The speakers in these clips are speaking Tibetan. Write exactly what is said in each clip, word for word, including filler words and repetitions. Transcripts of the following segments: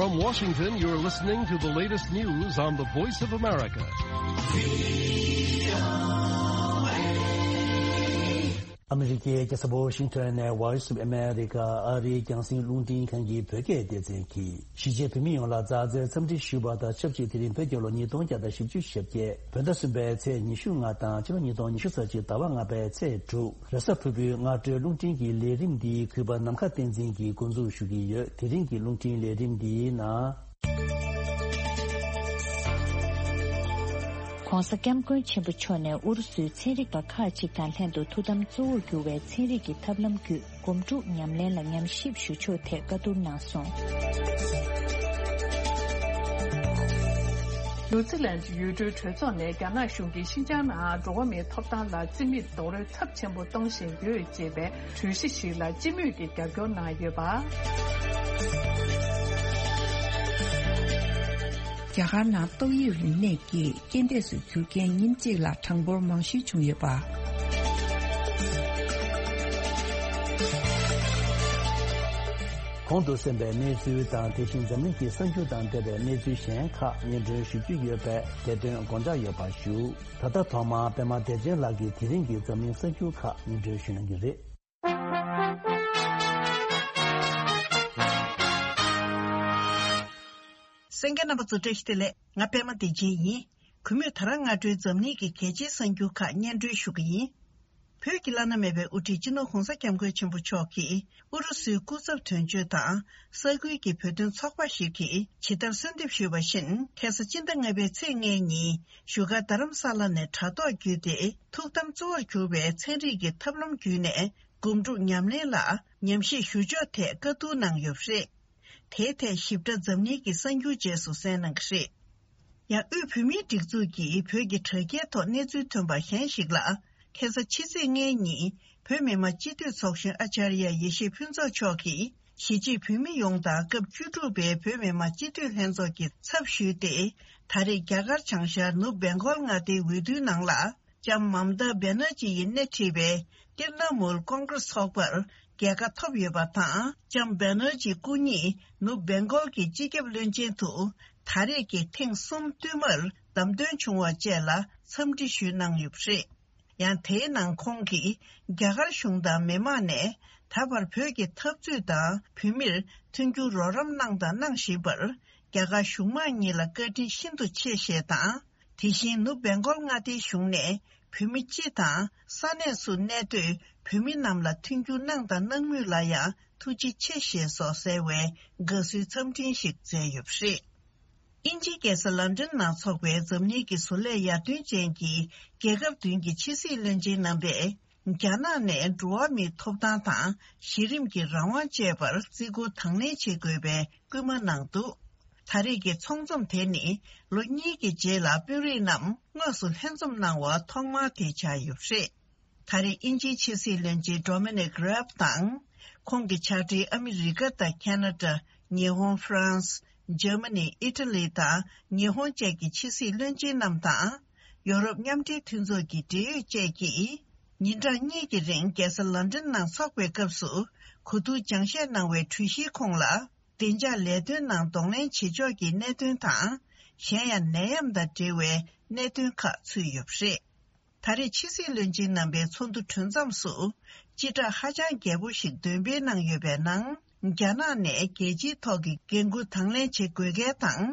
From Washington, you're listening to the latest news on the Voice of America. ཨ་མི་རི་ཀའི་རྒྱལ་ས་ཝ་ཤིང་ཊོན་ནས་Voice of America ཨ་རིའི་རྒྱང་སྲིང་རླུང་འཕྲིན་ཁང་གི་བོད་སྐད་སྡེ་ཚན་གྱིས། གཞིས་བྱེས་བོད་མི་ཡོངས་ལ་མཛའ་བརྩེའི་འཚམས་འདྲི་ཞུས་པ་དང་ཆབས་ཅིག་དེ་རིང་བོད་རྒྱལ་ལོ་ཉིས་སྟོང་བརྒྱ་དང་བཞི་བཅུ་ཞེ་བརྒྱད། བོད་ཟླ་གསུམ་པའི་ཚེས་ཉི་ཤུ་ལྔ་དང་ཕྱི་ལོ་ཉིས་སྟོང་ཉི་ཤུ་རྩ་གཅིག་ཟླ་བ་ལྔ་པའི་ཚེས་དྲུག་རེས་གཟའ་ཕུར་བུའི་སྔ་དྲོའི་རླུང་འཕྲིན་གྱི་ལས་རིམ་འདི་གུས་པ་ནམ་མཁའ་བསྟན་འཛིན་གྱིས་འགོ་འཛུགས་ཞུ་གི་ཡོད། དེ་རིང་གི་རླུང་འཕྲིན་ལས་རིམ་འདིའི་ནང་། ༸གོང་ས་༸སྐྱབས་མགོན་ཆེན་པོ་མཆོག་ནས་ཨུ་རུ་སུའི་ཚན་རིག་པ་ཁག་ཅིག་དང་ལྷན་དུ་ཐུགས་དམ་གཙོ་བོར་གྱུར་བའི་ཚན་རིག་གི་ཐབས་ལམ་བརྒྱུད། སྒོམ་སྒྲུབ་ཉམས་ལེན་ལ་ཉམས་ཞིབ་ཞུ་ཕྱོགས་ཐད་བཀའ་བསྡུར་གནང་སོང་། ནིའུ་ཛི་ལན་ཡུལ་གྲུའི་གྲོས་ཚོགས་ནས་རྒྱ་ནག་གཞུང་གིས་ཤིན་ཅང་ནང་འགྲོ་བ་མིའི་ཐོབ་ཐང་ལ་རྩིས་མེད་རྡོག་རོལ་ཚབས་ཆེན་པོ་གཏོང་བཞིན་ཡོད་ཅེས་པའི་གྲོས་གཞི་ཞིག་ལ་སྤྱི་མོས་ཀྱིས་རྒྱབ་སྐྱོར་གནང་ཡོད་པ། རྒྱ་གར་ནང་ཏོག་དབྱིབས་རིམས་ནད་ཀྱིས་རྐྱེན་འདས་སུ་གྱུར་མཁན་ཉིན་གཅིག་ལ་གྲངས་འབོར་མང་ཤོས་བྱུང་ཡོད་པ། གོང་དུ་གསན་པའི་གནས་ཚུལ་དང་། དེ་བཞིན་འཛམ་གླིང་གི་གསར་འགྱུར་དང་འབྲེལ་བའི་གནས་ཚུལ་གཞན་ཁག་སྙན་སྒྲོན་ཞུ་རྒྱུ་ཡོད་པས། དེ་དོན་དགོངས་འཇགས་ཡོད་པ་ཞུ། ད་ལྟ་ཐོག་མར་པད་མ་བདེ་ཆེན་ལགས་ཀྱིས་དེ་རིང་གི་འཛམ་གླིང་གསར་འགྱུར་ཁག་སྙན་སྒྲོན་ཞུ་གནང་གི་རེད། གསན་མཁན་རྣམ་པ་ཚོ་བཀྲ་ཤིས་བདེ་ལེགས། ང་པད་མ་བདེ་ཆེན་ཡིན། གུས་མོས་ད་རང་སྔ་དྲོའི་འཛམ་གླིང་གི་གལ་ཆེའི་གསར་འགྱུར་ཁག་སྙན་སྒྲོན་ཞུ་གི་ཡིན། བོད་ཀྱི་བླ་ན་མེད་པའི་དབུ་ཁྲིད་སྤྱི་ནོར་ྋགོང་ས་ྋསྐྱབས་མགོན་ཆེན་པོ་མཆོག་གིས་ཨུ་རུ་སུའི་སྐུ་ཚབ་དོན་གཅོད་དང་ས་ཁུལ་གྱི་བོད་དོན་ཚོགས་པ་ཞིག་གིས་ཇི་ལྟར་གསོལ་འདེབས་ཞུས་པ་བཞིན། ཁ་སང་སྤྱི་ཟླ་ལྔ་པའི་ཚེས་ལྔའི་ཉིན་བཞུགས་སྒར་རྡ་རམ་ས་ལ་ནས་དྲ་ཐོག་བརྒྱུད་དེ་ཐུགས་དམ་གཙོ་བོར་གྱུར་བའི་ཚན་རིག་གི་ཐབས་ལམ་བརྒྱུད་ནས་སྒོམ་སྒྲུབ་ཉམས་ལེན་ལ་ཉམས་ཞིབ་ཞུ་ཕྱོགས་ཐད་བཀའ་བསྡུར་གནང་ཡོད་པ་རེད། དེའི་ཐད་ཞིབ་ཕྲ་འཛམ་གླིང་གི་གསར་འགྱུར་རྗེས་སུ་གསན་གནང་གི་རེད། ཡང་དབུས་བོད་མིའི་སྒྲིག་འཛུགས་ཀྱིས་བོད་ཀྱི་དྲ་རྒྱའི་ཐོག་གནས་ཚུལ་ཐོན་པ་གཞན་ཞིག་ལ། ཁ་སང་ཕྱི་ཚེས་ལྔའི་ཉིན་བོད་མི་མང་སྤྱི་འཐུས་ཚོགས་གཞོན་ཨ་ཅར་ཡ་ཡེ་ཤེས་ཕུན་ཚོགས་མཆོག་གིས་གཞིས་བྱེས་བོད་མི་ཡོངས་དང་སྐབས་བཅུ་དྲུག་པའི་བོད་མི་མང་སྤྱི་འཐུས་ལྷན་ཚོགས་ཀྱི་ཚབ་ཞུས་ཏེ། ད་རེས་རྒྱ་གར་བྱང་ཤར་ནུབ་བེང་གོལ་མངའ་སྡེའི་འོས་བསྡུའི་ནང་ལ། ལྕམ་མམ་ཏཱ་བེ་ནར་ཇི་ཡིས་སྣེ་ཁྲིད་པའི་ཏིར་ན་མུལ་ཀོང་ཀྲེས་ཚོགས་པར་རྒྱལ་ཁ་ཐོབ་ཡོད་པ་དང་། ལྕམ་བེ་ནར་ཇི་སྐུ་ཉིད་ནུབ་བེང་གོལ་གྱི་སྤྱི་ཁྱབ་བློན་ཆེན་དུ་ད་རེས་ཀྱི་ཐེངས་གསུམ་བསྟུད་མར་བདམས་ཐོན་བྱུང་བ་བཅས་ལ་འཚམས་འདྲི་ཞུས་གནང་ཡོད་པ་རེད། ཡང་དེའི་ནང་ཁོང་གིས་རྒྱ་གར་གཞུང་དང་མི་མང་ནས་ད་བར་བོད་ཀྱི་འཐབ་རྩོད་དང་བོད་མིར་མཐུན་འགྱུར་རོགས་རམ་གནང་དང་གནང་བཞིན་པར་རྒྱ་གར་གཞུང་མང་གཉིས་ལ་བཀའ་དྲིན་ཤིན་ཏུ་ཆེ་ཞེས་དང་། དེ་བཞིན་ནུབ་བེང་གོལ་མངའ་སྡེའི་གཞུང་ནས་བོད་མི་སྤྱི་དང་ས་གནས་སུ་གནས་སྡོད་བོད་མི་རྣམས་ལ་མཐུན་འགྱུར་གནང་དང་གནང་མུས་ལ་ཡང་ཐུགས་རྗེ་ཆེ་ཞེས་སོགས་གསལ་བའི་དགའ་བསུའི་འཚམས་འཕྲིན་ཞིག་སྩལ་ཡོད་པ་རེད། དབྱིན་ཇིའི་རྒྱལ་ས་ལན་ཀྲན་ནང་འཚོགས་པའི་འཛམ་གླིང་གི་བཟོ་ལས་ཡར་ཐོན་ཅན་གྱི་རྒྱལ་ཁབ་བདུན་གྱི་ཕྱི་སྲིད་བློན་ཆེན་རྣམ་པས། རྒྱ་ནག་ནས་འགྲོ་བ་མིའི་ཐོབ་ཐང་དང་གཞི་རིམ་གྱི་རང་དབང་བཅས་པར་བརྩི་བཀུར་དང་ལེན་བྱེད་དགོས་པའི་སྐུལ་མ་གནང་འདུག་ད་རེས་ཀྱི་ཚོགས་འཛོམས་དེ་ནི་ལོ་གཉིས་ཀྱི་རྗེས་ལ་དཔོན་རིགས་རྣམས་དངོས་སུ་ལྷན་འཛོམས་གནང་བ་ཐོག་མ་དེ་ཆགས་ཡོད་པ་རེད། ད་རེས་དབྱིན་ཇིའི་ཕྱི་སྲིད་བློན་ཆེན་Dominic Raab དང་། ཁོང་གི་ཕྱག་སྦྲེལ་ཨ་མི་རི་ཀ་དང་ཁ་ན་ཌ། ཉི་ཧོང་། ཧྥ་རན་སི། འཇར་མ་ནི། ཨི་ཊ་ལི་དང་ཉི་ཧོང་བཅས་ཀྱི་ཕྱི་སྲིད་བློན་ཆེན་རྣམས་དང་། ཡོ་རོབ་མཉམ་འབྲེལ་མཐུན་ཚོགས་ཀྱི་འབྲེལ་ཡོད་བཅས་ཀྱིས། ཉིན་གྲངས་གཉིས་ཀྱི་རིང་རྒྱལ་ས་ལན་ཀྲན་ནང་འཚོགས་པའི་སྐབས་སུ་གོ་བསྡུར་སྦྱང་བཤད་གནང་བའི་གྲོས་གཞིའི་ཁོངས་ལ། བདེ་འཇགས་ལས་དོན་ནང་གདོང་ལེན་བྱེད་ཕྱོགས་ཀྱི་གནད་དོན་དང་། གཞན་ཡང་ནད་ཡམས་དང་འབྲེལ་བའི་གནད་དོན་ཁག་ཚུད་ཡོད་པ་རེད། ད་རེས་ཕྱི་སྲིད་བློན་ཆེན་རྣམ་པའི་ཚོགས་འདུ་གྲོལ་མཚམས་སུ། སྤྱི་བསྒྲགས་ཧ་ཅང་རྒྱས་པོ་ཞིག་འདོན་སྤེལ་གནང་ཡོད་པའི་ནང་། རྒྱ་ནག་ནས་རྒྱལ་སྤྱིའི་ཐོག་གི་འགན་འཁུར་དང་ལེན་བྱེད་དགོས་གལ་དང་།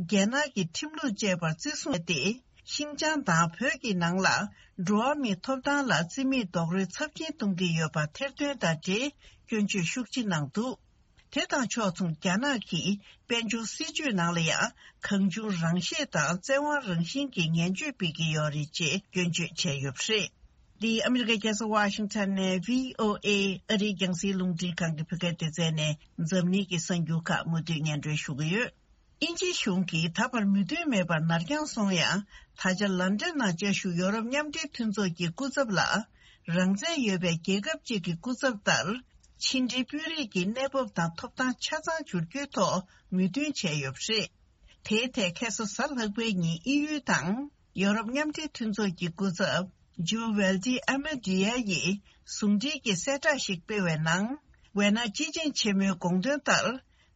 རྒྱལ་ནང་གི་ཁྲིམས་ལུགས་བཅས་པར་བརྩི་སྲུང་བྱས་ཏེ། ཤིན་ཅང་དང་བོད་ཀྱི་ནང་ལ་འགྲོ་བ་མིའི་ཐོབ་ཐང་ལ་རྩིས་མེད་རྡོག་རོལ་ཚབས་ཆེན་གཏོང་གི་ཡོད་པ་ཐེར་འདོན་དང་འབྲེལ་སྐྱོན་བརྗོད་ཤུགས་ཆེ་གནང་འདུག་དེ་དང་ཕྱོགས་མཚུངས་རྒྱ་ནག་གིས་དཔལ་འབྱོར་སྲིད་ཇུས་ནང་ལ་ཡང་གང་བྱུང་རང་བཤད་དང་བཙན་དབང་རང་བཞིན་གྱི་ངན་བྱུས་སྤེལ་གྱི་ཡོད་རེད་ཅེས་སྐྱོན་བརྗོད་བྱས་ཡོད་པ་རེད། འདི་ཨ་མི་རི་ཀའི་རྒྱལ་ས་ཝ་ཤིང་ཊོན་ནས་བྷི་ཨོ་ཨེ་ཨ་རིའི་རྒྱང་སྲིང་རླུང་འཕྲིན་ཁང་གི་བོད་སྐད་སྡེ་ཚན་ནས་འཛམ་གླིང་གི་གསར་འགྱུར་ཁག་མུ་མཐུད་སྙན་སྒྲོན་ཞུ་གི་ཡོད། དབྱིན་ཇིའི་གཞུང་གིས་ད་བར་མོས་མཐུན་མེད་པར་ནར་འགྱངས་སོང་ཡང་། ད་ཆ་ལན་ཀྲན་ནང་བཅའ་བཞུགས་ཡོ་རོབ་མཉམ་འབྲེལ་མཐུན་ཚོགས་ཀྱི་སྐུ་ཚབ་ལ། རང་བཙན་ཡོད་པའི་རྒྱལ་ཁབ་ཅིག་གི་སྐུ་ཚབ་ལྟར། ཕྱི་འབྲེལ་དཔོན་རིགས་ཀྱི་གནས་བབ་དང་ཐོབ་ཐང་ཆ་ཚང་བསྒྱུར་རྒྱུའི་ཐོག་མོས་མཐུན་བྱས་ཡོད་པ་རེད། དེའི་ཐད་ཁ་སང་གཟའ་ལྷག་པའི་ཉིན་དབྱིན་ཡུལ་དང་ཡོ་རོབ་མཉམ་འབྲེལ་མཐུན་ཚོགས་ཀྱི་སྐུ་ཚབ་ཇུ་ཝེལ་ཏི་ཨ་མེ་ཌི་ཡ་ཡིས་ཟུང་འབྲེལ་གྱི་གསལ་བསྒྲགས་ཤིག་སྤེལ་བའི་ནང་། ཝེ་ན་སྤྱི་ཆིངས་ཆེན་མོའི་དགོངས་དོན་ལྟར།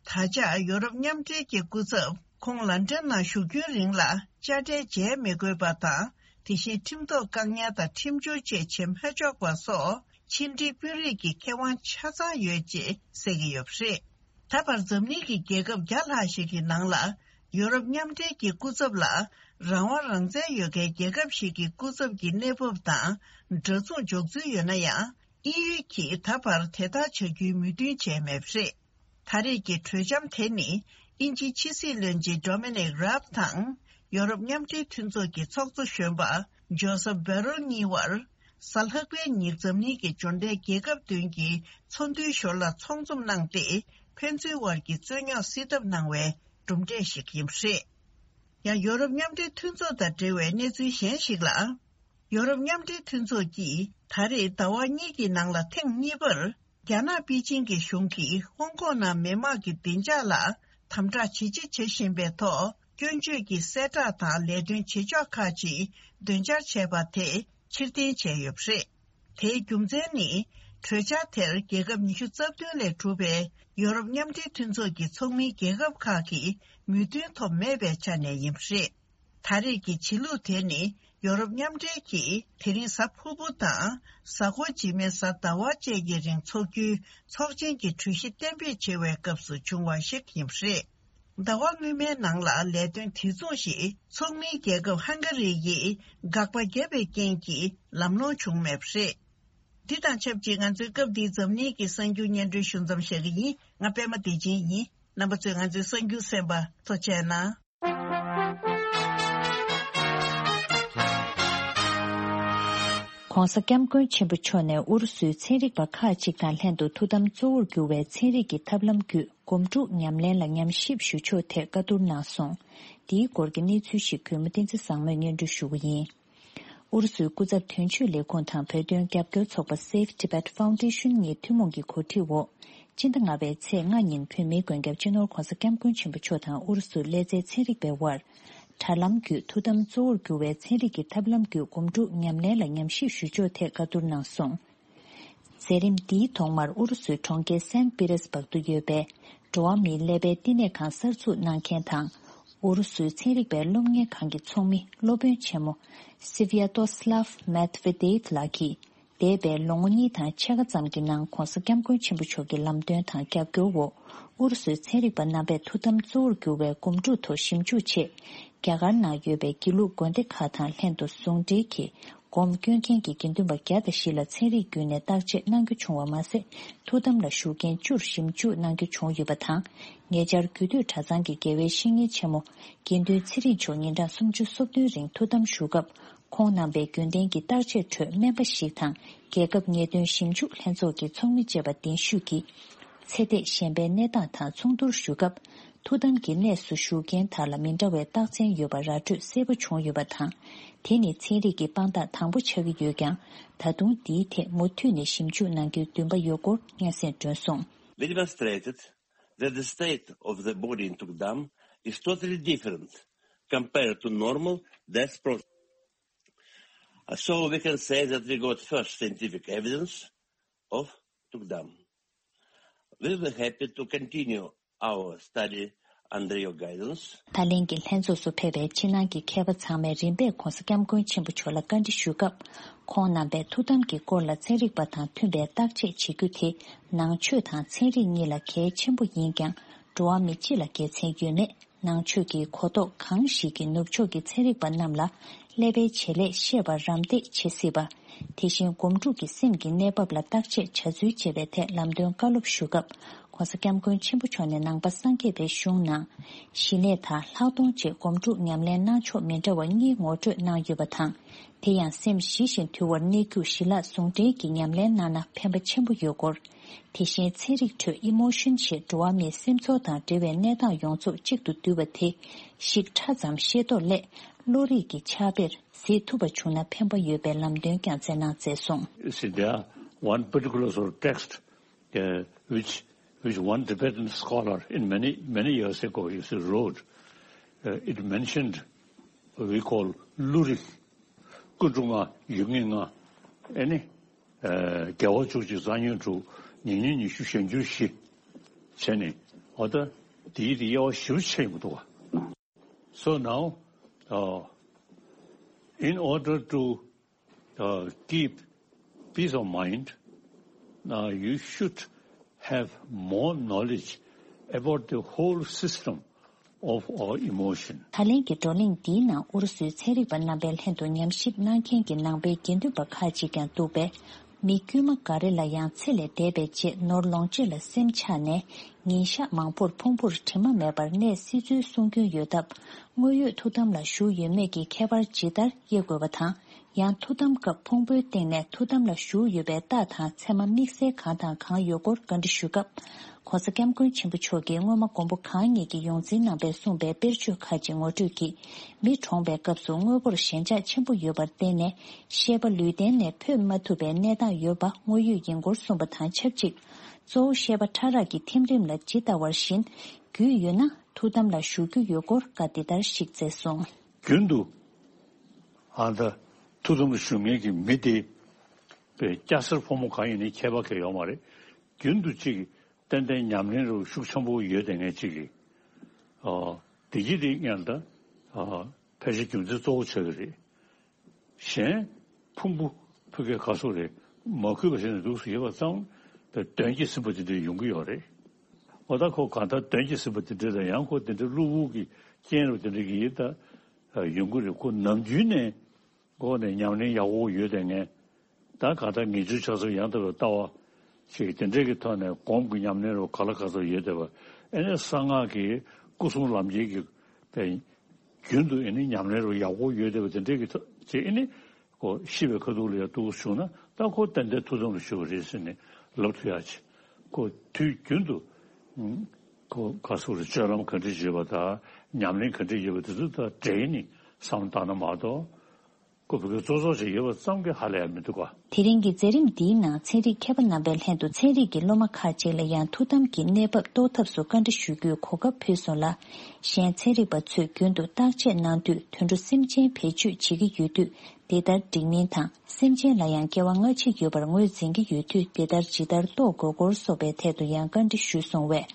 ད་ཆ་ཡོ་རོབ་མཉམ་འབྲེལ་གྱི་སྐུ་ཚབ་ཁོང་ལན་ཀྲན་ནང་བཞུགས་རྒྱུན་རིང་ལ་དཔྱ་ཁྲལ་འཇལ་མི་དགོས་པ་དང་། དེ་བཞིན་ཁྲིམས་ཐོག་བཀག་ཉར་དང་ཁྲིམས་སྦྱོར་བཅས་བྱེད་མ་ཆོག་པ་སོགས་ཕྱི་འབྲེལ་དཔོན་རིགས་ཀྱི་ཁེ་དབང་ཆ་ཚང་ཡོད་ཅེས་གསལ་གྱི་ཡོད་པ་རེད། ད་བར་འཛམ་གླིང་གི་རྒྱལ་ཁབ་བརྒྱ་ལྷག་ཞིག་གི་ནང་ལ་ཡོ་རོབ་མཉམ་འབྲེལ་གྱི་སྐུ་ཚབ་ལ་རང་དབང་རང་བཙན་ཡོད་མཁན་རྒྱལ་ཁབ་ཞིག་གི་སྐུ་ཚབ་ཀྱི་གནས་བབ་དང་འདྲ་མཚུངས་འཇོག་ཚུལ་ཡོད་ན་ཡང་། དབྱིན་ཡུལ་གྱིས་ད་བར་དེ་ལྟར་བྱ་རྒྱུའི་མོས་མཐུན་བྱས་མེད་པ་རེད། ད་རེས་ཀྱི་གྲོས་འཆམ་དེ་ནི་དབྱིན་ཇིའི་ཕྱི་སྲིད་བློན་ཆེན་Dominic Raab དང་ཡོ་རོབ་མཉམ་འབྲེལ་མཐུན་ཚོགས་ཀྱི་ཚོགས་གཙོ་གཞོན་པ་Josep Borrell གཉིས་བར་གཟའ་ལྷག་པའི་ཉིན་འཛམ་གླིང་གི་འབྱོར་ལྡན་རྒྱལ་ཁབ་བདུན་གྱི་ཚོགས་འདུའི་ཞོར་ལ་ཚོགས་འཛོམས་གནང་སྟེ། ཕན་ཚུན་དབར་གྱི་རྩོད་རྙོག་སེལ་ཐབས་གནང་བའི་གྲུབ་འབྲས་ཤིག་ཡིན་པ་རེད། ཡང་ཡོ་རོབ་མཉམ་འབྲེལ་མཐུན་ཚོགས་དང་འབྲེལ་བའི་གནས་ཚུལ་གཞན་ཞིག་ལ། ཡོ་རོབ་མཉམ་འབྲེལ་མཐུན་ཚོགས་ཀྱིས་ད་རེས་ཟླ་བ་གཉིས་ཀྱི་ནང་ལ་ཐེངས་གཉིས་པར། རྒྱ་ནག་པེ་ཅིང་གི་གཞུང་གིས་ཧོང་ཀོང་ནང་མི་དམངས་ཀྱི་བདེ་འཇགས་ལ་དམ་དྲག་ཇེ་ཆེ་བྱེད་བཞིན་པའི་ཐོག་སྐྱོན་བརྗོད་ཀྱི་གསལ་བསྒྲགས་དང་ལས་དོན་བྱེད་ཕྱོགས་ཁག་ཅིག་འདོན་འཆར་བྱས་པ་དེ་ཕྱིར་འཐེན་བྱས་ཡོད་པ་རེད། དེའི་རྒྱུ་མཚན་ནི། གྲོས་འཆར་དེར་རྒྱལ་ཁབ་ཉི་ཤུ་རྩ་བདུན་ལས་གྲུབ་པའི་ཡོ་རོབ་མཉམ་འབྲེལ་མཐུན་ཚོགས་ཀྱི་ཚོགས་མིའི་རྒྱལ་ཁབ་ཁག་གི་མོས་མཐུན་ཐོབ་མེད་པའི་ཆ་ནས་ཡིན་པ་རེད། ད་རེས་ཀྱི་བྱེད་ལུགས་དེ་ནི་ཡོ་རོབ་མཉམ་འབྲེལ་གྱིས་དེ་རིང་གཟའ་ཕུར་བུ་དང་གཟའ་འཁོར་རྗེས་མའི་གཟའ་ཟླ་བ་བཅས་ཀྱི་རིང་འཚོགས་རྒྱུའི་ཚོགས་ཆེན་གྱི་གྲོས་གཞི་གཏན་འབེབས་བྱེད་པའི་སྐབས་སུ་བྱུང་བ་ཞིག་ཡིན་པ་རེད། ཟླ་བ་སྔོན་མའི་ནང་ལ་ལས་དོན་དེ་མཚུངས་ཤིག་ཚོགས་མིའི་རྒྱལ་ཁབ་ཧང་ག་རི་ཡིས་དགག་པ་བརྒྱབ་པའི་རྐྱེན་གྱིས་ལམ་ལྷོང་བྱུང་མེད་པ་རེད། འདི་དང་ཆབས་ཅིག་ང་ཚོའི་སྐབས་འདིའི་འཛམ་གླིང་གི་གསར་འགྱུར་སྙན་སྒྲོན་ཞུ་མཚམས་བཞག་གི་ཡིན། ང་པད་མ་བདེ་ཆེན་ཡིན། རྣམ་པ་ཚོས་ང་ཚོའི་གསར་འགྱུར་གསན་པར་ཐུགས་རྗེ་གནང་། ྋགོང་ས་ྋསྐྱབས་མགོན་ཆེན་པོ་མཆོག་ནས་ཨུ་རུ་སུའི་ཚན་རིག་པ་ཁག་ཅིག་དང་ལྷན་དུ་ཐུགས་དམ་གཙོ་བོར་གྱུར་བའི་ཚན་རིག་གི་ཐབས་ལམ་བརྒྱུད་སྒོམ་སྒྲུབ་ཉམས་ལེན་ལ་ཉམས་ཞིབ་ཞུ་ཕྱོགས་ཐད་བཀའ་བསྡུར་གནང་སོང་། འདིའི་སྐོར་གྱི་གནས་ཚུལ་ཞིག་གུས་མོ་བསྟན་འཛིན་བཟང་མོས་སྙན་སྒྲོན་ཞུ་གི་ཡིན། ཨུ་རུ་སུའི་སྐུ་ཚབ་དོན་གཅོད་ལས་ཁུངས་དང་བོད་དོན་རྒྱབ་སྐྱོར་ཚོགས་པ་Save Tibet Foundation གཉིས་ཐུན་མོང་གི་གོ་སྒྲིག་འོག་སྤྱི་ཟླ་ལྔ་པའི་ཚེས་ལྔ་ཉིན་བོད་མིའི་མགོན་སྐྱབས་སྤྱི་ནོར་༧གོང་ས་༧སྐྱབས་མགོན་ཆེན་པོ་མཆོག་དང་ཨུ་རུ་སུའི་ཀླད་རྩའི་ཚན་རིག་པའི་དབར་དྲ་ལམ་བརྒྱུད་ཐུགས་དམ་གཙོ་བོར་གྱུར་བའི་ཚན་རིག་གི་ཐབས་ལམ་བརྒྱུད་སྒོམ་སྒྲུབ་ཉམས་ལེན་ལ་ཉམས་ཞིབ་ཞུ་ཕྱོགས་ཐད་བཀའ་བསྡུར་གནང་སོང་། མཛད་རིམ་འདིའི་ཐོག་མར་ཨུ་རུ་སུའི་གྲོང་ཁྱེར་སན་པི་རེས་སྦག་ཏུ་ཡོད་པའི་འགྲོ་བ་མིའི་ཀླད་པའི་བསྟི་གནས་ཁང་གསར་འཛུགས་གནང་མཁན་དང་། ཨུ་རུ་སུའི་ཚན་རིག་པའི་སློབ་གཉེར་ཁང་གི་ཚོགས་མི་སློབ་དཔོན་ཆེན་མོ་Sviatoslav Medvedev ལགས་ཀྱིས། འདས་པའི་ལོ་ངོ་གཉིས་དང་ཕྱེད་ཀ་ཙམ་གྱི་ནང་༧གོང་ས་༧སྐྱབས་མགོན་ཆེན་པོ་མཆོག་གི་ལམ་སྟོན་དང་རྒྱབ་སྐྱོར་འོག་ཨུ་རུ་སུའི་ཚན་རིག་པ་རྣམ་པས་ཐུགས་དམ་གཙོ་བོར་གྱུར་བའི་སྒོམ་སྒྲུབ་ཐོག་ཞིབ་འཇུག་ཆེད། རྒྱ་གར་ནང་ཡོད་པའི་དགེ་ལུགས་དགོན་སྡེ་ཁག་དང་ལྷན་དུ་ཟུང་འབྲེལ་གྱིས། སྒོམ་སྐྱོན་མཁན་གྱི་དགེ་འདུན་པ་བརྒྱ་དང་བཞི་ལ་ཚན་རིག་བརྒྱུད་ནས་བརྟག་དཔྱད་གནང་རྒྱུ་བྱུང་བ་མ་ཟད། ཐུགས་དམ་ལ་བཞུགས་མཁན་བཅུར་ཞིབ་འཇུག་གནང་རྒྱུ་བྱུང་ཡོད་པ་དང་། ཉེ་ཆར་རྒྱུད་སྟོད་གྲྭ་ཚང་གི་དགེ་བའི་བཤེས་གཉེན་ཆེན་མོ་དགེ་འདུན་ཚེ་རིང་མཆོག་ཉིན་གྲངས་སུམ་ཅུ་སོ་བདུན་རིང་ཐུགས་དམ་བཞུགས་སྐབས། ཁོང་རྣམ་པས་རྒྱུན་ལྡན་གྱི་བརྟག་དཔྱད་ཁྲོད་སྨན་པ་ཞིག་དང་། རྒྱལ་ཁབ་ཉེས་དོན་ཞིབ་འཇུག་ལྷན་ཚོགས་ཀྱི་ཚོགས་མི་བཅས་པ་གདན་ཞུས་ཀྱིས། ཚེ་འདས་གཞན་པའི་གནས་སྟངས་དང་མཚུངས་བསྡུར་ཞུ་སྐབས། ཐུགས་དམ་གྱི་གནས་སུ་བཞུགས་མཁན་དག་ལ་མི་འདྲ་བའི་རྟགས་མཚན་ཡོད་པ་ར་སྤྲོད་གསལ་པོ་བྱུང་ཡོད་པ་དང་། དེ་ནི་ཚན་རིག་གི་དཔང་རྟགས་དང་པོ་ཆགས་ཀྱི་ཡོད་ཀྱང་། ད་དུང་འདིའི་ཐད་མུ་མཐུད་ནས་ཞིབ་འཇུག་གནང་རྒྱུའི་འདུན་པ་ཡོད་སྐོར་སྙན་སེང་བསྒྲོན་སོང་། We demonstrated that the state of the body in Tukdam is totally different compared to normal death process. So we can say that we got first scientific evidence of Tukdam. We will be happy to continue our study under your guidance. ད་ལན་གྱི་ལྷན་ཚོགས་སུ་ཕེབས་པའི་ཕྱི་ནང་གི་མཁས་པ་ཚང་མས་རིམ་པས་༧གོང་ས་༧སྐྱབས་མགོན་ཆེན་པོ་མཆོག་ལ་བཀའ་འདྲི་ཞུ་སྐབས། ཁོང་རྣམ་པས་ཐུགས་དམ་གྱི་སྐོར་ལ་ཚན་རིག་པ་དང་མཐུན་པའི་བརྟག་དཔྱད་བྱེད་རྒྱུ་དེ་ནང་ཆོས་དང་ཚན་རིག་གཉིས་ལ་གལ་ཆེན་པོ་ཡིན་ཀྱང་། འགྲོ་བ་མི་སྤྱི་ལ་དགེ་མཚན་ཡོད་མེད། ནང་ཆོས་ཀྱི་གོ་རྟོགས་གང་ཞིག་གིས་ནུབ་ཕྱོགས་ཀྱི་ཚན་རིག་པ་རྣམས་ལ་ཀླད་པའི་བྱེད་ལས་ཤེས་པར་རམ་འདེགས་བྱེད་སྲིད་པ། དེ་བཞིན་སྒོམ་སྒྲུབ་ཀྱི་སེམས་ཀྱི་གནས་བབ་ལ་བརྟག་དཔྱད་བྱ་ཚུལ་བཅས་པའི་ཐད་ལམ་སྟོན་བཀའ་སློབ་ཞུ་སྐབས། ྋགོང་ས་ྋསྐྱབས་མགོན་ཆེན་པོ་མཆོག་ནས་ནང་པ་སངས་རྒྱས་པའི་གཞུང་ནང་། ཞི་གནས་དང་ལྷག་མཐོང་བཅས་སྒོམ་སྒྲུབ་ཉམས་ལེན་གནང་ཕྱོགས་མི་འདྲ་བ་གཉིས་ངོ་སྤྲོད་གནང་ཡོད་པ་དང་། དེ་ཡང་སེམས་ཞི་ཞིང་དུལ་བར་གནས་རྒྱུ་ཞི་ལྷག་ཟུང་འབྲེལ་གྱིས་ཉམས་ལེན་གནང་ན་ཕན་པ་ཆེན་པོ་ཡོད་སྐོར། དེ་བཞིན་ཚན་རིག་ཁྲོད་ཨི་མོ་ཤོན་ཞེས་འགྲོ་བ་མིའི་སེམས་ཚོར་དང་འབྲེལ་བའི་གནས་སྟངས་ཡོངས་རྫོགས་གཅིག་ཏུ་བསྡུས་པ་དེ་ཞིག་ཕྲ་ཙམ་ཤེས་རྟོགས་སླད་བློ་རིག་གི་ཕྱག་དཔེར་གཟིགས་ཐུབ་པ་བྱུང་ན་ཕན་པ་ཡོད་པའི་ལམ་སྟོན་ཀྱང་མཛད་གནང་མཛད་སོང་། See, there are one particular sort of text, uh, which, which one Tibetan scholar in many, many years ago, you see, wrote. Uh, it mentioned what we call ལུ་རིག་ཀུན་ཏུ་ལྔ། ཡུལ་ངེས་ལྔ། ཨེ་ནི། ཨ། དགེ་བ་བཅུ་གཅིག། རྩ་ཉོན་དྲུག། ཉེ་ཉོན་ཉི་ཤུ། གཞན་འགྱུར་བཞི། བྱས་ནས་ འོ་ད་དེའི་དེ་དབྱེ་བ་ཞིབ་ཆེ་ཡོང་གི་འདུག་བ། So now, uh, in order to, uh, keep peace of mind, uh, you should have more knowledge about the whole system of our emotion. ད་ལན་གྱི་བགྲོ་གླེང་འདིའི་ནང་ཨུ་རུ་སུའི་ཚན་རིག་པ་རྣམ་པའི་ལྷན་དུ་ཉམས་ཞིབ་གནང་མཁན་གྱི་ནང་པའི་དགེ་འདུན་པ་ཁག་ཅིག་ཀྱང་འདུག་པས། མི་དཀྱུས་མ་འགའ་རེ་ལ་ཡང་ཚེ་ལས་འདས་པའི་རྗེས་ནོར་ལོངས་སྤྱོད་ལ་སེམས་ཆགས་ནས་ཉིན་ཞག་མང་པོར་ཕུང་པོར་དྲི་མ་མེད་པར་གནས་སྲིད་ཚུལ་གསུང་རྒྱུན་ཡོད་སྟབས། དངོས་ཡོད་ཐུགས་དམ་ལ་བཞུགས་ཡོད་མེད་ཀྱི་ཁྱད་པར་ཇི་ལྟར་དབྱེ་དགོས་པ་དང་། ཡང་ཐུགས་དམ་སྐབས་ཕུང་པོའི་སྟེང་ནས་ཐུགས་དམ་ལ་བཞུགས་ཡོད་པའི་རྟགས་དང་མཚན་མ་དམིགས་བསལ་གང་དང་གང་ཡོད་སྐོར་བཀའ་འདྲི་ཞུས་སྐབས། ༸གོང་ས་༸སྐྱབས་མགོན་ཆེན་པོ་མཆོག་གིས་སྔོན་མ་མགོན་པོ་གང་ཉིད་ཀྱི་ཡོངས་འཛིན་རྣམ་པས་གསུངས་པའི་དཔེར་བརྗོད་ཁག་ཅིག་ངོ་སྤྲོད་ཀྱིས། མི་གྲོངས་པའི་སྐབས་སུ་དངོས་པོར་ཞེན་ཆགས་ཆེན་པོ་ཡོད་པར་བརྟེན་ནས། ཤེས་པ་ལུས་རྟེན་ནས་འཕོས་མ་ཐུབ་པའི་གནས་སྟངས་ཡོད་པ་དངོས་ཡོད་ཡིན་སྐོར་གསུངས་པ་དང་ཆབས་ཅིག། གཙོ་བོ་ཤེས་པ་ཕྲ་རགས་ཀྱི་ཐིམ་རིམ་ལ་ཇི་ལྟ་བར་བཞིན་རྒྱུས་ཡོད་ན་ཐུགས་དམ་ལ་བཞུགས་རྒྱུ་ཡོད་སྐོར་བཀའ་འདི་ལྟར་ཞིག་སྩལ་སོང་། རྒྱུན་དུ་ཨ་ད་ཐུགས་དམ་ལ་བཞུགས་མཁན་གྱི་མི་དེ་པའི་སྐྱ་སེར་ཕོ་མོ་གང་ཡིན་ནའི་ཁྱད་པར་གང་ཡོད་མ་རེད། རྒྱུན་དུ་གཅིག་ཏན་ཏན་ཉམས་ལེན་རུ་ཤུགས་ཆེན་པོ་ཡོད་དེ་ངས་གཅིག་གིས། ཨ་དེ་གྱིས་དེ་ངས་ད་ཨ་ཕལ་ཆེར་རྒྱུ་མཚན་གཙོ་བོ་ཆགས་ཀྱི་རེད། གཞན་ཕུང་པོ་ཕུགས་ཀྱི་ག་སོགས་རེད་མ་གུས་པ་ཞིག་ནས་འདུག་སུ་ཡོད་པ་ཙམ་པའི་གདོན་གྱིས་ཟིན་པ་དེ་འདྲ་ཡོང་གི་ཡོད་རེད། འོ་ད་ཁོ་གང་ལྟར་གདོན་གྱིས་ཟིན་པ་དེ་འདྲ་དང་ཡང་ཁོ་དེ་འདྲ་གློ་བུར་གྱི་རྐྱེན་རུ་དེ་འདྲ་གྱིས་ད་ཡོང་གི་རེད། ཁོ་ནམ་རྒྱུན་ནས་འགོ་ནས་ཉམས་ལེན་ཡག་པོ་ཡོད་དེ་ངས་ད་གང་ལྟར་ངེས་འབྱུང་ཆགས་ཚུལ་ཡང་དག་པའི་ལྟ་བ་ཞིག་དེ་འདྲས་ཀྱི་ཐོག་ནས་སྒོམ་གྱི་ཉམས་ལེན་རུ་ག་ལ་ག་ཚོད་ཡོད་བསྡད་པ། ཨེ་ནས་གསང་སྔགས་ཀྱི་སྐུ་གསུང་ལམ་འཁྱེར་གྱི་པའི་རྒྱུན་དུ་ཨེ་ནི་ཉམས་ལེན་རུ་ཡག་པོ་ཡོད་བསྡད་པ་དེ་འདྲས་ཀྱི་ཐོག་ཅེས་ཨེ་ནི་ཁོ་ཤི་བའི་ཁ་ཐུག་ལ་ཡང་འདུག་བྱུང་ན་ད་ཁོ་ཏན་ཏན་ཐུགས་དམ་ལ་བཞུགས་པ་རེད་ཟེར་ནས་ལབ་ཐུབ་ཡག་ཅིག་ཁོ་དུས་རྒྱུན་དུ་ཁོ་ག་སོགས་རུ་སྤྱོད་ལམ་ག་འདྲས་ཡོད་པ་དང་ཉམས་ལེན་ག་འདྲས་ཡོད་པ་དེ་ཚོ་ད་འབྲེལ་ནས་བསམ་བློ་བཏང་ན་མ་གཏོགས། ཁོ་བོད་སྐད་ཙོག་ཙོག་ཅིག་ཡོད་པ་ཙམ་གྱིས་ཧ་ལས་ཡ་མི་འདུག་ག། དེ་རིང་གི་མཛད་རིམ་འདིའི་ནང་ཚན་རིག་མཁས་པ་རྣམ་པའི་ལྷན་དུ་ཚན་རིག་གི་སློབ་མ་ཁག་ཅིག་ལ་ཡང་ཐུགས་དམ་གྱི་གནས་བབ་རྟོགས་ཐབས་སུ་བཀའ་འདྲི་ཞུ་རྒྱུའི་གོ་སྐབས་ཕུལ་སོང་ལ། གཞན་ཚན་རིག་པ་ཚོས་རྒྱུན་དུ་བརྟག་དཔྱད་གནང་དུས་དུད་འགྲོ་སེམས་ཅན་བེད་སྤྱོད་བྱེད་ཀྱི་ཡོད་དུས་དེ་ལྟར་འགྲིག་མིན་དང་སེམས་ཅན་ལ་ཡང་སྐྱེ་བ་སྔ་ཕྱི་ཡོད་པར་ངོས་འཛིན་གྱི་ཡོད་དུས་དེ་ལྟར་ཇི་ལྟར་རྟོགས་དགོས་སྐོར་སོགས་པའི་ཐད་དུ་ཡང་བཀའ་འདྲི་ཞུས་སོང་བས།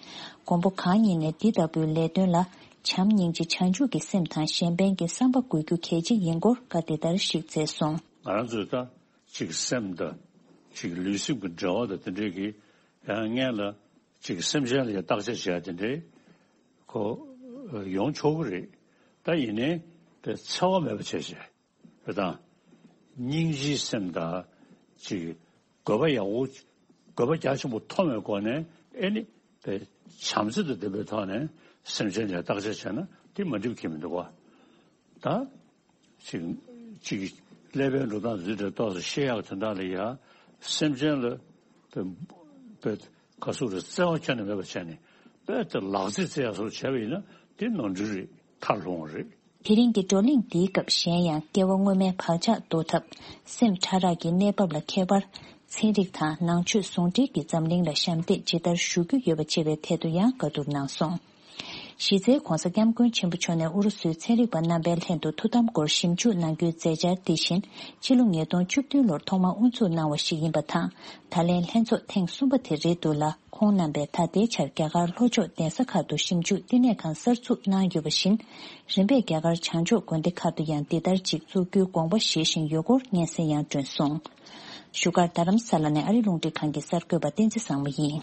མགོན་པོ་གང་ཉིད་ནས་འདི་ལྟ་བུའི་ལས་དོན་ལ། བྱམས་སྙིང་རྗེ་བྱང་ཆུབ་ཀྱི་སེམས་དང་གཞན་ཕན་གྱི་བསམ་པ་དགོས་རྒྱུ་གལ་ཆེ་ཡིན་སྐོར་བཀའ་དེ་ལྟར་ཞིག་སྩལ་སོང་། ང་རང་ཚོས་ད་ཅིག་སེམས་དང་ཅིག་ལུས་སེམས་ཀྱི་འབྲེལ་བ་དང་དེ་འདྲས་ཀྱི་ཡང་སྔན་ལ་ཅིག་སེམས་ཅན་ལ་ཡང་བརྟག་དཔྱད་བྱེད་ཡ་དེ་འདྲས་ཁོ་ཡོང་ཆོག་གི་རེད། ད་ཡིན་ནའི་དེ་འཚེ་བ་མེད་པ་བྱས་བྱས། དེ་དང་། སྙིང་རྗེའི་སེམས་དང་། ཅིག་དགོས་པ་ཡག་པོ། དགོས་པ་རྒྱ་ཆེན་པོ་མཐོང་བའི་སྒོ་ནས་ཨེ་ནི། དེ་བྱམས་བརྩེ་དང་ལྡན་པའི་ཐོག་ནས་སེམས་ཅན་ལ་བརྟག་དཔྱད་བྱས་ན་དེ་མ་འགྲིག་གི་མི་འདུག་བ། ད། ཅིག་ཅིག་ཀླད་པའི་འགྲོ་སྟངས་འཛུལ་ཏེ་ཏོག་ཙམ་ཤེས་ཡག་དོན་དག་ལ་ཡ། སེམས་ཅན་ལ། དེ། དེ། ག་ཟེར་རེད། བརྩེ་བ་ཁྱོན་ནས་མེད་པ་བྱས་ནས། དཔེ་དེ་ལག་རྩིས་རྩེ་ཡག་སོགས་བྱས་པ་ཡིན་ན་དེ་ནོར་འཁྲུལ་རེད། མཐར་ལྷུང་བ་རེད། དེ་རིང་གི་བགྲོ་གླེང་འདིའི་སྐབས་གཞན་ཡང་སྐྱེ་བ་སྔོན་མའི་བག་ཆགས་བཟློག་ཐབས། སེམས་ཕྲ་རགས་ཀྱི་གནས་བབ་ལ་ཁྱད་པར། ཚན་རིག་དང་ནང་ཆོས་ཟུང་འབྲེལ་གྱི་འཛམ་གླིང་ལ་ཞབས་འདེགས་ཇི་ལྟར་ཞུ་རྒྱུ་ཡོད་པ་བཅས་པའི་ཐད་དུ་ཡང་བཀའ་བསྡུར་གནང་སོང་། གཞི་རྩའི་༸གོང་ས་༸སྐྱབས་མགོན་ཆེན་པོ་མཆོག་ནས་ཨུ་རུ་སུའི་ཚན་རིག་པ་རྣམ་པའི་ལྷན་དུ་ཐུགས་དམ་སྐོར་ཞིབ་འཇུག་གནང་རྒྱུའི་མཛད་འཆར་འདི་བཞིན་ཕྱི་ལོ་ཉིས་སྟོང་བཅུ་བདུན་ལོར་ཐོག་མར་དབུ་འཛུགས་གནང་བ་ཞིག་ཡིན་པ་དང་། ད་ལན་ལྷན་ཚོགས་ཐེངས་གསུམ་པ་དེ་རེད་འདུག་ལ། ཁོང་རྣམ་པས་ད་ལྟའི་ཆར་རྒྱ་གར་ལྷོ་ཕྱོགས་གདན་ས་ཁག་ཏུ་ཞིབ་འཇུག་བསྟི་གནས་ཁང་གསར་འཛུགས་གནང་ཡོད་པ་བཞིན། རིམ་པས་རྒྱ་གར་བྱང་ཕྱོགས་དགོན་སྡེ་ཁག་ཏུ་ཡང་འདི་ལྟར་ཅིག་བཙུགས་རྒྱུའི་དགོངས་པ་བཞེས་བཞིན་ཡོད་སྐོར་སྙན་སེང་ཡང་བསྒྲོན་སོང་། བཞུགས་སྒར་རྡ་རམ་ས་ལ་ནས་ཨ་རི་རླུང་འཕྲིན་ཁང་གི་གསར་འགོད་པ་བསྟན་འཛིན་བཟང་མོ་ཡིན།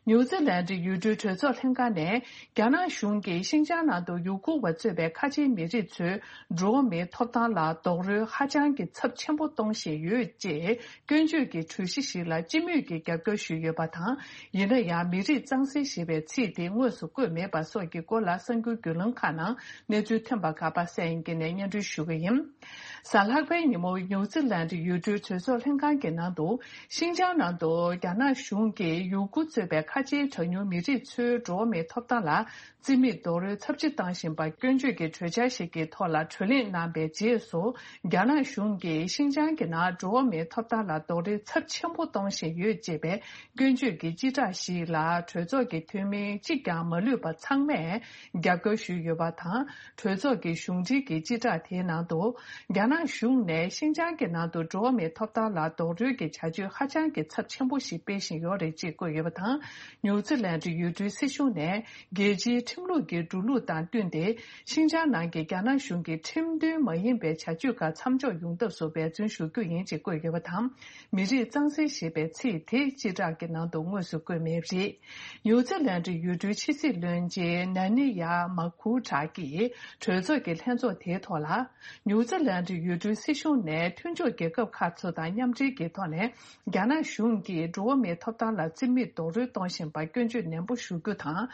ནིའུ་ཛི་ལན་ཌི་ཡུལ་གྲུའི་གྲོས་ཚོགས་ལྷན་ཁང་ནས། རྒྱ་ནག་གཞུང་གིས་ཤིན་ཅང་ནང་དུ་ཡུ་གུར་བ་གཙོས་པའི་ཁ་ཆེའི་མི་རིགས་ཚོའི་འགྲོ་བ་མིའི་ཐོབ་ཐང་ལ་རྡོག་རོལ་ཧ་ཅང་གི་ཚབས་ཆེན་པོ་གཏོང་བཞིན་ཡོད་ཅེས་སྐྱོན་བརྗོད་ཀྱི་གྲོས་གཞི་ཞིག་ལ་སྤྱི་མོས་ཀྱིས་རྒྱབ་སྐྱོར་ཞུས་ཡོད་པ་དང་། ཡིན་ན་ཡང་མི་རིགས་གཙང་སེལ་ཞེས་པའི་ཚིག་དེ་དངོས་སུ་བཀོད་མེད་པ་སོགས་ཀྱི་སྐོར་ལ་གསར་འགྱུར་བརྒྱུད་ལམ་ཁག་ནང་གནས་ཚུལ་ཐོན་པ་ག་པར་གསན་ཡིན་གྱི་ནས་སྙན་སྒྲོན་ཞུ་གི་ཡིན། གཟའ་ལྷག་པའི་ཉིན་མོ་ནིའུ་ཛི་ལན་ཌི་ཡུལ་གྲུའི་གྲོས་ཚོགས་ལྷན་ཁང་གི་ནང་དུ་ཤིན་ཅང་ནང་དུ་རྒྱ་ནག་གཞུང་གིས་ཡུ་གུར་གཙོས་པའི། ཁ་ཆེའི་གྲངས་ཉུང་མི་རིགས་ཚོའི་འགྲོ་བ་མིའི་ཐོབ་ཐང་ལ་རྩིས་མེད་རྡོག་རོལ་ཚབས་ཆེ་བཏང་བཞིན་པ་སྐྱོན་བརྗོད་ཀྱི་གྲོས་འཆར་ཞིག་གི་ཐོག་ལ་གྲོས་གླེང་གནང་པའི་རྗེས་སུ། རྒྱ་ནག་གཞུང་གིས་ཤིན་ཅང་གི་ནང་འགྲོ་བ་མིའི་ཐོབ་ཐང་ལ་རྡོག་རོལ་ཚབས་ཆེན་པོ་གཏོང་བཞིན་ཡོད་ཅེས་པའི་སྐྱོན་བརྗོད་ཀྱི་སྤྱི་བསྒྲགས་ཤིག་ལ། གྲོས་ཚོགས་ཀྱི་འཐུས་མི་གཅིག་ཀྱང་མ་ལུས་པ་ཚང་མས་རྒྱབ་སྐྱོར་ཞུས་ཡོད་པ་དང་། གྲོས་ཚོགས་ཀྱི་གཞུང་འབྲེལ་གྱི་སྤྱི་བསྒྲགས་དེའི་ནང་དུ། རྒྱ་ནག་གཞུང་ནས་ཤིན་ཅང་གི་ནང་དུ་འགྲོ་བ་མིའི་ཐོབ་ཐང་ལ་རྡོག་རོལ་གྱི་བྱ་སྤྱོད་ཧ་ཅང་གི་ཚབས་ཆེན་པོ་ཞིག་སྤེལ་བཞིན་ཡོད་རེད་ཅེས་བཀོད་ཡོད་པ་དང་། ནིའུ་ཛི་ལན་ཡུལ་གྲུའི་སྲིད་གཞུང་ནས་རྒྱལ་སྤྱིའི་ཁྲིམས་ལུགས་ཀྱི་འགྲོ་ལུགས་དང་བསྟུན་ཏེ། ཤིན་ཅང་ནང་གི་རྒྱ་ནག་གཞུང་གི་ཁྲིམས་མཐུན་མ་ཡིན་པའི་བྱ་སྤྱོད་ཁག་མཚམས་འཇོག་ཡོང་ཐབས་སུ་འབད་བརྩོན་ཞུ་རྒྱུ་ཡིན་ཅེས་བཀོད་ཡོད་པ་དང་། མི་རིགས་གཙང་སེལ་ཞེས་པའི་ཚིག་དེ་སྤྱི་བསྒྲགས་ཀྱི་ནང་དུ་དངོས་སུ་བཀོད་མེད་པ་རེད། ནིའུ་ཛི་ལན་ཡུལ་གྲུའི་ཕྱི་སྲིད་བློན་ཆེན་ན་ནི་ཡ་མ་ཁུ་ཏྲ་གིས་གྲོས་ཚོགས་ཀྱི་ལྷན་ཚོགས་དེའི་ཐོག་ལ། ནིའུ་ཛི་ལན་ཡུལ་གྲུའི་སྲིད་གཞུང་ནས་མཐུན་ཕྱོགས་རྒྱལ་ཁབ་ཁག་ཚོ་དང་མཉམ་འབྲེལ་གྱི་ཐོག་ནས། རྒྱ་ནག་གཞུང་གིས་འགྲོ་བ་མིའི་ཐོབ་ཐང་ལ་རྩིས་མེད་རྡོག་རོལ་གཏོང་བཞིན་པར་སྐྱོན་བརྗོད་ནན་པོ་ཞུ་རྒྱུ་དང་།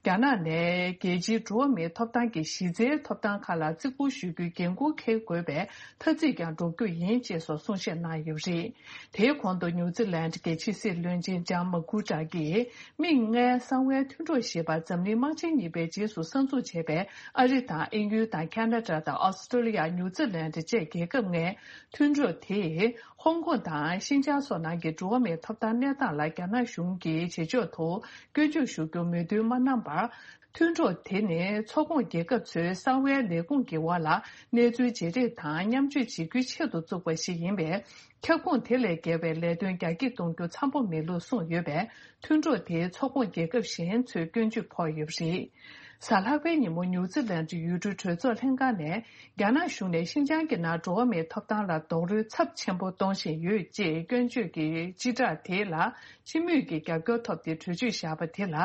རྒྱ་ནག་ནས་རྒྱལ་སྤྱིའི་འགྲོ་བ་མིའི་ཐོབ་ཐང་གི་གཞི་རྩའི་ཐོབ་ཐང་ཁག་ལ་བརྩི་བཀུར་ཞུ་རྒྱུའི་འགན་འཁུར་འཁྱེར་དགོས་པའི་ཐ་ཚིག་ཀྱང་སྒྲོག་རྒྱུ་ཡིན་ཅེས་སོགས་གསུང་བཤད་གནང་ཡོད་པ་རེད། དེའི་གོང་དུ་ནིའུ་ཛི་ལན་གྱི་ཕྱི་སྲིད་བློན་ཆེན་ལྕམ་མ་ཁུ་ཏྲ་གིས། མིག་སྔའི་གསང་བའི་མཐུན་གྲོགས་ཞེས་པ་འཛམ་གླིང་དམག་ཆེན་གཉིས་པའི་རྗེས་སུ་གསར་འཛུགས་བྱས་པའི་ཨ་རི་དང་དབྱིན་ཡུལ་དང་ཁ་ན་ཌ་དང་ཨོ་སི་ཀྲོ་ལི་ཡ། ནིའུ་ཛི་ལན་བཅས་རྒྱལ་ཁབ་ལྔའི་མཐུན་གྲོགས་དེས། ཧོང་ཀོང་དང་ཤིན་ཅང་སོགས་ནང་གི་འགྲོ་བ་མིའི་ཐོབ་ཐང་གནས་སྟངས་ལ་རྒྱ་ནག་གཞུང་གིས་བྱེད་ཕྱོགས་ཐོག་སྐྱོན་བརྗོད་ཞུ་རྒྱུར་མོས་མཐུན་མ་གནང་བར། མཐུན་གྲོགས་དེ་ནི་མཚོ་ཁོངས་རྒྱལ་ཁབ་ཚོའི་གསང་བའི་ལས་ཁུངས་ཀྱི་འོག་ལ་གནས་ཚུལ་བརྗེ་རེས་དང་མཉམ་སྤྱོད་བྱེད་རྒྱུའི་ཆེད་དུ་བཙུགས་པ་ཞིག་ཡིན་པས། ཁྱབ་ཁོངས་དེ་ལས་བརྒལ་བའི་ལས་དོན་རྒྱ་སྐྱེད་གཏོང་རྒྱུ་འཚམ་པོ་མེད་ལུགས་གསུངས་ཡོད་པས། མཐུན་གྲོགས་དེའི་མཚོ་ཁོངས་རྒྱལ་ཁབ་གཞན་ཚོས་སྐྱོན་བརྗོད་ཕོག་ཡོད་པ་རེད། གཟའ་ལྷག་པའི་ཉིན་མོ་ནིའུ་ཛི་ལན་ཡུལ་གྲུའི་གྲོས་ཚོགས་ལྷན་ཁང་ནས། རྒྱ་ནག་གཞུང་ནས་ཤིན་ཅང་གི་ནང་འགྲོ་བ་མིའི་ཐོབ་ཐང་ལ་རྡོག་རོལ་ཚབས་ཆེན་པོ་གཏོང་བཞིན་ཡོད་ཅེས་སྐྱོན་བརྗོད་ཀྱི་སྤྱི་བསྒྲགས་དེ་ལ། སྤྱི་མོས་ཀྱི་རྒྱབ་སྐྱོར་ཐོབ་སྟེ་གྲོས་ཆོད་བཞག་པ་དེ་ལ།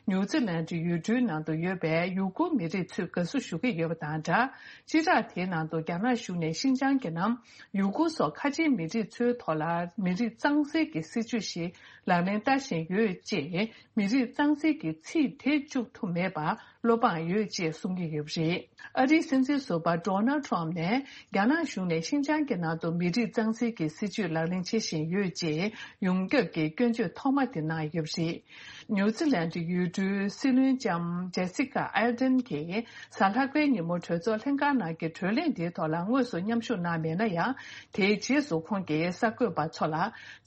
ནིའུ་ཛི་ལན་ཡུལ་གྲུའི་ནང་དུ་ཡོད་པའི་ཡུ་གུར་མི་རིགས་ཚོས་དགའ་བསུ་ཞུ་གི་ཡོད་པ་དང་སྦྲགས། སྤྱི་བསྒྲགས་དེའི་ནང་དུ་རྒྱ་ནག་གཞུང་ནས་ཤིན་ཅང་གི་ནང་ཡུ་གུར་སོགས་ཁ་ཆེའི་མི་རིགས་ཚོའི་ཐོག་ལ་མི་རིགས་གཙང་སེལ་གྱི་སྲིད་བྱུས་ཤིག་ལག་ལེན་བསྟར་བཞིན་ཡོད་ཅེས། མི་རིགས་གཙང་སེལ་གྱི་ཚིག་དེ་བཅུག་ཐུབ་མེད་པར་བློ་ཕངས་ཡོད་ཅེས་གསུང་གི་ཡོད་པ་རེད། ཨ་རིའི་སྲིད་འཛིན་ཟུར་པ་ཌོ་ནལ་ཊམ་ནས་རྒྱ་ནག་གཞུང་ནས་ཤིན་ཅང་གི་ནང་དུ་མི་རིགས་གཙང་སེལ་གྱི་སྲིད་བྱུས་ལག་ལེན་བྱེད་བཞིན་ཡོད་ཅེས་ཡོངས་ཁྱབ་ཀྱི་སྐྱོན་བརྗོད་ཐོག་མ་དེ་གནང་ཡོད་པ་རེད། ནིའུ་ཛི་ལན་ཡུལ་གྲུའི་སྲིད་བློན་ལྕམ་ཇེ་སི་ཀ་ཨར་ཌེན་གྱིས་གཟའ་ལྷག་པའི་ཉིན་མོ་གྲོས་ཚོགས་ལྷན་ཁང་ནང་གི་གྲོས་གླེང་དེའི་ཐོག་ལ་དངོས་སུ་མཉམ་ཞུགས་གནང་མེད་ན་ཡང་། དེའི་རྗེས་སུ་ཁོང་གིས་གསར་འགོད་པ་ཚོ་ལ།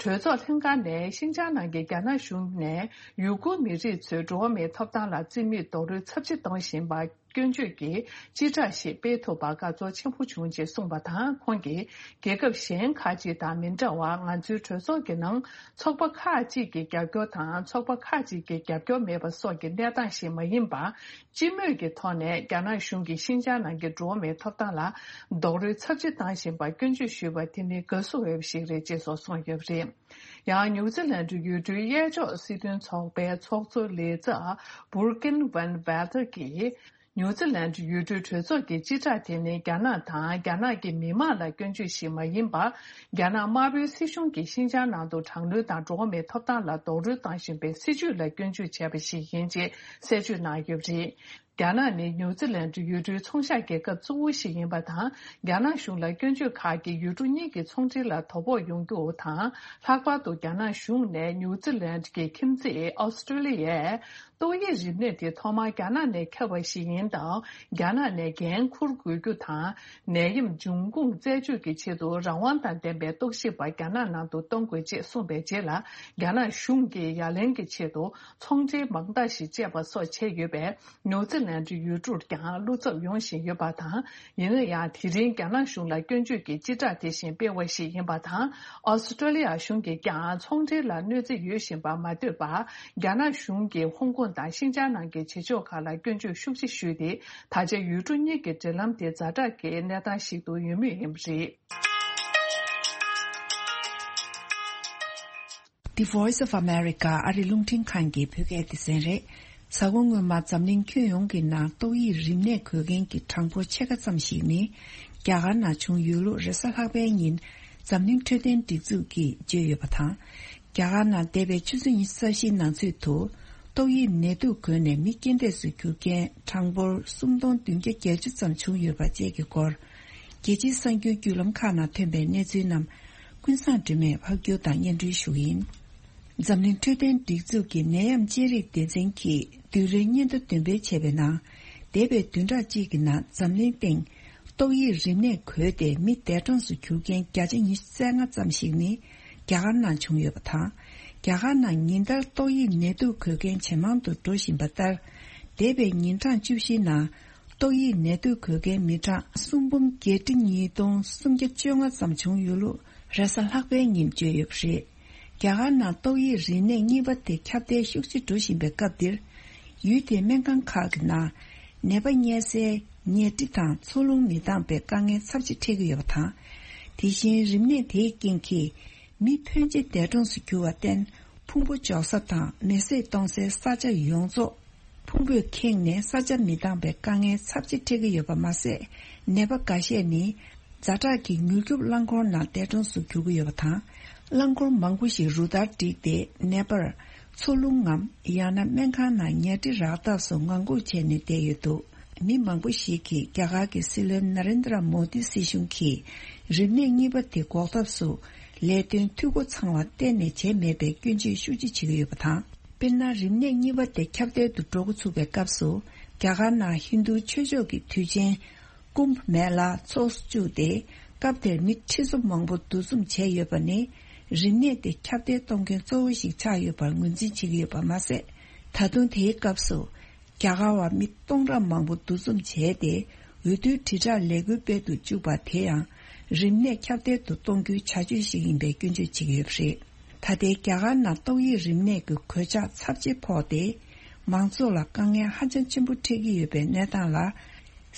གྲོས་ཚོགས་ལྷན་ཁང་ནས་ཤིན་ཅང་ནང་གི་རྒྱ་ནག་གཞུང་ནས་ཡུ་གུར་མི་རིགས་ཚོའི་འགྲོ་བ་མིའི་ཐོབ་ཐང་ལ་རྩིས་མེད་རྡོག་རོལ་ཚབས་ཆེ་གཏོང་བཞིན་པ་སྐྱོན་བརྗོད་ཀྱི་སྤྱི་བསྒྲགས་ཤིག་སྤེལ་ཐུབ་པར་དགའ་ཚོར་ཆེན་པོ་བྱུང་ཅེས་གསུངས་པ་དང་། ཁོང་གིས་རྒྱལ་ཁབ་གཞན་ཁག་ཅིག་དང་མི་འདྲ་བར། ང་ཚོའི་གྲོས་ཚོགས་ཀྱི་ནང་ཚོགས་པ་ཁག་ཅིག་གི་རྒྱབ་སྐྱོར་དང་། ཚོགས་པ་ཁག་ཅིག་གི་རྒྱབ་སྐྱོར་མེད་པ་སོགས་ཀྱི་གནས་སྟངས་ཤིག་མ་ཡིན་པར། སྤྱི་མོས་ཀྱི་ཐོག་ནས་རྒྱ་ནག་གཞུང་གིས་ཤིན་ཅང་ནང་གི་འགྲོ་བ་མིའི་ཐོབ་ཐང་ལ་རྡོག་རོལ་ཚབས་ཆེ་བཏང་བཞིན་པར་སྐྱོན་བརྗོད་ཞུས་པ་དེ་ནི་དགའ་བསུ་འོས་པ་ཞིག་རེད་ཅེས་སོགས་གསུངས་ཡོད་པ་རེད། ཡང་ནིའུ་ཛི་ལན་ཡུལ་གྲུའི་གཡས་ཕྱོགས་སྲིད་དོན་ཚོགས་པའི་ཚོགས་གཙོ་ལས་བྱ་བུར་ཀིན་ཝན་ཝལ་ཐར་གྱིས། ནིའུ་ཛི་ལན་ཡུལ་གྲུའི་གྲོས་ཚོགས་ཀྱི་སྤྱི་བསྒྲགས་དེ་ནི་རྒྱ་ནག་དང་རྒྱ་ནག་གི་མི་དམངས་ལ་སྐྱོན་བརྗོད་ཞིག་མ་ཡིན་པར། རྒྱ་ནག་དམར་པོའི་སྲིད་གཞུང་གིས་ཤིན་ཅང་ནང་དུ་དྲག་གནོན་དང་འགྲོ་བ་མིའི་ཐོབ་ཐང་ལ་རྡོག་རོལ་བཏང་བཞིན་པའི་སྲིད་བྱུས་ལ་སྐྱོན་བརྗོད་བྱས་པ་ཞིག་ཡིན་ཅེས་གསལ་བརྗོད་གནང་ཡོད་པ་རེད། རྒྱ་ནག་ནི་ནིའུ་ཛི་ལན་ཡུལ་གྲུའི་ཚོང་ཤག་རྒྱལ་ཁབ་གཙོ་བོ་ཞིག་ཡིན་པ་དང་། རྒྱ་ནག་གཞུང་ལ་སྐྱོན་བརྗོད་ཁག་གིས་ཡུལ་གྲུ་གཉིས་ཀྱི་ཚོང་འབྲེལ་ལ་དོ་ཕོག་ཡོང་རྒྱུ་དང་། ལྷག་པར་དུ་རྒྱ་ནག་གཞུང་ནས་ནིའུ་ཛི་ལན་གྱི་ཁྱིམ་མཚེས་ཨོ་སི་ཀྲོ་ལི་ཡའི་ཏོག་དབྱིབས་རིམས་ནད་དེ་ཐོག་མར་རྒྱ་ནག་ནས་ཁྱབ་པ་ཞིག་ཡིན་སྟབས། རྒྱ་ནག་ནས་འགན་འཁུར་དགོས་རྒྱུ་དང་། ནད་ཡམས་འབྱུང་ཁུངས་རྩད་གཅོད་ཀྱི་ཆེད་དུ་རང་དབང་དང་ལྡན་པའི་རྟོག་ཞིབ་པ་རྒྱ་ནག་ནང་དུ་གཏོང་དགོས་ཅེས་གསུངས་པའི་རྗེས་ལ། རྒྱ་ནག་གཞུང་གིས་ཡ་ལན་གྱི་ཆེད་དུ་ཚོང་འབྲེལ་མང་དག་ཞིག་བཅད་པ་སོགས་བྱས་ཡོད་པས། ནིའུ་ཛི་ལན་ཡུལ་གྲུར་ཀྱང་བློ་འཚབ་ཡོང་བཞིན་ཡོད་པ་དང་། ཡིན་ན་ཡང་། དེ་རིང་རྒྱ་ནག་གཞུང་ལ་སྐྱོན་བརྗོད་ཀྱི་སྤྱི་བསྒྲགས་དེ་བཞིན་སྤེལ་བ་ཞིག་ཡིན་པ་དང་། ཨོ་སི་ཀྲོ་ལི་ཡ་གཞུང་གིས་ཀྱང་ཚོང་འབྲེལ་ལ་གནོད་འཚེ་ཡོད་བཞིན་པ་མ་འདོད་པར། རྒྱ་ནག་གཞུང་གིས་ཧོང་ཀོང་དང་ཤིན་ཅང་ནང་གི་བྱེད་ཕྱོགས་ཁག་ལ་སྐྱོན་བརྗོད་ཤུགས་ཆེ་ཞུས་ཏེ། ད་ཆ་ཡུལ་གྲུ་གཉིས་ཀྱི་འབྲེལ་ལམ་དེ་ཛ་དྲག་གི་གནས་སྟངས་ཤིག་ཏུ་ཡོད་མུས་ཡིན་པ་རེད། The Voice of America ཨ་རི་རླུང་འཕྲིན་ཁང་གི་བོད་སྐད་སྡེ་ཚན་རེད། གཟའ་འཁོར་སྔོན་མ་འཛམ་གླིང་ཁྱོན་ཡོངས་ཀྱི་ནང་ཏོག་དབྱིབས་རིམས་ནད་འགོས་མཁན་གྱི་གྲངས་འབོར་ཕྱེད་ཀ་ཙམ་ཞིག་ནི། རྒྱ་གར་ནང་བྱུང་ཡོད་ལུགས་རེས་གཟའ་ལྷག་པའི་ཉིན་འཛམ་གླིང་འཕྲོད་བསྟེན་སྒྲིག་འཛུགས་ཀྱིས་བརྗོད་ཡོད་པ་དང་། རྒྱ་གར་ནང་འདས་པའི་ཆུ་ཚོད་ཉི་ཤུ་རྩ་བཞིའི་ནང་ཚུད་དུ་ཏོག་དབྱིབས་ནད་དུག་འགོས་ནས་མི་རྐྱེན་འདས་སུ་གྱུར་མཁན་གྲངས་འབོར་སུམ་སྟོང་བདུན་བརྒྱ་བརྒྱད་ཅུ་ཙམ་བྱུང་ཡོད་པ་བཅས་ཀྱི་སྐོར། རྒྱལ་སྤྱིའི་གསར་འགྱུར་བརྒྱུད་ལམ་ཁག་ནང་ཐོན་པའི་གནས་ཚུལ་རྣམས་ཀུན་བཟང་སྒྲོལ་མས་ཕབ་སྒྱུར་དང་སྙན་སྒྲོན་ཞུ་གི་ཡིན། འཛམ་གླིང་འཕྲོད་བསྟེན་སྒྲིག་འཛུགས་ཀྱི་ནད་ཡམས་དཔྱད་རིག་སྡེ་ཚན་གྱིས་བདུན་རེའི་སྙན་ཐོ་འདོན་སྤེལ་བྱས་པའི་ནང་། འདས་པའི་བདུན་ཕྲག་གཅིག་གི་ནང་འཛམ་གླིང་སྟེང་ཏོག་དབྱིབས་རིམས་ནད་འགོས་ཏེ་མི་འདས་གྲོངས་སུ་གྱུར་མཁན་བརྒྱ་ཆ་ཉི་ཤུ་རྩ་ལྔ་ཙམ་ཞིག་ནི་རྒྱ་གར་ནང་བྱུང་ཡོད་པ་དང་། རྒྱ་གར་ནང་ཉིན་ལྟར་ཏོག་དབྱིབས་ནད་དུག་འགོས་མཁན་ཇེ་མང་དུ་འགྲོ་བཞིན་པ་ལྟར། འདས་པའི་ཉིན་གྲངས་བཅུ་བཞིའི་ནང་ཏོག་དབྱིབས་ནད་དུག་འགོས་མཁན་མི་གྲངས་སུམ་འབུམ་བརྒྱད་ཁྲི་ཉིས་སྟོང་སུམ་བརྒྱ་བཅོ་ལྔ་ཙམ་བྱུང་ཡོད་ལུགས་རེས་གཟའ་ལྷག་པའི་ཉིན་བརྗོད་ཡོད་པ་རེད། རྒྱ་གར་ནང་ཏོག་དབྱིབས་རིམས་ནད་གཉིས་པ་དེ་ཁྱབ་གདལ་ཤུགས་ཆེ་འགྲོ་བཞིན་པའི་སྐབས་འདིར། ཡུལ་དེའི་སྨན་ཁང་ཁག་གི་ནང་ནད་པ་གཉན་སའི་ཉལ་ཁྲི་དང་འཚོ་རླུང་མི་འདང་པའི་དཀའ་ངལ་ཚབས་ཆེ་འཕྲད་ཀྱི་ཡོད་པ་དང་། དེ་བཞིན་རིམས་ནད་དེའི་རྐྱེན་གྱིས་མི་ཕོན་ཆེ་འདས་གྲོངས་སུ་གྱུར་བར་བརྟེན། ཕུང་པོ་འཇོག་ས་དང་མེ་བསྲེགས་གཏོང་སའི་ས་ཆ་ཡོངས་རྫོགས་ཕུང་པོས་ཁེངས་ནས་ས་ཆ་མི་འདང་པའི་དཀའ་ངལ་ཚབས་ཆེ་འཕྲད་ཀྱི་ཡོད་པ་མ་ཟད། ནད་པ་འགའ་ཤས་ནི་ཛ་དྲག་གི་མྱུར་སྐྱོབ་རླངས་འཁོར་ནང་འདས་གྲོངས་སུ་གྱུར་གྱི་ཡོད་པ་དང་། རླངས་འཁོར་མང་པོ་ཞིག་རུ་སྟར་བསྒྲིགས་ཏེ་ནད་པར་འཚོ་རླུང་ངམ་ཡང་ན་སྨན་ཁང་ནང་ཉལ་ཁྲི་རག་ཐབས་སུ་ངང་སྒུག་བྱས་ནས་བསྡད་ཡོད་འདུག་མི་མང་པོ་ཞིག་གིས་རྒྱ་གར་གྱི་སྲིད་བློན་ན་རེན་དྲ་མོ་དི་སྲིད་གཞུང་གིས་རིམས་ནད་གཉིས་པ་དེ་འགོག་ཐབས་སུ་ལས་དོན་འཐུས་སྒོ་ཚང་བ་གཏན་ནས་བྱས་མེད་པའི་སྐྱོན་བརྗོད་ཤུགས་ཆེ་བྱེད་ཀྱི་ཡོད་པ་དང་། དཔེར་ན། རིམས་ནད་གཉིས་པ་དེ་ཁྱབ་གདལ་དུ་འགྲོ་འགོ་ཚུགས་པའི་སྐབས་སུ། རྒྱ་གར་ནང་ཧིན་རྡུ་ཆོས་ཕྱོགས་ཀྱི་དུས་ཆེན་ཀུམ་བྷ་མེ་ལ་ཚོགས་སུ་བཅུག་སྟེ། སྐབས་དེར་མི་ཁྲི་ཚོ་མང་པོ་འདུ་འཛོམས་བྱས་ཡོད་པ་ནི། རིམས་ནད་དེ་ཁྱབ་གདལ་གཏོང་མཁན་གཙོ་བོ་ཞིག་ཆགས་ཡོད་པར་ངོས་འཛིན་བྱེད་ཀྱི་ཡོད་པ་མ་ཟད། ད་དུང་དེའི་སྐབས་སུ། རྒྱ་གར་བ་མི་སྟོང་ཕྲག་མང་པོ་འདུ་འཛོམས་བྱས་ཏེ། འོས་བསྡུའི་དྲིལ་བསྒྲགས་ལས་འགུལ་སྤེལ་དུ་བཅུག་པ་དེ་ཡང་། རིམས་ནད་ཁྱབ་གདལ་དུ་གཏོང་རྒྱུའི་བྱ་སྤྱོད་ཞིག་ཡིན་པའི་སྐྱོན་བརྗོད་བྱེད་ཀྱི་ཡོད་པ་རེད། ད་ལྟའི་རྒྱ་གར་ནང་ཏོག་དབྱིབས་རིམས་ནད་ཀྱི་གོད་ཆག་ཚབས་ཆེ་ཕོག་སྟེ། མང་ཚོགས་ལ་དཀའ་ངལ་ཧ་ཅང་ཆེན་པོ་འཕྲད་ཀྱི་ཡོད་པའི་གནས་སྟངས་ལ།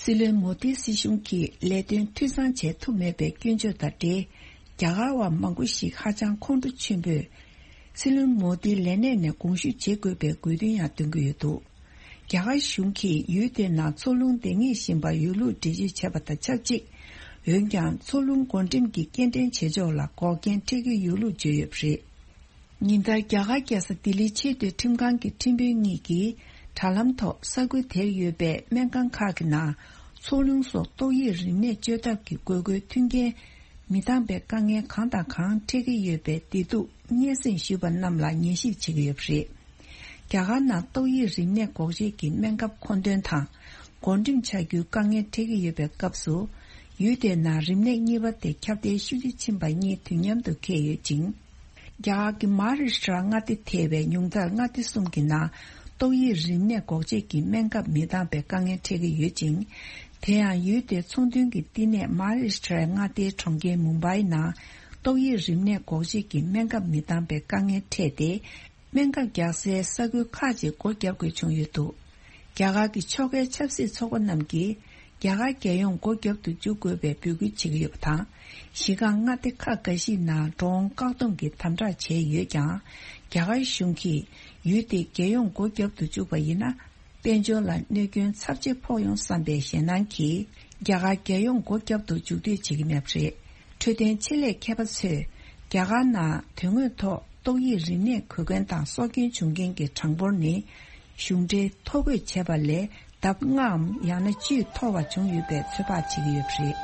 སྲིད་བློན་མོ་དིའི་སྲིད་གཞུང་གིས་ལས་དོན་འཐུས་ཚང་བྱེད་ཐུབ་མེད་པའི་སྐྱོན་བརྗོད་དང་འབྲེལ། རྒྱ་གར་བ་མང་པོ་ཞིག་ཧ་ཅང་ཁོང་ཁྲོ་ཆེན་པོས། སྲིད་བློན་མོ་དིའི་ལས་གནས་ནས་དགོངས་ཞུ་བྱེད་དགོས་པའི་དགོས་འདུན་ཡང་འདོན་གྱི་ཡོད་འདུག་རྒྱ་གར་གཞུང་གིས་ཡུལ་དེའི་ནང་འཚོ་རླུང་འདང་ངེས་བཞིན་པ་ཡོད་ལུགས་འགྲེལ་བརྗོད་བྱས་པ་དང་ཆབས་ཅིག་འོན་ཀྱང་། འཚོ་རླུང་བགོ་འགྲེམས་ཀྱི་སྐྱེལ་འདྲེན་བྱེད་ཕྱོགས་ལ་འགོག་རྐྱེན་འཕྲད་ཀྱི་ཡོད་ལུགས་བརྗོད་ཡོད་པ་རེད། ཉིན་ལྟར་རྒྱ་གར་རྒྱལ་ས་ལྡི་ལིའི་ཆེས་མཐོའི་ཁྲིམས་ཁང་གི་ཁྲིམས་དཔོན་གཉིས་ཀྱིས་དྲ་ལམ་ཐོག་ས་ཁུལ་དེར་ཡོད་པའི་སྨན་ཁང་ཁག་གི་ནང་འཚོ་རླུང་སོགས་ཏོག་དབྱིབས་རིམས་ནད་བཅོས་ཐབས་ཀྱི་དགོས་མཁོའི་མཐུན་རྐྱེན་མི་འདང་པའི་དཀའ་ངལ་གང་དང་གང་འཕྲད་ཀྱི་ཡོད་པའི་བདེ་སྡུག་སྙན་སེང་ཞུས་པ་རྣམས་ལ་ཉན་ཞིབ་བྱེད་ཀྱི་ཡོད་པ་རེད། རྒྱ་གར་ནང་ཏོག་དབྱིབས་རིམས་ནད་འགོག་བཅོས་ཀྱི་སྨན་ཁབ་མཁོ་འདོན་དང་བགོ་འགྲེམས་བྱ་རྒྱུའི་དཀའ་ངལ་འཕྲད་ཀྱི་ཡོད་པའི་སྐབས་སུ། ཡུལ་དེའི་ནང་རིམས་ནད་གཉིས་པ་དེ་ཁྱབ་གདལ་ཤུགས་ཆེ་ཕྱིན་པ་གཉིས་དུས་མཉམ་དུ་འཁེལ་ཡོད་ཅིང་། རྒྱ་གར་གྱི་མ་ཧཱ་རཱ་ཤི་ཏྲ་མངའ་སྡེ་ཐེ་བའི་ཉུང་མཐར་མངའ་སྡེ་གསུམ་གྱི་ནང་ཏོག་དབྱིབས་རིམས་ནད་འགོག་བཅོས་ཀྱི་སྨན་ཁབ་མི་འདང་པའི་དཀའ་ངལ་འཕྲད་ཀྱི་ཡོད་ཅིང་། དེ་ཡང་ཡུལ་དེའི་ཚོང་དོན་གྱི་བསྟི་གནས་མ་ཧཱ་རཱ་ཤི་ཏྲའི་མངའ་སྡེའི་གྲོང་ཁྱེར་མུམ་བྷའི་ནང་ཏོག་དབྱིབས་རིམས་ནད་འགོག་བཅོས་ཀྱི་སྨན་ཁབ་མི་འདང་པའི་དཀའ་ངལ་འཕྲད་དེ། སྨན་ཁབ་རྒྱག་སའི་ས་ཁུལ་ཁག་ཅིག་སྒོ་བརྒྱབ་དགོས་བྱུང་ཡོད་འདུག་རྒྱ་གར་གྱི་ཕྱོགས་འགལ་ཆབ་སྲིད་ཚོགས་པ་རྣམས་ཀྱིས་རྒྱ་གར་རྒྱལ་ཡོངས་སྒོ་བརྒྱབ་ཏུ་འཇུག་དགོས་པའི་འབོད་སྐུལ་བྱེད་ཀྱི་ཡོད་པ་དང་། གཞི་རྐང་མངའ་སྡེ་ཁག་འགའ་ཞིག་ནང་འགྲོ་འོང་བཀག་སྡོམ་གྱི་དམ་དྲག་བྱས་ཡོད་ཀྱང་། རྒྱ་གར་གཞུང་གིས་ཡུལ་དེ་རྒྱལ་ཡོངས་སྒོ་བརྒྱབ་ཏུ་བཅུག་པ་ཡིན་ན། དཔལ་འབྱོར་ལ་གནོད་སྐྱོན་ཚབས་ཆེ་ཕོག་ཡོང་བསམ་པའི་ཞེད་སྣང་གིས། རྒྱ་གར་རྒྱལ་ཡོངས་སྒོ་བརྒྱབ་ཏུ་འཇུག་འདོད་བྱེད་ཀྱི་མེད་པ་རེད། འཕྲོད་བསྟེན་ཆེད་ལས་མཁས་པ་ཚོས། རྒྱ་གར་ནང་དོན་དངོས་ཐོག་ཏོག་དབྱིབས་རིམས་ནད་འགོས་མཁན་དང་སྲོག་སྐྱོན་བྱུང་མཁན་གྱི་གྲངས་འབོར་ནི། གཞུང་འབྲེལ་ཐོ་འགོད་བྱས་པ་ལས་ལྡབ་ལྔའམ་ཡང་ན་བཅུས་མཐོ་བ་བྱུང་ཡོད་པའི་ཚོད་དཔག་བྱེད་ཀྱི་ཡོད་པ་རེད།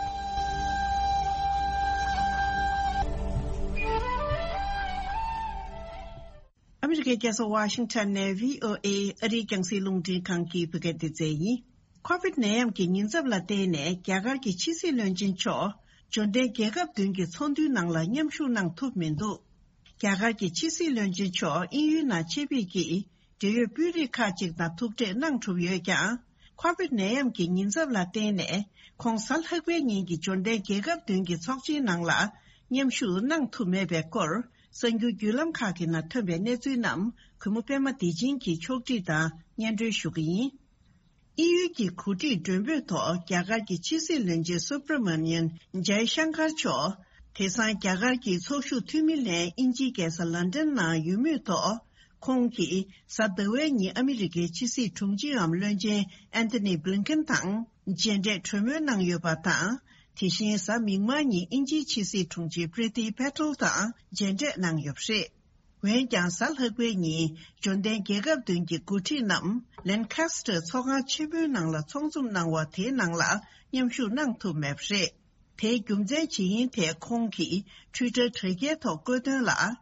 ཨ་མི་རི་ཀའི་རྒྱལ་ས་ཝ་ཤིང་ཊོན་ནས་བྷི་ཨོ་ཨེ་ཨ་རིའི་རྒྱང་སྲིང་རླུང་འཕྲིན་ཁང་གི་བོད་སྐད་སྡེ་ཚན་ཡིན། ཁོ་ཝིད་ནད་ཡམས་ཀྱི་ཉེན་ཚབས་ལ་བརྟེན་ནས་རྒྱ་གར་གྱི་ཕྱི་སྲིད་བློན་ཆེན་མཆོག་འབྱོར་ལྡན་རྒྱལ་ཁབ་བདུན་གྱི་ཚོགས་འདུའི་ནང་ལ་མཉམ་ཞུགས་གནང་ཐུབ་མི་འདུག་རྒྱ་གར་གྱི་ཕྱི་སྲིད་བློན་ཆེན་མཆོག་དབྱིན་ཡུལ་ནང་ཆེད་ཕེབས་ཀྱིས་འབྲེལ་ཡོད་དཔོན་རིགས་ཁག་ཅིག་དང་ཐུག་འཕྲད་གནང་གྲུབ་ཡོད་ཀྱང་། ཁོ་ཝིད་ནད་ཡམས་ཀྱི་ཉེན་ཚབས་ལ་བརྟེན་ནས་ཁོང་གཟའ་ལྷག་པའི་ཉིན་གྱི་འབྱོར་ལྡན་རྒྱལ་ཁབ་བདུན་གྱི་ཚོགས་ཆེན་ནང་ལ་མཉམ་ཞུགས་གནང་ཐུབ་མེད་པའི་སྐོར། གསར་འགྱུར་བརྒྱུད་ལམ་ཁག་གི་ནང་ཐོན་པའི་གནས་ཚུལ་རྣམས་གུས་མོ་པད་མ་བདེ་ཆེན་གྱིས་ཕྱོགས་སྒྲིག་དང་སྙན་སྒྲོན་ཞུ་གི་ཡིན། དབྱིན་ཡུལ་གྱི་གོ་སྒྲིག་མགྲོན་འབོད་ཐོག་རྒྱ་གར་གྱི་ཕྱི་སྲིད་བློན་ཆེན་སུབ་ར་མ་ནི་ཡན་ཇའི་ཤང་ཀར་མཆོག་དེང་སང་རྒྱ་གར་གྱི་ཚོགས་ཞུགས་འཐུས་མི་ལྷན་དབྱིན་ཇིའི་རྒྱལ་ས་ལན་ཀྲན་ནང་ཡོད་མུས་ཐོག་ཁོང་གིས་གཟའ་ཟླ་བའི་ཉིན་ཨ་མི་རི་ཀའི་ཕྱི་སྲིད་དྲུང་ཆེའམ་བློན་ཆེན་ཨན་ཐོ་ནི་བྷི་ལིན་ཀེན་དང་མཇལ་འཕྲད་གྲོས་མོལ་གནང་ཡོད་པ་དང་། དེ་བཞིན་གཟའ་མིག་དམར་ཉིན་དབྱིན་ཇིའི་ཕྱི་སྲིད་དྲུང་ཆེ་པྲི་ཏི་པེ་ཏེལ་དང་མཇལ་འཕྲད་གནང་ཡོད་པ་རེད། འོན་ཀྱང་གཟའ་ལྷག་པའི་ཉིན་འབྱོར་ལྡན་རྒྱལ་ཁབ་བདུན་གྱི་འགོ་ཁྲིད་རྣམས་ལན་ཁ་སི་ཏྲ་ཚོགས་ཁང་ཆེན་མོའི་ནང་ལ་ཚོགས་འཛོམས་གནང་བ་དེའི་ནང་ལ་མཉམ་ཞུགས་གནང་ཐུབ་མེད་པ་རེད། དེའི་རྒྱུ་མཚན་ཇི་ཡིན་ཐད་ཁོང་གིས་ཊུའི་ཊར་དྲ་རྒྱའི་ཐོག་བཀོད་དོན་ལ།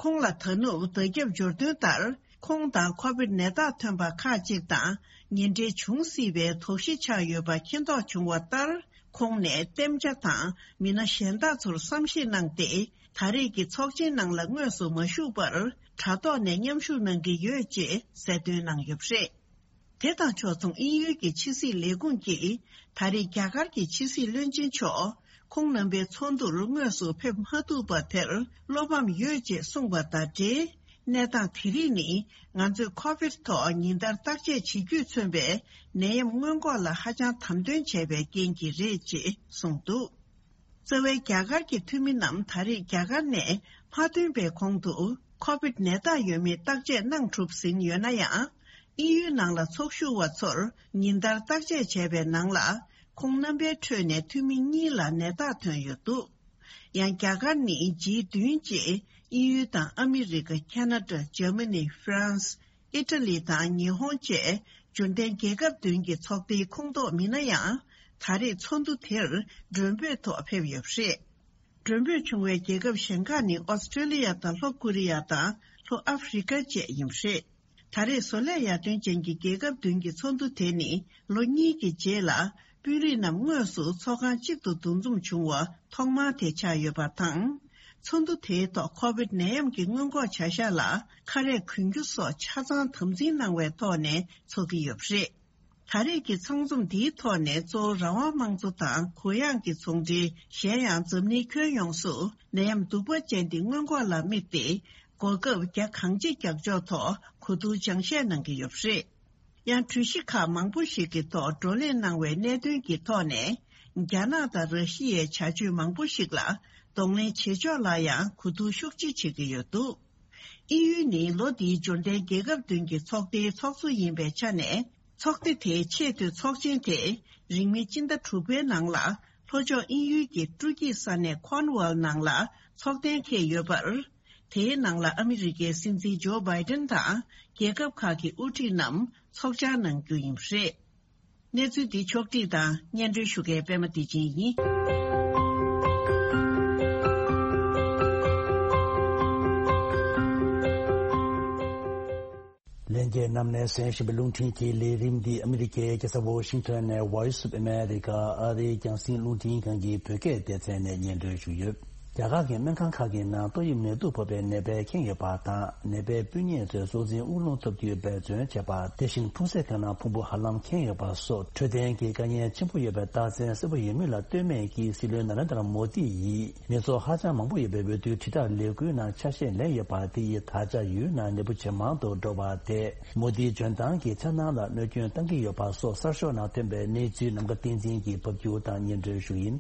ཁོང་ལ་ད་ནུབ་བརྡ་ཁྱབ་འབྱོར་སྟོན་ལྟར། ཁོང་དང་ཁོ་བིད་ནད་རྟགས་ཐོན་པ་ཁག་ཅིག་དང་ཉེ་འབྲེལ་འབྱུང་སྲིད་པའི་དོགས་གཞི་ཆགས་ཡོད་པ་མཁྱེན་རྟོགས་བྱུང་བ་ལྟར། ཁོང་ནས་ལྟེམ་བྱ་དང་མི་སྣ་གཞན་དག་ཚོར་བསམ་ཤེས་གནང་སྟེ། ད་རེས་ཀྱི་ཚོགས་ཆེན་ནང་ལ་དངོས་སུ་མ་ཞུགས་པར་དྲ་ཐོག་ནས་མཉམ་ཞུགས་གནང་གི་ཡོད་ཅེས་གསལ་སྟོན་གནང་ཡོད་པ་རེད། དེ་དང་ཕྱོགས་མཚུངས་དབྱིན་ཡུལ་གྱི་ཕྱི་སྲིད་ལས་ཁུངས་ཀྱིས་ད་རེས་རྒྱ་གར་གྱི་ཕྱི་སྲིད་བློན་ཆེན་མཆོག་ཁོང་རྣམ་པའི་ཚོགས་འདུར་དངོས་སུ་ཕེབས་མ་ཐུབ་པ་དེར་བློ་ཕམ་ཡོད་ཅེས་གསུངས་པ་དང་འབྲེལ། གནས་སྟངས་དེ་རིགས་ནི་ང་ཚོས་ཁོ་བིད་ཐོག་ཉིན་ལྟར་བརྟག་དཔྱད་བྱེད་རྒྱུས་མཚོན་པའི་ནད་ཡམས་སྔོན་འགོག་ལ་ཧ་ཅང་དམ་དོན་བྱས་པའི་རྐྱེན་གྱིས་རེད་ཅེས་གསུངས་འདུག། རྩ་བའི་རྒྱ་གར་གྱི་འཐུས་མི་རྣམས་ད་རེས་རྒྱ་གར་ནས་མ་ཐོན་པའི་གོང་དུ་ཁོ་བིད་ནད་རྟགས་ཡོད་མེད་བརྟག་དཔྱད་གནང་གྲུབ་ཟིན་ཡོད་ན་ཡང་། དབྱིན་ཡུལ་ནང་ལ་ཚོགས་ཞུགས་པ་ཚོར་ཉིན་ལྟར་བརྟག་དཔྱད་བྱས་པའི་ནང་ལ། ཁོང་རྣམ་པའི་ཁྲོད་ནས་འཐུས་མི་གཉིས་ལ་ནད་རྟགས་ཐོན་ཡོད་འདུག། ཡང་རྒྱ་གར་ནི་ཇི་བདུན་ཅེས་དབྱིན་ཡུལ་དང་ཨ་མི་རི་ཀ། ཁ་ན་ཌ། འཇར་མ་ནི། ཧྥ་རན་སི། ཨི་ཊ་ལི་དང་ཉི་ཧོང་བཅས་འབྱོར་ལྡན་རྒྱལ་ཁབ་བདུན་གྱི་ཚོགས་སྡེའི་ཁོངས་གཏོགས་མིན་ན་ཡང་། ད་རེས་ཚོགས་འདུ་དེར་མགྲོན་འབོད་ཐོག་ཕེབས་ཡོད་པ་རེད། མགྲོན་འབོད་བྱུང་བའི་རྒྱལ་ཁབ་གཞན་ཁག་ནི་ཨོ་སི་ཀྲེ་ལི་ཡ་དང་ལྷོ་ཀོ་རི་ཡ་དང་ལྷོ་ཨ་ཧྥི་རི་ཀ་བཅས་ཡིན་པ་རེད། ད་རེས་བཟོ་ལས་ཡར་ཐོན་ཅན་གྱི་རྒྱལ་ཁབ་བདུན་གྱི་ཚོགས་འདུ་དེ་ནི་ལོ་གཉིས་ཀྱི་རྗེས་ལ་དཔོན་རིགས་རྣམས་དངོས་སུ་ཚོགས་ཁང་གཅིག་ཏུ་འདུ་འཛོམས་བྱུང་བ་ཐོག་མ་དེ་ཆགས་ཡོད་པ་དང་། ཚོགས་འདུ་དེའི་ཐོག་ཁོ་བིད་ནད་ཡམས་ཀྱི་སྔོན་འགོག་བྱ་གཞག་ལ་ཁ་རས་གོན་རྒྱུ་སོགས་ཆ་ཚང་དམ་འཛིན་གནང་བའི་ཐོག་ནས་ཚོགས་ཀྱི་ཡོད་པ་རེད། ད་རེས་ཀྱི་ཚང་འཛོམས་འདིའི་ཐོག་ནས་གཙོ་བོ་རང་དབང་དམངས་གཙོ་དང་གུ་ཡངས་ཀྱི་ཚོང་འབྲེལ། གཞན་ཡང་འཛམ་གླིང་ཁྱོན་ཡོངས་སུ་ནད་ཡམས་གདུག་པ་ཅན་འདི་སྔོན་འགོག་ལ་དམིགས་ཏེ། གོ་སྐབས་རྒྱ་གང་ཆེ་རྒྱག་ཕྱོགས་ཐོག་གོ་བསྡུར་སྦྱང་བཤད་གནང་གི་ཡོད་པ་རེད། ཡང་གྲོས་གཞི་ཁག་མང་པོ་ཞིག་གི་ཐོག་བགྲོ་གླེང་གནང་བའི་གནད་དོན་གྱི་ཐོག་ནས། རྒྱ་ནག་དང་ར་ཤི་ཡའི་བྱ་སྤྱོད་མང་པོ་ཞིག་ལ་གདོང་ལེན་བྱེད་ཕྱོགས་ལ་ཡང་གོ་བསྡུར་ཤུགས་ཆེ་བྱེད་ཀྱི་ཡོད་འདུག། དབྱིན་ཡུལ་ནི་ལོ་འདིའི་འབྱོར་ལྡན་རྒྱལ་ཁབ་བདུན་གྱི་ཚོགས་སྡེའི་ཚོགས་གཙོ་ཡིན་པའི་ཆ་ནས། ཚོགས་སྡེ་དེའི་ཆེས་མཐོའི་ཚོགས་ཆེན་དེ་རིང་མིན་སྤྱི་ཟླ་དྲུག་པའི་ནང་ལ་ལྷོ་ཕྱོགས་དབྱིན་ཡུལ་གྱི་སྤྲོ་སྐྱིད་ས་གནས་ཁོན་ཝལ་ནང་ལ་ཚོགས་གཏན་འཁེལ་ཡོད་པར། དེའི་ནང་ལ་ཨ་མི་རི་ཀའི་སྲིད་འཛིན་ཇོ་བྷའི་ཏན་དང་རྒྱལ་ཁབ་ཁག་གི་དབུ་ཁྲིད་རྣམས་ཚོགས་བཅར་གནང་རྒྱུ་ཡིན་པ་རེད། གནས་ཚུལ་འདི་ཕྱོགས་སྒྲིག་དང་སྙན་སྒྲོན་ཞུ་མཁན་པད་མ་བདེ་ཆེན་ཡིན། ལྷན་རྒྱས་རྣམས་ནས་གསན་བཞིན་པའི་རླུང་འཕྲིན་གྱི་ལས་རིམ་འདི་ཨ་མི་རི་ཀའི་རྒྱལ་ས་ཝོ་ཤིང་ཊོན་ནས་Voice of America ཨ་རིའི་རྒྱང་སྲིང་རླུང་འཕྲིན་ཁང་གི་བོད་སྐད་སྡེ་ཚན་ནས་སྙན་སྒྲོན་ཞུས་ཡོད། རྒྱ་གར་གྱི་སྨན་ཁང་ཁག་གི་ནང་ཏོག་དབྱིབས་ནད་དུག་ཕོག་པའི་ནད་པས་ཁེངས་ཡོད་པ་དང་། ནད་པའི་སྤུས་ཉེ་ཚོས་སྲོག་འཛིན་དབུགས་རླུང་ཐོབ་རྒྱུའི་འབད་བརྩོན་བྱས་པ། དེ་བཞིན་ཕུང་གསེབ་ཁང་ནང་ཕུང་པོ་ཧ་ལམ་ཁེངས་ཡོད་པ་སོགས་འཕྲོད་བསྟེན་གྱི་དཀའ་ངལ་ཆེན་པོ་ཡོད་པའི་རྟགས་མཚན་གསལ་པོ་ཡོད་མུས་ལ་ལྟོས་མེད་ཀྱིས་སྲིད་བློན་ན་རེན་དྲ་མོ་དི་ཡིས་མི་ཚོགས་ཧ་ཅང་མང་པོ་ཡོད་པའི་འོས་བསྡུའི་དྲིལ་བསྒྲགས་ལས་འགུལ་ནང་ཆ་ཤས་ལེན་ཡོད་པ་དེ་ཡིས་ད་ཆ་ཡུལ་ནང་ནད་འབུ་ཇེ་མང་དུ་འགྲོ་བ་དེས་མོ་དིའི་འཇོན་ཐང་གི་འཆར་སྣང་ལ་གནོད་སྐྱོན་བཏང་གི་ཡོད་པ་སོགས་གསར་ཤོག་ནང་ཐོན་པའི་གནས་ཚུལ་ནམ་མཁའ་བསྟན་འཛིན་གྱིས་ཕབ་སྒྱུར་དང་སྙན་སྒྲོན་ཞུ་ཡིན།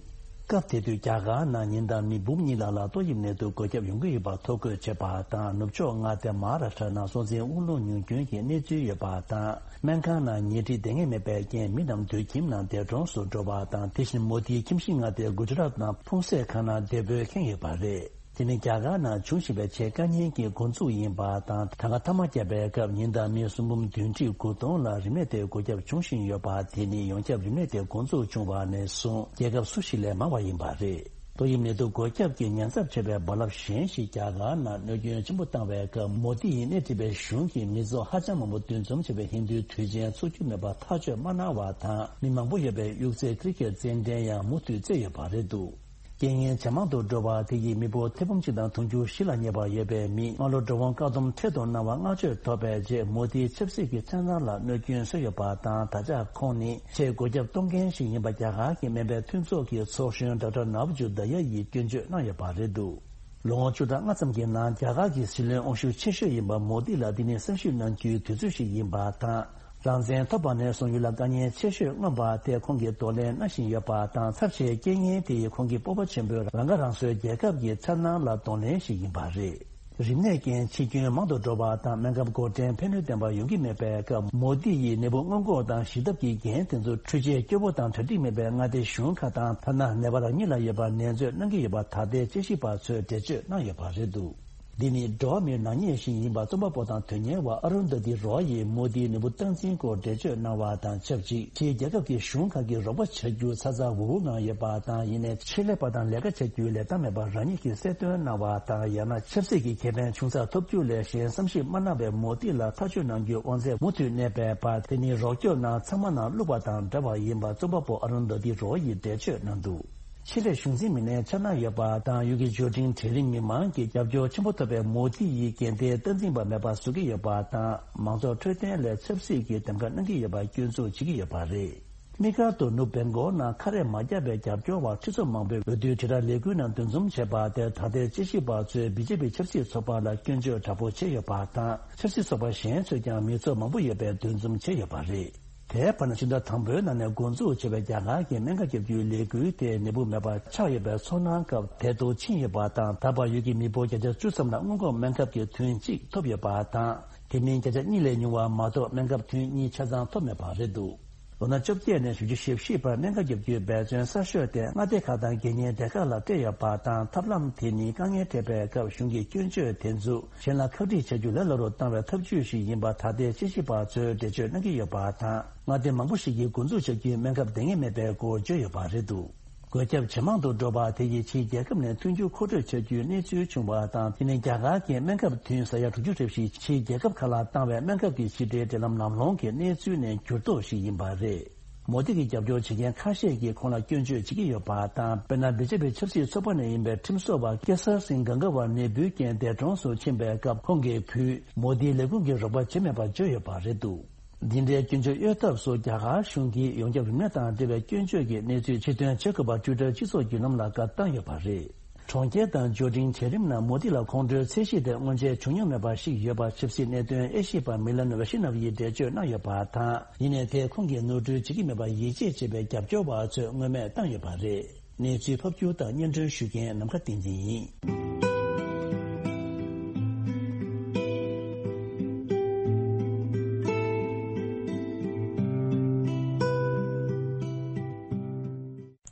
སྐབས་དེ་དུས་རྒྱ་གར་ནང་ཉིན་ལྟར་མི་འབུམ་གཉིས་ལྷག་ལ་ཏོག་དབྱིབས་ནད་དུག་འགོས་ཁྱབ་ཡོང་གི་ཡོད་པ་ཐོ་འགོད་བྱས་པ་དང་། ནུབ་ཕྱོགས་མངའ་སྡེ་མ་ཧཱ་རཱ་ཤ་ཊ་ནང་སྲོག་འཛིན་དབུགས་རླུང་ཉུང་སྐྱོན་གྱི་གནས་ཚུལ་ཡོད་པ་དང་། སྨན་ཁང་ནང་ཉལ་ཁྲི་བསྡད་མཁན་མེད་པའི་རྐྱེན་མི་རྣམས་དུད་ཁྱིམ་ནང་འདས་གྲོངས་སུ་འགྲོ་བ་དང་། དེ་བཞིན་མོ་དིའི་ཁྱིམ་གཞིས་མངའ་སྡེ་གུ་ཇ་རཱཏ་ནང་ཕུང་གསེབ་ཁང་ནང་འདས་སྤོས་ཁེངས་ཡོད་པ་རེད། དེ་ནི་རྒྱ་གར་ནང་འབྱུང་བཞིན་པའི་ཆེས་དཀའ་ཉེན་གྱི་འགོ་འཛུགས་ཡིན་པ་དང་། ད་སྔ་ཐ་མག་བརྒྱབ་པའི་སྐབས་ཉིན་ལྟར་མི་སུམ་འབུམ་བདུན་ཁྲི་དགུ་སྟོང་ལ་རིམས་ནད་དེ་འགོས་ཁྱབ་འབྱུང་བཞིན་ཡོད་པ། དེ་ནི་ཡོངས་ཁྱབ་རིམས་ནད་དེ་འགོ་འཛུགས་བྱུང་བ་ནས་བཟུང་རྒྱལ་ཁབ་སུ་ཞིག་ལས་མང་བ་ཡིན་པ་རེད། ཏོག་དབྱིབས་ནད་དུག་འགོས་ཁྱབ་ཀྱི་ཉེན་ཚབས་ཆེ་བའི་རྦ་རླབས་གཞན་ཞིག་རྒྱ་གར་ནང་གནོད་སྐྱོན་ཆེན་པོ་བཏང་བའི་སྐབས། མོ་དི་ཡིས་སྣེ་ཁྲིད་པའི་གཞུང་གིས་མི་ཚོགས་ཧ་ཅང་མང་པོ་འདུ་འཛོམས་བྱས་པའི་ཧིན་རྡུའི་དུས་ཆེན་འཚོགས་རྒྱུ་མེད་པ་ཐག་གཅོད་མ་གནང་བ་དང་། མི་མང་པོ་ཡོད་པའི་གཡུག་རྩེད་ཀི་རི་ཀེད་རྩེད་འགྲན་ཡང་མུ་མཐུད་རྩེ་ཡོད་པ་རེད་འདུག། རྐྱེན་ངན་ཇེ་མང་དུ་འགྲོ་བ་དེ་ཡིས་མི་འབོར་ཐེར་འབུམ་གཅིག་དང་དུང་ཕྱུར་བཞི་ལ་སྙེག་པ་ཡོད་པའི་མིས་སྔ་ལོ་འགྲོ་འོང་བཀག་སྡོམ་ཁྲོད་དུ་གནང་བ་བསྔགས་བརྗོད་ཐོབ་པའི་རྗེས། མོ་དིའི་ཆབ་སྲིད་ཀྱི་འཆར་སྣང་ལ་གནོད་སྐྱོན་བཟོས་ཡོད་པ་དང་། ད་ཆ་ཁོང་ནི་ཆེས་འགོས་ཁྱབ་གཏོང་མཁན་ཞིག་ཡིན་པ། རྒྱ་གར་གྱི་སྨན་པའི་མཐུན་ཚོགས་ཀྱི་ཚོགས་གཞོན་ཌོག་ཊར་ནཱ་བ་ཇུ་དཱ་ཡ་ཡིས་སྐྱོན་བརྗོད་གནང་ཡོད་པ་རེད་འདུག། ལོ་ངོ་བཅུ་ཕྲག་ལྔ་ཙམ་གྱི་ནང་རྒྱ་གར་གྱི་སྲིད་བློན་དབང་ཤུགས་ཆེ་ཤོས་ཡིན་པ་མོ་དི་ལ་འདི་ནི་གསར་ཞུགས་གནང་རྒྱུའི་དུས་ཚོད་ཞིག་ཡིན་པ་དང་། རང་བཙན་ཐོབ་པ་ནས་བཟུང་ཡུལ་ལ་དཀའ་ངལ་ཆེ་ཤོས་མངོན་པ་དེ་ཁོང་གིས་གདོང་ལེན་གནང་བཞིན་ཡོད་པ་དང་། ཚབས་ཆེའི་རྐྱེན་ངན་དེ་ཡིས་ཁོང་གི་སྤོབས་པ་ཆེན་པོས་རང་ཁ་རང་གསོའི་རྒྱལ་ཁབ་ཀྱི་འཆར་སྣང་ལ་གདོང་ལེན་ཞིག་ཡིན་པ་རེད། རིམས་ནད་རྐྱེན་འཆི་སྐྱོན་མང་དུ་འགྲོ་བ་དང་། སྨན་ཁབ་འགོག་འདྲེན་ཕན་ནུས་ལྡན་པ་ཡོང་གི་མེད་པའི་སྐབས། མོ་དི་ཡིས་ནད་འབུ་སྔོན་འགོག་དང་ཞི་ཐབས་ཀྱི་འགན་དེ་ཚོ་འཕྲུལ་ཆས་སྐྱོ་བོ་དང་གྲ་སྒྲིག་མེད་པའི་མངའ་སྡེ་གཞུང་ཁག་དང་། ཐ་ན་ནད་པ་རང་ཉིད་ལ་ཡོད་པར་ནན་བརྗོད་གནང་གི་ཡོད་པ་ད་ལྟའི་དཔྱད་ཞིབ་པ་ཚོས་འགྲེལ་བརྗོད་གནང་ཡོད་པ་རེད་འདུག། འདི་ནི་འགྲོ་བ་མིའི་ནག་ཉེས་ཤིག་ཡིན་པ་རྩོམ་པ་པོ་དང་དོན་གཉེར་བ་ཨ་རུན་དྷ་ཏི་རོ་ཡིས་མོ་དིའི་ནུས་པ་སྟངས་འཛིན་སྐོར་འགྲེལ་བརྗོད་གནང་བ་དང་ཆབས་ཅིག་ཕྱིའི་རྒྱལ་ཁབ་ཀྱི་གཞུང་ཁག་གིས་རོགས་པ་བྱ་རྒྱུ་ཚ་ཚ་འུར་འུར་ངང་ཡོད་པ་དང་། ཡིན་ནའི་ཆེད་ལས་པ་དང་ལས་ཀ་བྱ་རྒྱུའི་ལས་སྟངས་མེད་པ་རང་ཉིད་ཀྱིས་གསལ་སྟོན་གནང་བ་དང་། ཡང་ན་ཆབ་སྲིད་ཀྱི་ཁེ་ཕན་ཆུང་ཙག་ཐོབ་རྒྱུ་ལས་གཞན་བསམ་ཤེས་མ་གནང་བའི་མོ་དི་ལ་ཐག་གཅོད་གནང་རྒྱུའི་དབང་ཚད་མུ་མཐུད་གནས་པའི་བར། དེ་ནི་རོགས་སྐྱོབ་ནང་ཚང་མ་ནང་བླུགས་པ་དང་འདྲ་བ་ཡིན་པ་རྩོམ་པ་པོ་ཨ་རུན་དྷ་ཏི་རོ་ཡིས་འགྲེལ་བརྗོད་གནང་འདུག་ཆེད་ལས་གཞུང་འཛིན་མི་སྣའི་འཆར་སྣང་ཡོད་པ་དང་། ཡུལ་གྱི་འབྱོར་འབྲིང་གྲལ་རིམ་མི་མང་གི་རྒྱབ་སྐྱོར་ཆེན་པོ་ཐོབ་པའི་མོ་དྷི་ཡིས་འགན་དེ་སྟངས་འཛིན་པ་མེད་པ་བཟོ་གི་ཡོད་པ་དང་། མང་ཚོགས་འཕྲོད་བསྟེན་ལས་ཚབ་སྲིད་ཀྱི་འདེམས་ཀ་གནང་གི་ཡོད་པ་སྐྱོན་འཛུགས་བྱེད་ཀྱི་ཡོད་པ་རེད། དམིགས་བཀར་དུ་ནུབ་བེང་གོག་ནང་ཁ་རས་མ་བརྒྱབ་པའི་རྒྱབ་སྐྱོར་བ་ཁྲི་ཚོ་མང་པོས་འོས་བསྡུའི་དྲིལ་བསྒྲགས་ལས་འགུལ་ནང་འདུ་འཛོམས་བྱས་པ་དེར་ད་ལྟའི་དཔྱད་ཞིབ་པ་ཚོས་བི་ཇེ་པི་ཆབ་སྲིད་ཚོགས་པ་ལ་སྐྱོན་བརྗོད་དྲག་པོ་བྱས་ཡོད་པ་དང་། ཆབ་སྲིད་ཚོགས་པ་གཞན་ཚོས་ཀྱང་མི་ཚོགས་མང་པོ་ཡོད་པའི་འདུ་འཛོམས་བྱས་ཡོད་པ་རེད། དེའི་བར་ན་ཕྱི་ཟླ་དང་པོའི་ནང་ནས་འགོ་འཛུགས་བྱས་པའི་རྒྱ་གར་གྱི་སྨན་ཁབ་བརྒྱབ་རྒྱུའི་ལས་འགུལ་དེ་ནད་འབུ་མེད་པ་ཆགས་ཡོད་པའི་ཚོར་སྣང་སྐབས་དལ་དུ་ཕྱིན་ཡོད་པ་དང་། ད་བར་ཡུལ་གྱི་མི་འབོར་བརྒྱ་ཆ་བཅུ་ཙམ་ལ་སྔོན་འགོག་སྨན་ཁབ་ཀྱི་ཐུན་གཅིག་ཐོབ་ཡོད་པ་དང་། དེ་མིན་བརྒྱ་ཆ་གཉིས་ལས་ཉུང་བ་མ་གཏོགས་སྨན་ཁབ་ཐུན་གཉིས་ཆ་ཚང་ཐོབ་མེད་པ་རེད་འདུག་ལོ་ན་བཅོ་བརྒྱད་ནས་བཞི་བཅུ་ཞེ་བཞི་བར་སྨན་ཁབ་བརྒྱབ་རྒྱུའི་འབད་བརྩོན་གསར་ཤོས་དེ་མངའ་སྡེ་ཁག་དང་དགེ་བསྙེན་སྡེ་ཁག་ལ་སྤྲད་ཡོད་པ་དང་། ཐབས་ལམ་དེ་ནི་དཀའ་ངལ་འཕྲད་པའི་སྐབས་གཞུང་གི་སྐྱོན་བརྗོད་དེ་ཚོ་གཞན་ལ་ཁག་དཀྲིས་བྱ་རྒྱུ་ལས་སླ་རུ་བཏང་བའི་ཐབས་ཇུས་ཤིག་ཡིན་པ་ད་ལྟའི་དཔྱད་ཞིབ་པ་ཚོས་འགྲེལ་བརྗོད་གནང་གི་ཡོད་པ་དང་། མངའ་སྡེ་མང་པོ་ཞིག་གིས་འགོ་འཛུགས་བྱ་རྒྱུའི་སྨན་ཁབ་འདང་ངེས་མེད་པའི་སྐོར་བརྗོད་ཡོད་པ་རེད་འདུག་འགོས་ཁྱབ་ཇེ་མང་དུ་འགྲོ་བ་དེ་ཡིས་ཕྱིའི་རྒྱལ་ཁབ་ནས་ཐོན་རྒྱུ་མཁོ་སྤྲོད་བྱ་རྒྱུའི་གནས་ཚུལ་བྱུང་བ་དང་། དེ་ནི་རྒྱ་གར་གྱི་སྨན་ཁབ་ཐུན་ས་ཡ་དྲུག་ཅུ་རེ་བཞི་ཕྱིའི་རྒྱལ་ཁབ་ཁག་ལ་བཏང་བའི་སྨན་ཁབ་ཀྱི་ཕྱི་འབྲེལ་འབྲེལ་ལམ་ལམ་ལྷོང་གི་གནས་ཚུལ་ནས་འགྱུར་ལྡོག་ཞིག་ཡིན་པ་རེད། མོ་དི་གི་རྒྱབ་སྐྱོར་བྱེད་མཁན་ཁ་ཤས་ཀྱིས་ཁོང་ལ་སྐྱོན་བརྗོད་བྱེད་ཀྱི་ཡོད་པ་དང་། དཔེར་ན། བི་ཇེ་པི་ཆབ་སྲིད་ཚོགས་པ་ནས་ཡིན་པའི་ཁྲིམས་བཟོ་བ་ཀེ་སར་སིང་གང་ག་ཝར་ནད་འབུའི་རྐྱེན་འདས་གྲོངས་སུ་ཕྱིན་པའི་སྐབས། ཁོང་གི་བུས་མོ་དིའི་ལས་ཁུངས་ཀྱི་རོགས་པ་བྱེད་མེད་པར་བརྗོད་ཡོད་པ་རེད་འདུག་འདི་འདྲའི་སྐྱོན་བརྗོད་གཡོལ་ཐབས་སུ་རྒྱ་གར་གཞུང་གིས་ཡོངས་ཁྱབ་རིམས་ནད་དང་འབྲེལ་བའི་སྐྱོན་བརྗོད་ཀྱི་གནས་ཚུལ་ཕྱིར་ཐོན་བྱེད་དགོས་པར་ཊུའི་ཊར་སྤྱི་ཚོགས་བརྒྱུད་ལམ་ལ་བཀའ་བཏང་ཡོད་པ་རེད། གྲོང་ཁྱེར་དང་འབྱོར་འབྲིང་གྲལ་རིམ་ནང་མོ་དི་ལ་ཁོང་ཁྲོའི་ཚད་གཞི་དེ་སྔོན་ཆད་བྱུང་མྱོང་མེད་པ་ཞིག་ཡོད་པ་ཆབ་སྲིད་གནད་དོན་དབྱེ་ཞིབ་པ་མི་ལན་ཝེ་ཤི་ན་ཝ་ཡིས་འགྲེལ་བརྗོད་གནང་ཡོད་པ་དང་། ཡིན་ནའི་དེས་ཁོང་གིས་ནོར་འཁྲུལ་བྱེད་ཀྱི་མེད་པར་ཡིད་ཆེས་བྱེད་པའི་རྒྱབ་སྐྱོར་བ་ཚོས་སྔོན་མེད་བཏང་ཡོད་པ་རེད། གནས་ཚུལ་ཕབ་སྒྱུར་དང་སྙན་སྒྲོན་ཞུ་མཁན་ནམ་མཁའ་བསྟན་འཛིན་ཡིན།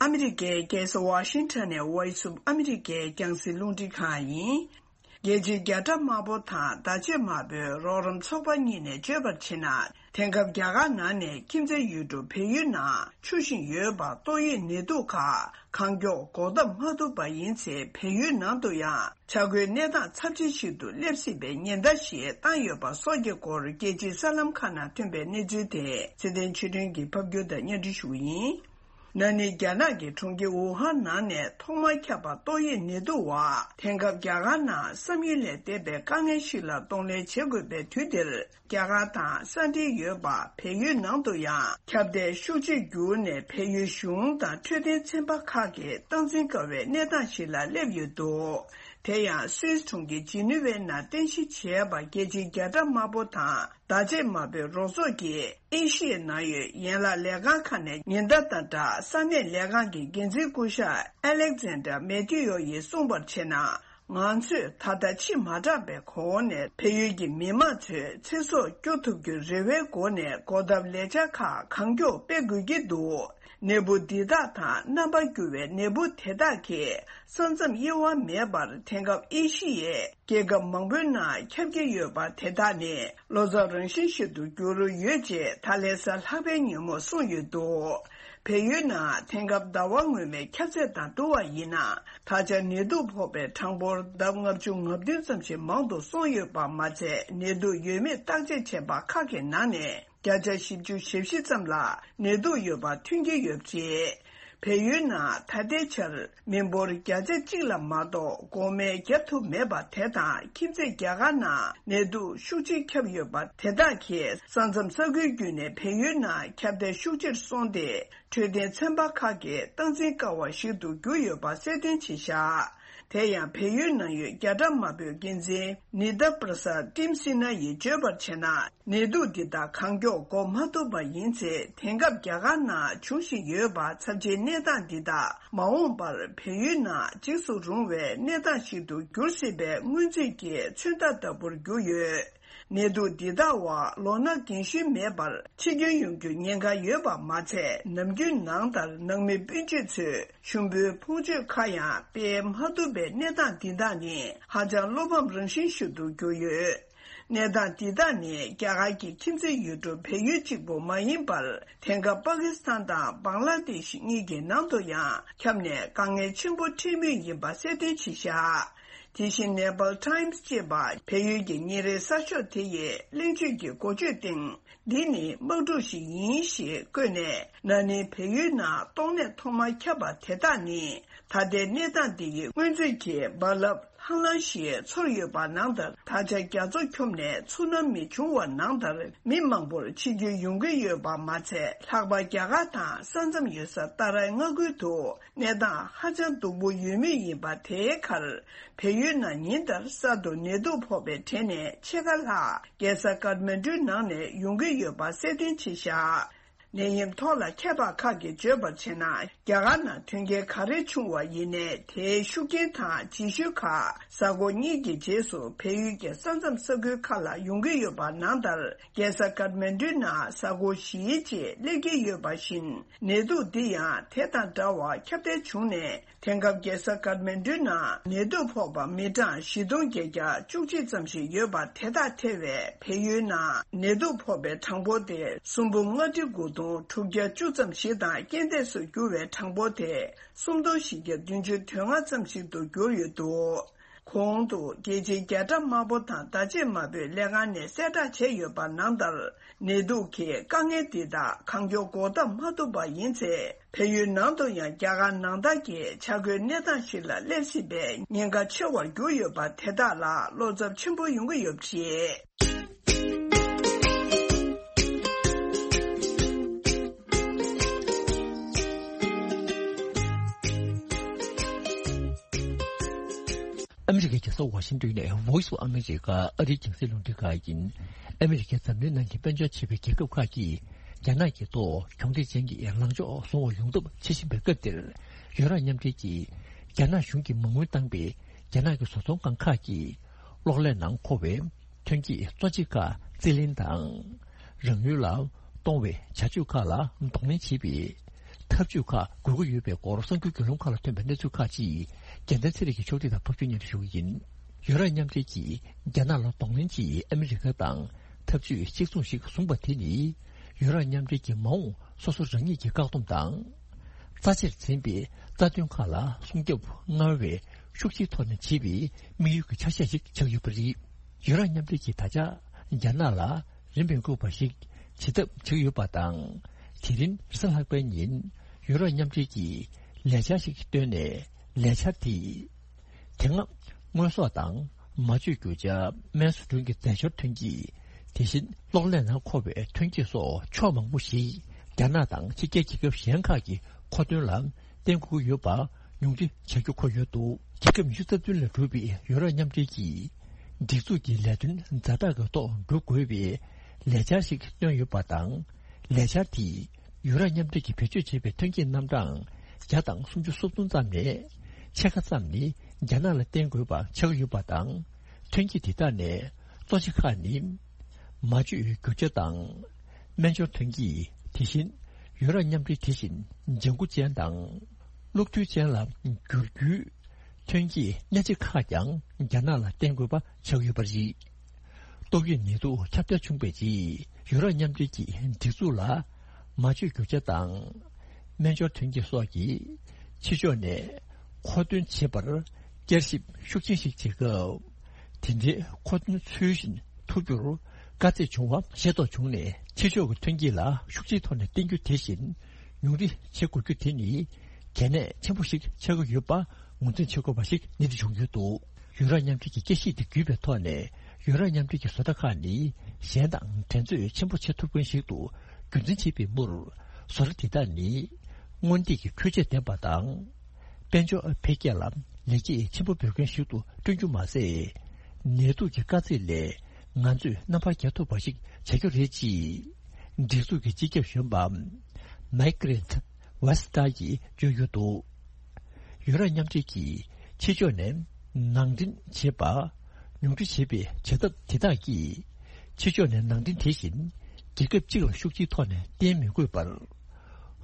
ཨ་མི་རི་ཀའི་རྒྱལ་ས་ཝ་ཤིང་ཊོན་ནས་Voice of America རྒྱང་སྲིང་རླུང་འཕྲིན་ཁང་ཡིན། རྒྱལ་སྤྱིའི་རྒྱ་ཁྲ་དམར་པོ་དང་བརྡ་ཆད་དམར་པོའི་རོགས་རམ་ཚོགས་པ་གཉིས་ནས་བརྗོད་པར་བྱས་ན། དེང་སྐབས་རྒྱ་གར་ནང་ནས་ཁྱིམ་མཚེས་ཡུལ་གྲུ་བལ་ཡུལ་ནང་འཕྱུར་བཞིན་ཡོད་པ་ཏོག་དབྱིབས་ནད་དུག་ཁག་གང་མགྱོགས་འགོག་ཐབས་མ་ཐུབ་པ་ཡིན་ཚེ། བལ་ཡུལ་ནང་དུ་ཡང་ཆག་སྒོའི་གནས་སྟངས་ཚབས་ཆེ་ཞིག་ཏུ་སླེབས་སྲིད་པའི་ཉེན་བརྡ་ཞིག་བཏང་ཡོད་པ་སོགས་ཀྱི་སྐོར། རྒྱལ་སྤྱིའི་གསར་ལམ་ཁག་ནང་ཐོན་པའི་གནས་ཚུལ་དེ་ཚེ་བརྟན་ཆོས་སྒྲོན་གྱིས་ཕབ་སྒྱུར་དང་སྙན་སྒྲོན་ཞུ་གི་ཡིན། ན་ནིང་རྒྱ་ནག་གི་གྲོང་ཁྱེར་ཝུ་ཧན་ནང་ནས་ཐོག་མར་ཁྱབ་པ་ཏོག་དབྱིབས་ནད་དུག་བ། དེང་སྐབས་རྒྱ་གར་ནང་བསམ་ཡུལ་ལས་འདས་པའི་དཀའ་ངལ་ཞིག་ལ་གདོང་ལེན་བྱེད་དགོས་པའི་དུས་འདིར། རྒྱ་གར་དང་ས་འབྲེལ་ཡོད་པ་བལ་ཡུལ་ནང་དུ་ཡང་ཁྱབ་གདལ་ཤུགས་ཆེར་གྱུར་ནས། བལ་ཡུལ་གཞུང་དང་འཕྲོད་བསྟེན་ཚན་པ་ཁག་གིས་སྟངས་འཛིན་དཀའ་བའི་གནས་སྟངས་ཤིག་ལ་སླེབས་ཡོད་འདུག་དེ་ཡང་སུད་སི་གྲོང་ཁྱེར་ཇི་ནི་ཝའི་ནང་རྟེན་གཞི་བྱས་པ། རྒྱལ་སྤྱིའི་རྒྱ་ཁྲ་དམར་པོ་དང་བརྡ་ཆད་དམར་པོའི་རོགས་ཚོགས་ཀྱི་ཨེ་ཤི་ཡའི་ནང་ཡོད་ཡན་ལག་ལས་ཁང་ཁག་ནས་ཉེན་བརྡ་དང་སྦྲགས། ས་གནས་ལས་ཁང་གི་འགན་འཛིན་སྐུ་ཞབས་ཨ་ལེག་ཛན་ཌར་མེ་ཐི་ཡོ་ཡིས་གསུངས་པར་བྱས་ན། ང་ཚོས་ད་ལྟ་ཕྱི་མ་དྲགས་པའི་གོང་ནས་བལ་ཡུལ་གྱི་མི་མང་ཚོའི་ཚེ་སྲོག་སྐྱོབ་ཐུབ་རྒྱུའི་རེ་བའི་སྒོ་ནས་འགོག་ཐབས་ལས་འཆར་ཁག་གང་མགྱོགས་སྤེལ་དགོས་ཀྱི་འདུག་ནད་འབུ་འདི་དག་དང་རྣམ་པར་འགྱུར་བའི་ནད་འབུ་དེ་དག་གིས་ས་མཚམས་དབྱེ་བ་མེད་པར་དེང་སྐབས་ཨེ་ཤི་ཡའི་རྒྱལ་ཁབ་མང་པོའི་ནང་ཁྱབ་ཀྱི་ཡོད་པ། དེ་དག་ནི་ལོ་ཙཱ་རང་བཞིན་ཞིག་ཏུ་གྱུར་ཡོད་ཅེས་ད་ལན་གཟའ་ལྷག་པའི་ཉིན་མོ་གསུངས་ཡོད་འདུག་བལ་ཡུལ་ནང་དེང་སྐབས་ཟླ་བ་སྔོན་མའི་ཁྱབ་ཚད་དང་བསྡུར་བ་ཡིན་ན། ད་ཆ་ནད་དུག་ཕོག་པའི་གྲངས་འབོར་ལྡབ་ལྔ་བཅུ་ང་བདུན་ཙམ་ཞིག་མང་དུ་སོང་ཡོད་པ་མ་ཚད། ནད་དུག་ཡོད་མེད་བརྟག་དཔྱད་བྱས་པ་ཁག་གི་ནང་ནས་བརྒྱ་ཆ་བཞི་བཅུ་ཞེ་བཞི་ཙམ་ལ་ནད་དུག་ཡོད་པ་ཐོན་གྱི་ཡོད་པ་རེད། བལ་ཡུལ་ནང་ད་ལྟའི་ཆར་མི་འབོར་བརྒྱ་ཆ་གཅིག་ལ་མ་གཏོགས་འགོག་སྨན་བརྒྱབ་ཐུབ་མེད་པ་དེ་དང་། ཁྱིམ་མཚེས་རྒྱ་གར་ནང་ནད་དུག་ཤུགས་ཆེན་ཁྱབ་ཡོད་པ་དེ་དག་གིས་ས་མཚམས་ས་ཁུལ་བརྒྱུད་ནས་བལ་ཡུལ་ནང་ཁྱབ་གདལ་ཤུགས་ཆེར་སོང་སྟེ། འཕྲོད་བསྟེན་ཚན་པ་ཁག་གིས་སྟངས་འཛིན་དཀའ་བ་ཞིག་ཏུ་གྱུར་ཡོད་པ་གསལ་སྟོན་བྱས་བཞག་དེ་ཡང་བལ་ཡུལ་ནང་ཡོད་རྒྱ་གྲམ་དམར་པོའི་འགན་འཛིན་ནི་ཏཱ་པྲ་སཱད་ཏིམ་སི་ན་ཡིས་བརྗོད་པར་བྱས་ན། ནད་དུག་འདི་དག་གང་མགྱོགས་འགོག་མ་ཐུབ་པ་ཡིན་ཚེ། དེང་སྐབས་རྒྱ་གར་ནང་འབྱུང་བཞིན་ཡོད་པ་ཚབས་ཆེའི་གནས་སྟངས་འདི་དག་མ་འོངས་པར་བལ་ཡུལ་ནང་འཇིགས་སུ་རུང་བའི་གནས་སྟངས་ཤིག་ཏུ་འགྱུར་སྲིད་པའི་སྔོན་རྩིས་ཀྱི་མཚོན་རྟགས་ལྟ་བུར་གྱུར་ཡོད། ནད་དུག་འདི་དག་འོག་ལོ་ན་རྒན་གཞོན་མེད་པར་འཆི་སྐྱོན་ཡོང་རྒྱུའི་ཉེན་ཁ་ཡོད་པ་མ་ཚད། ནམ་རྒྱུན་ནང་ལྟར་ནང་མི་སྤུན་མཆེད་ཚོས་ཞུམ་པོའི་ཕུང་མཆོད་ཁག་ཡང་སྤེལ་མ་ཐུབ་པའི་གནས་སྟངས་འདི་དག་ནི་ཧ་ཅང་བློ་ཕམ་རང་བཞིན་ཞིག་ཏུ་གྱུར་ཡོད། གནས་སྟངས་འདི་དག་ནི་རྒྱ་གར་གྱི་ཁྱིམ་མཚེས་ཡུལ་གྲུ་བལ་ཡུལ་གཅིག་པུ་མ་ཡིན་པར། དེང་སྐབས་པ་ཀི་སི་ཐན་དང་བང་ལ་དེ་ཤི་གཉིས་ཀྱི་ནང་དུ་ཡང་ཁྱབ་ནས་དཀའ་ངལ་ཆེན་པོ་འཕྲད་མུས་ཡིན་པ་གསལ་སྟོན་བྱས་བཞག་དེ་བཞིན་ནེ་པཱལ་ཊའིམ་སི་ཅེས་པ་བལ་ཡུལ་གྱི་ཉིན་རེའི་གསར་ཤོག་དེ་ཡི་གླེང་བརྗོད་ཀྱི་འགོ་བརྗོད་སྟེང་། འདི་ནི་དམག་འཁྲུག་ཞིག་ཡིན་ཞེས་བཀོད་ནས། ན་ནིང་བལ་ཡུལ་ནང་ཏོག་ནད་ཐོག་མར་ཁྱབ་པ་དེ་དག་ནི། ད་ལྟའི་གནས་སྟངས་འདི་ཡི་སྔོན་ཚོད་ཀྱི་རྦ་རླབས་ལྷང་ལྷང་ཞིག་ཚོར་ཡོད་པ་ནང་ལྟར། ད་ཆ་རྒྱ་མཚོ་འཁྱོམས་ནས་ཚུར་སྣང་མི་བྱུང་བ་ནང་ལྟར། མི་མང་པོར་འཆི་སྐྱོན་ཡོང་གི་ཡོད་པ་མ་ཚད། ལྷག་པར་རྒྱ་གར་དང་ས་མཚམས་ཡོད་ས་ཏཱ་རའི་མངའ་ཁུལ་དུ་གནས་སྟངས་ཧ་ཅང་སྡུག་པོ་ཡོད་མུས་ཡིན་པ། དེའི་ཁར། བལ་ཡུལ་ནང་ཉིན་ལྟར་གསར་དུ་ནད་དུག་ཕོག་པའི་གྲས་ནས་ཕྱེད་ཀ་ལྷག་རྒྱལ་ས་ཀཏ་མན་ཌུའི་ནང་ནས་ཡོང་གི་ཡོད་པ་གསལ་སྟོན་བྱས་བཞག་ནད་ཡམས་ཐོག་ལ་མཁས་པ་ཁག་གིས་བརྗོད་པར་བྱས་ན། རྒྱ་གར་ནང་དོན་རྐྱེན་ག་རེ་བྱུང་བ་ཡིན་ནའི། དེའི་ཤུགས་རྐྱེན་དང་རྗེས་ཤུལ་ཁག་གཟའ་འཁོར་གཉིས་ཀྱི་རྗེས་སུ་བལ་ཡུལ་གྱི་ས་མཚམས་ས་ཁུལ་ཁག་ལ་ཡོང་གི་ཡོད་པ་ནང་ལྟར། རྒྱལ་ས་ཀཏ་མན་ཌུའི་ནང་གཟའ་འཁོར་བཞིའི་རྗེས་སླེབས་ཀྱི་ཡོད་པ་བཞིན། ནད་དུག་འདི་ཡང་དེ་དང་འདྲ་བར་ཁྱབ་གདལ་བྱུང་ནས། དེང་སྐབས་རྒྱལ་ས་ཀཏ་མན་ཌུའི་ནང་ནད་དུག་ཕོག་པ་མི་གྲངས་བཞི་སྟོང་བརྒྱད་བརྒྱ་བཅུ་གཅིག་ཙམ་ཞིག་ཡོད་པ། དེ་དག་ཐེ་བའི་བལ་ཡུལ་ནང་ནད་དུག་ཕོག་པའི་གྲངས་འབོར་དེ་སུམ་འབུམ་ལྔ་ཁྲི་དགུ་སྟོང་དྲུག་བརྒྱ་བཅུ་ཙམ་ཞིག་དང་། རྐྱེན་འདས་སུ་གྱུར་བའི་གྲངས་འབོར་དེ་སུམ་སྟོང་བཞི་བརྒྱ་བདུན་ཅུ་དོན་ལྔ་ཙམ་ཞིག་ཏུ་གྱུར་ཡོད་འདུག་གོང་དུ་རྒྱལ་སྤྱིའི་རྒྱལ་སྲས་དམར་པོ་དང་བརྡ་ཆད་དམར་པོའི་ལས་ཁང་ནས་གསལ་བསྒྲགས་བྱས་ཡོད་པ་ནང་ལྟར། ནད་དུག་གི་དཀའ་ངལ་འདི་དག་གང་མགྱོགས་འགོག་ཐབས་མ་ཐུབ་པ་ཡིན་ཚེ། བལ་ཡུལ་ནང་དུ་ཡང་རྒྱ་གར་ནང་ལྟར་གྱི་ཆ་བགོས་གནས་སྟངས་ཤིག་ལ་སླེབས་སྲིད་པའི་ཉེན་ཁ་ཆེ་བར་གྱུར་ཡོད་པ། དེ་དག་ལ་བློ་འཚབ་ཆེན་པོ་ཡོང་གི་ཡོད་པ་རེད། ཨ་མི་རི་ཀའི་རྒྱལ་ས་ཝ་ཤིང་ཏོན་ནས་Voice of America ཨ་རིའི་རྒྱང་སྲིང་རླུང་འཕྲིན་ཁང་ཡིན། ཨ་མི་རི་ཀས་འཛམ་གླིང་ནང་གི་དཔལ་འབྱོར་ཆེ་བའི་རྒྱལ་ཁབ་ཁག་གིས་རྒྱ་ནག་གི་ཐོག་གྱོང་གུད་ཅན་གྱི་ལངས་ཕྱོགས་བཟུང་བ་ཡོང་ཐབས་བྱེད་བཞིན་པའི་སྐབས་འདིར། ཡུ་རོབ་མཉམ་འབྲེལ་གྱིས་རྒྱ་ནག་གཞུང་གིས་མ་དངུལ་བཏང་པའི་རྒྱ་ནག་གི་བཟོ་ཚོང་ཁང་ཁག་གིས་གློག་ཀླད་ནང་མཁོ་བའི་ཐོན་སྐྱེད་གཙོ་ཆེ་ཁག་རྩིས་ལེན་དང་། རང་ཡུལ་ལ་གཏོང་བའི་བྱ་སྤྱོད་ཁག་ལ་གདོང་ལེན་བྱེད་པའི་ཐབས་ཇུས་ཁག་དགོས་ཀྱི་ཡོད་པའི་སྐོར་གསར་འགྱུར་བརྒྱུད་ལམ་ཁག་ལ་ཐོན་པའི་གནས་ཚུལ་ཁག་ཅིག་རྒྱལ་མཚན་ཚེ་རིང་གིས་ཕྱོགས་སྒྲིག་དང་ཕབ་སྒྱུར་སྙན་སྒྲོན་ཞུ་གི་ཡིན། ཡུ་རོབ་མཉམ་འབྲེལ་གྱིས་རྒྱ་ནག་ལ་གདོང་ལེན་ཆེད་ཨ་མི་རི་ཀ་དང་འཐབ་ཇུས་གཅིག་མཚུངས་ཤིག་བཟུང་པ་དེ་ནི། ཡུ་རོབ་མཉམ་འབྲེལ་གྱི་མ་འོངས་སོ་སོ་རང་ཉིད་ཀྱི་བཀག་སྡོམ་དང་། རྩ་ཆེར་འཛིན་པའི་རྩ་དོན་ཁག་ལ་སྲུང་སྐྱོབ་སྔར་བས་ཤུགས་ཆེའི་ཐོག་ནས་བྱེད་པའི་དམིགས་ཡུལ་གྱི་ཆ་ཤས་ཤིག་ཆགས་ཡོད་པ་རེད། ཡུ་རོབ་མཉམ་འབྲེལ་གྱིས་ད་ཆ་རྒྱ་ནག་ལ་རིན་མི་དགོས་པ་ཞིག་བྱེད་ཐབས་བྱེད་ཀྱི་ཡོད་པ་དང་། དེ་རིང་རེས་གཟའ་ལྷག་པའི་ཉིན་ཡུ་རོབ་མཉམ་འབྲེལ་གྱིས་ལས་འཆར་ཞིག་བཏོན་ནས། ལས་འཆར་དེས་དེ་སྔ་དངོས་ཟོག་དང་མ་བཅོས་རྒྱུ་ཆ། སྨན་བཟོ་སྐྲུན་གྱི་རྫས་སྦྱོར་ཐོན་སྐྱེད། དེ་བཞིན་གློག་ཀླད་ནང་མཁོ་བའི་ཐོན་སྐྱེད་སོགས་ཕྱོགས་མང་པོ་ཞིག་རྒྱ་ནག་དང་ཕྱི་རྒྱལ་རྒྱལ་ཁབ་གཞན་ཁག་གི་མཁོ་འདོན་ལ་བརྟེན་དགོས་ཀྱི་ཡོད་པ་ཉུང་འཕྲི་བྱ་རྒྱུ་འཁོད་ཡོད་འདུག་རྒྱལ་ཁབ་ཉི་ཤུ་རྩ་བདུན་ལས་གྲུབ་པའི་ཡུ་རོབ་མཉམ་འབྲེལ་གྱིས་སྒྲིག་འཛུགས་ཀྱི་ལས་དོན་ཛ་དྲག་གི་ཐོག་འགྲོ་དགོས་པའི་ལས་འཆར་ཞིག་བཏོན་ཡོད་པ་དང་། ལས་འཆར་དེས་ཡུ་རོབ་མཉམ་འབྲེལ་གྱིས་བེད་སྤྱོད་བྱེད་པའི་ཐོན་སྐྱེད་རྣམ་གྲངས་བརྒྱ་དང་སུམ་ཅུ་སོ་བདུན་ཙམ་ནས་ཕྱེད་ཀ་ཙམ་ནི་རྒྱ་ནག་ལ་བརྟེན་དགོས་པ་ཆགས་ཡོད་པ་དང་། ཐོན་སྐྱེད་དེ་དག་ནས་གཙོ་ཆེ་ཁག་ནི། མ་བཅོས་རྒྱུ་ཆ་དང་། སྨན་སྦྱོར་ཐོན་སྐྱེད། དེ་བཞིན་ཡུ་རོབ་མཉམ་འབྲེལ་དེ་བཞིན་ལྗང་གུ་ཅན་དང་། གློག་རྡུལ་ཅན་ལ་བསྒྱུར་རྒྱུའི་ཐོན་སྐྱེད་སྣེ་ཁྲིད་ཁག་ཀྱང་རྒྱ་ནག་ལ་བརྟེན་དགོས་པ་ཆགས་ཡོད་པ་རེད། ཏོག་དབྱིབས་ནད་དུག་ཁྱབ་གདལ་བྱུང་བའི་རྗེས་ཡུ་རོབ་མཉམ་འབྲེལ་གྱི་སྒྲིག་འཛུགས་ལ་མ་བཅོས་རྒྱུ་ཆ་དང་། སྨན་སྦྱོར་ཐོན་སྐྱེད་སོགས་ཀྱི་ཕྱི་ཕྱོགས་ནས་མཁོ་འདོན་བྱེད་པར་བསྐྱར་ཞིབ་ཤུགས་ཆེན་ཞིག་བྱེད་སྐབས། དེ་འདྲའི་མཁོ་འདོན་ཚུལ་བཞིན་ཐུབ་རྒྱུར་དཀའ་ཚེགས་བྱུང་བ་ཤེས་རྟོགས་བྱུང་ནས། ཕྱི་ཕྱོགས་ཀྱི་ཐོན་སྐྱེད་ལ་ཤུགས་ཆེའི་ཐོག་ནས་བརྟེན་རྒྱུ་དེ་བཞིན་ཉུང་འཕྲི་བྱེད་དགོས་རྒྱུ་དེ་ནི་གལ་གནད་ཆེན་པོ་ཞིག་ཆགས་ཀྱི་ཡོད་པ་ངོས་འཛིན་བྱེད་དགོས་པ་ཞིག་ནི་འདི་བྱུང་ཡོད་འདུག་ཡུ་རོབ་མཉམ་འབྲེལ་གྱི་དཔྱད་གཞི་དེ་བརྒྱུད་པའི་ཐོག་ནས། ཡུ་རོབ་མཉམ་འབྲེལ་གྱི་བཟོ་གྲྭ་ཁག་ནི་གཞན་དང་འགྲན་རྩོད་ཆེན་པོ་བྱེད་ཐུབ་མཁན་ཞིག་ཏུ་རྒྱུན་འཛིན་བྱེད་པའི་མུར། བཟོ་གྲྭ་དེ་དག་ནི་སྔོན་ཐོན་གྱི་འཕྲུལ་ཆས་ལྡན་པ་དང་། དཔལ་འབྱོར་འཕེལ་རྒྱས་ལ་ལེགས་སྐྱེས་ཆེན་པོ་འབུལ་མཁན་ཞིག་ཏུ་བསྐྲུན་རྒྱུ་མ་ཟད། ནད་དུག་གི་དཀའ་ཚེགས་ལས་ང་ཚོས་རྣམ་པར་རྒྱལ་ཐུབ་པ་ཞིག་བྱ་རྒྱུ་རེད། ཅེས་སྒྲིག་འཛུགས་ཀྱི་སྤྱི་ཁྱབ་གཞོན་པ་མའི་ཀི་རེད་ཝེ་སི་ཏཱ་ཡིས་བརྗོད་ཡོད་འདུག་ཡུ་རོབ་མཉམ་འབྲེལ་གྱིས་ཕྱི་ཕྱོགས་ནས་ནང་འདྲེན་བྱེད་པ་ཉུང་འཕྲི་བྱེད་པའི་བྱ་ཐབས་དེ་དག་གིས། ཕྱི་ཕྱོགས་ནས་ནང་འདྲེན་དེ་བཞིན་རྒྱལ་ཁབ་གཅིག་ལ་ཤུགས་ཆེའི་ཐོག་ནས་བརྟེན་མི་དགོས་པར།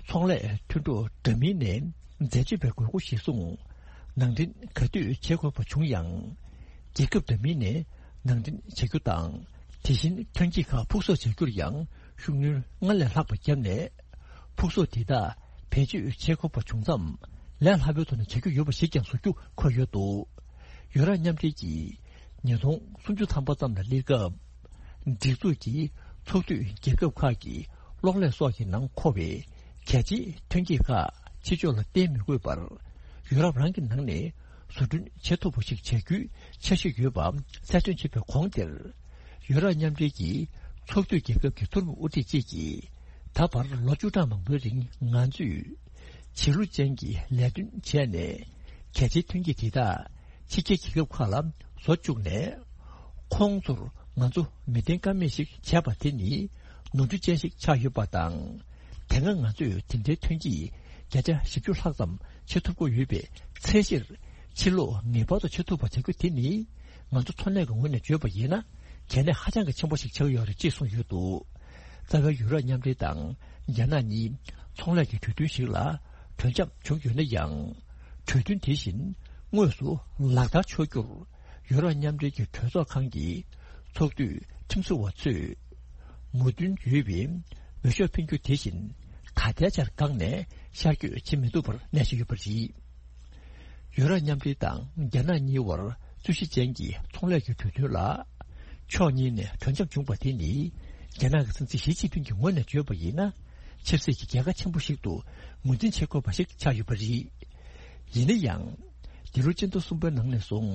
ཚོང་ལས་མཐུན་གྲོགས་འདྲ་མིན་ནས་འཛད་སྤྱོད་པའི་དགོས་མཁོ་གཞིར་བཟུང་ནང་འདྲེན་ག་དུས་བྱེད་དགོས་པ་བྱུང་ཡང་། རྒྱལ་ཁབ་འདྲ་མིན་ནས་ནང་འདྲེན་བྱ་རྒྱུ་དང་། དེ་བཞིན་ཐོན་སྐྱེད་ཁག་ཕུགས་གསོག་བྱ་རྒྱུར་ཡང་ཤུགས་སྣོན་སྔར་ལས་ལྷག་པ་བརྒྱབ་ནས། ཕུགས་གསོག་དེ་དག་བེད་སྤྱོད་བྱེད་དགོས་པ་བྱུང་མཚམས་ལས་སླ་པོའི་ཐོག་ནས་བྱ་རྒྱུ་ཡོད་པ་ཞིག་ཀྱང་བཟོ་རྒྱུ་འཁོད་ཡོད་འདུག་ཡུ་རོབ་མཉམ་འབྲེལ་གྱིས་ཉིས་སྟོང་སུམ་ཅུ་ཐམ་པ་ཙམ་ལ་སླེབས་སྐབས། སྒྲིག་འཛུགས་ཀྱི་ཚོགས་འཐུས་རྒྱལ་ཁབ་ཁག་གི་གློག་ཀླད་སོགས་ཀྱི་ནང་མཁོ་བའི་གལ་ཆེའི་ཐོན་སྐྱེད་ཁག་ཕྱི་ཕྱོགས་ལ་བརྟེན་མི་དགོས་པར། ཡུ་རོབ་རང་གི་ནང་ནས་བཟོ་སྐྲུན་བྱེད་ཐུབ་པ་ཞིག་བྱ་རྒྱུའི་འཆར་གཞི་ཡོད་པ་གསལ་སྟོན་བྱས་པའི་གོང་དེར། ཡུ་རོབ་མཉམ་འབྲེལ་གྱི་ཚོགས་འཐུས་རྒྱལ་ཁབ་ཀྱི་མཐོ་རིམ་དབུ་ཁྲིད་བཅས་ཀྱིས་ད་བར་ལོ་བཅུ་གྲངས་མང་པོའི་རིང་ང་ཚོས་བྱེད་ལུགས་ཅན་གྱི་ལས་དོན་བྱས་ནས་གལ་ཆེའི་ཐོན་སྐྱེད་དེ་དག་ཕྱི་རྒྱལ་རྒྱལ་ཁབ་ཁག་ལ་བཟོ་བཅུག་ནས། ཁོང་ཚོར་ང་ཚོ་མི་བརྟེན་ཀ་མེད་ཞིག་བྱས་པ་དེ་ནི་ནོར་འཁྲུལ་ཅན་ཞིག་ཆགས་ཡོད་པ་དང་། དེ་སྔ་ང་ཚོས་དེ་འདྲའི་ཐོན་སྐྱེད་བརྒྱ་ཆ་བཞི་བཅུ་ལྷག་ཙམ་བྱེད་ཐུབ་ཀྱི་ཡོད་པའི་ཚད་གཞིར་ཕྱིར་ལོག་ངེས་པར་དུ་བྱེད་ཐུབ་པ་བྱ་རྒྱུ་དེ་ནི་ང་ཚོ་འཚོ་གནས་ཀྱི་ངོས་ནས་བརྗོད་པ་ཡིན་ན་གལ་གནད་ཧ་ཅང་གི་ཆེན་པོ་ཞིག་ཆགས་ཡོད་རེད་ཅེས་གསུངས་ཡོད་འདུག་རྩ་བའི་ཡུ་རོབ་མཉམ་འབྲེལ་དང་རྒྱ་ནག་གཉིས་ཚོང་ལས་ཀྱི་གྲོས་མཐུན་ཞིག་ལ་གྲོས་འཆམ་བྱུང་ཡོད་ན་ཡང་། གྲོས་མཐུན་དེ་བཞིན་དངོས་སུ་ལག་བསྟར་ཆོག་རྒྱུར་ཡུ་རོབ་མཉམ་འབྲེལ་གྱི་གྲོས་ཚོགས་ཁང་གི་ཚོགས་འཐུས་ཁྲིམས་བཟོ་བ་ཚོས་མོས་མཐུན་ཡོད་པའི་འོས་ཤོག་འཕེན་རྒྱུ་དེ་བཞིན་ད་ལྟའི་ཆར་འགག་ནས་ཤར་བསྐྱོད་བྱེད་མི་ཐུབ་པར་གནས་བཞིན་ཡོད་པ་རེད། ཡུ་རོབ་མཉམ་འབྲེལ་དང་རྒྱ་ནག་གཉིས་བར་རྩོད་གཞི་ཅན་གྱི་ཚོང་ལས་ཀྱི་གྲོས་མཐུན་ལ་ཕྱོགས་གཉིས་ནས་གྲོས་འཆམ་བྱུང་བ་དེ་ནི་རྒྱ་ནག་གི་སྲིད་འཛིན་ཞི་ཅིན་ཕིང་གི་ངོས་ནས་བརྗོད་པ་ཡིན་ན་ཆབ་སྲིད་ཀྱི་རྒྱལ་ཁ་ཆེན་པོ་ཞིག་ཏུ་ངོས་འཛིན་བྱེད་དགོས་པ་ཞིག་ཆགས་ཡོད་པ་རེད། ཡིན་ན་ཡང་། འདི་ལོ་སྤྱི་ཟླ་གསུམ་པའི་ནང་ནས་བཟུང་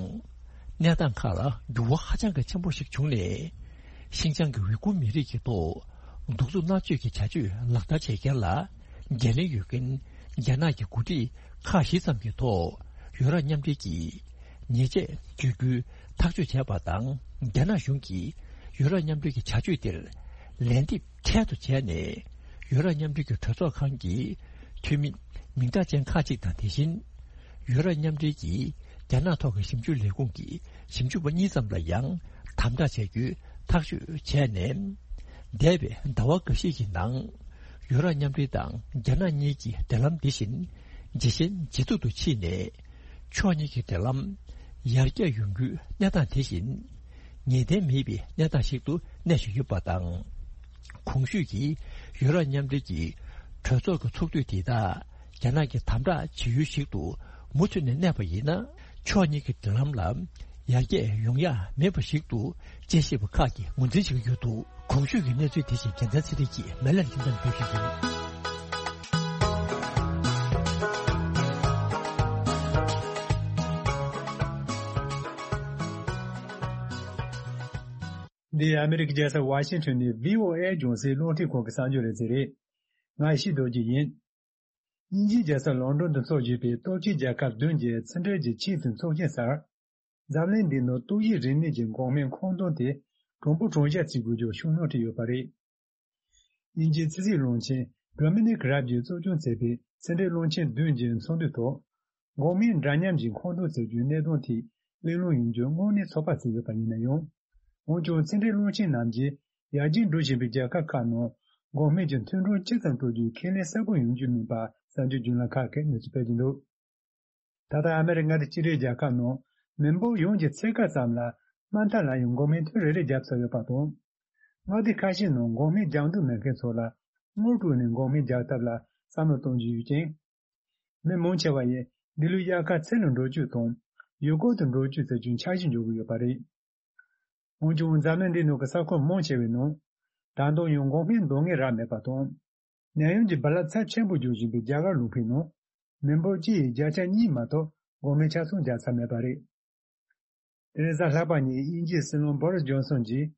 གནས་སྟངས་ཁག་ལ་འགྱུར་བ་ཧ་ཅང་གི་ཆེན་པོ་ཞིག་བྱུང་ནས། ཤིན་ཅང་གི་ཝི་གུར་མི་རིགས་ཀྱི་ཐོག་གདུག་རྩུབ་མནར་གཅོད་ཀྱི་བྱ་སྤྱོད་ལག་བསྟར་བྱེད་མཁན་ལ་འགན་ལེན་ཡོད་མཁན་རྒྱ་ནག་གི་འགོ་ཁྲིད་ཁག་བཞི་ཙམ་གྱི་ཐོག་ཡུ་རོབ་མཉམ་འབྲེལ་གྱིས་ཉེས་ཆད་གཅོད་རྒྱུའི་ཐག་གཅོད་བྱས་པ་དང་། རྒྱ་ནག་གཞུང་གིས་ཡུ་རོབ་མཉམ་འབྲེལ་གྱི་བྱ་སྤྱོད་དེར་ལན་འདེབས་འཕྲལ་དུ་བྱས་ནས། ཡུ་རོབ་མཉམ་འབྲེལ་གྱི་གྲོས་ཚོགས་ཁང་གི་འཐུས་མི་མིང་གྲགས་ཅན་ཁག་ཅིག་དང་། དེ་བཞིན་ཡུ་རོབ་མཉམ་འབྲེལ་གྱི་རྒྱ་ནག་ཐོག་གི་ཞིབ་འཇུག་ལས་ཁུངས་ཀྱི་ཞིབ་འཇུག་པ་གཉིས་ཙམ་ལ་ཡང་དམ་དྲག་བྱ་རྒྱུའི་ཐག་གཅོད་བྱས་ནས། འདས་པའི་ཟླ་བ་འགའ་ཤས་ཀྱི་ནང་ཡུ་རོབ་མཉམ་འབྲེལ་དང་རྒྱ་ནག་གཉིས་ཀྱི་འབྲེལ་ལམ་འདི་བཞིན་ཇེ་ཞན་ཇེ་སྡུག་ཏུ་ཕྱིན་ནས། ཕྱོགས་གཉིས་ཀྱི་འབྲེལ་ལམ་ཡར་རྒྱས་ཡོང་རྒྱུའི་གནས་སྟངས་དེ་བཞིན་ངེས་གཏན་མེད་པའི་གནས་སྟངས་ཤིག་ཏུ་གནས་བཞིན་ཡོད་པ་དང་། གོང་ཞུས་ཀྱི་ཡུ་རོབ་མཉམ་འབྲེལ་གྱི་གྲོས་ཚོགས་ཀྱི་ཚོགས་དུས་དེ་དག་རྒྱ་ནག་གི་དམ་དྲག་བྱེད་ཡུལ་ཞིག་ཏུ་མུ་མཐུད་ནས་གནས་པ་ཡིན་ན། ཕྱོགས་གཉིས་ཀྱི་འབྲེལ་ལམ་ལ་ཡར་རྒྱས་ཡོང་ཡ་མེད་པ་ཞིག་ཏུ་དཔྱད་ཞིབ་པ་ཁག་གིས་ངོས་འཛིན་བྱེད་ཀྱི་ཡོད་འདུག་གོང་ཞུས་ཀྱི་གནས་ཚུལ་དེ་བཞིན་རྒྱལ་མཚན་ཚེ་རིང་གིས་མེ་ལན་ཁྱིམ་ཚང་ཕུལ་ཞུས་ཡིན། འདི་ཨ་མི་རི་ཀའི་རྒྱལ་ས་ཝ་ཤིང་ཊོན་ནས་བྷི་ཨོ་ཨེ་རྒྱང་སྲིང་རླུང་འཕྲིན་ཁང་གི་གསར་འགྱུར་ལེ་ཚན་རེད། ང་ཡེ་ཤེས་རྡོ་རྗེ་ཡིན། དབྱིན་ཇིའི་རྒྱལ་ས་ལོན་ཌོན་དུ་འཚོགས་བཞིན་པའི་སྟོབས་ཆེའི་རྒྱལ་ཁབ་བདུན་གྱི་ཕྱི་འབྲེལ་གྱི་ཆེས་མཐོའི་ཚོགས་ཆེན་སར། འཛམ་གླིང་འདིའི་ནང་ཏོག་དབྱིབས་རིམས་ནད་ཀྱི་འགོག་སྨན་མཁོ་འདོན་དེ་གྲངས་འབོར་གྲངས་བཤེར་བྱེད་དགོས་རྒྱུ་ཤུགས་སྣོན་བྱས་ཡོད་པ་རེད། དབྱིན་ཇིའི་ཕྱི་སྲིད་བློན་ཆེན་ཌོ་མི་ནིག་རབ་ཀྱིས་གཙོ་སྐྱོང་བྱས་པའི་ཕྱི་འབྲེལ་བློན་ཆེན་བདུན་གྱི་ཚོགས་འདུའི་ཐོག་འགོག་སྨན་འདྲ་མཉམ་གྱི་མཁོ་འདོན་བྱེད་རྒྱུའི་གནད་དོན་ཐད་གླེང་སློང་ཡོང་རྒྱུ་དངོས་གནས་ཚོད་དཔག་བྱས་ཡོད་པ་ཡིན་ན་ཡང་། འོན་ཀྱང་ཕྱི་འབྲེལ་བློན་ཆེན་རྣམས་ཀྱིས་ཡར་རྒྱས་འགྲོ་བཞིན་པའི་རྒྱལ་ཁབ་ཁག་ནང་འགོག་སྨན་གྱི་མཐུན་གྲོགས་ཇི་ཙམ་སྤྲོད་རྒྱུའི་ཁས་ལེན་གསལ་པོ་ཡོང་རྒྱུ་མིན་པ་གསར་འགྱུར་བརྒྱུད་ལམ་ཁག་གིས་གནས་ཚུལ་སྤེལ་གྱི་འདུག་ད་ལྟ་ཨ་མེ་རི་ཁ་མངའ་སྡེ་གཅིག་སྒྲིལ་རྒྱལ་ཁབ་ནང་མི་འབོར་ཡོངས་ཀྱི་ཕྱེད་ཀ་ཙམ་ལ་དམའ་མཐའ་ལ་ཡང་འགོག་སྨན་ཐུན་རེ་རེ་བརྒྱབ་ཚར་ཡོད་པ་དང་། མངའ་སྡེ་ཁ་ཤས་ནང་འགོག་སྨན་རྒྱག་འདོད་མེད་མཁན་ཚོ་ལ་དངུལ་སྤྲོད་ནས་འགོག་སྨན་རྒྱག་ཐབས་ལ་བསམ་བློ་གཏོང་གི་ཡོད་ཅིང་། མི་མང་ཆེ་བ་ཡིས་འདི་ལོའི་དབྱར་ཁ་ཚུན་ལ་འགྲོ་རྒྱུ་དང་ཡུལ་སྐོར་དུ་འགྲོ་རྒྱུ་བྱེད་རྒྱུའི་འཆར་གཞི་འཇོག་གི་ཡོད་པ་རེད། འོན་ཀྱང་འཛམ་གླིང་འདིའི་ནང་གི་ས་ཁུལ་མང་ཆེ་བའི་ནང་ད་དུང་ཡང་འགོག་སྨན་འདང་ངེས་རག་མེད་པ་དང་། ནད་ཡམས་ཀྱི་རྦ་རླབས་ཚབས་ཆེན་པོ་རྒྱག་བཞིན་པའི་རྒྱ་གར་ལུང་པའི་ནང་མི་འབོར་སྤྱི་ཡི་བརྒྱ་ཆ་གཉིས་མ་གཏོགས་འགོག་སྨན་ཆ་ཚང་རྒྱག་ཚར་མེད་པ་རེད། དེ་རིང་གཟའ་ལྷག་པ་ཉིན་དབྱིན་ཇིའི་སྲིད་བློན་བོ་རིས་ཇོན་སོན་གྱིས་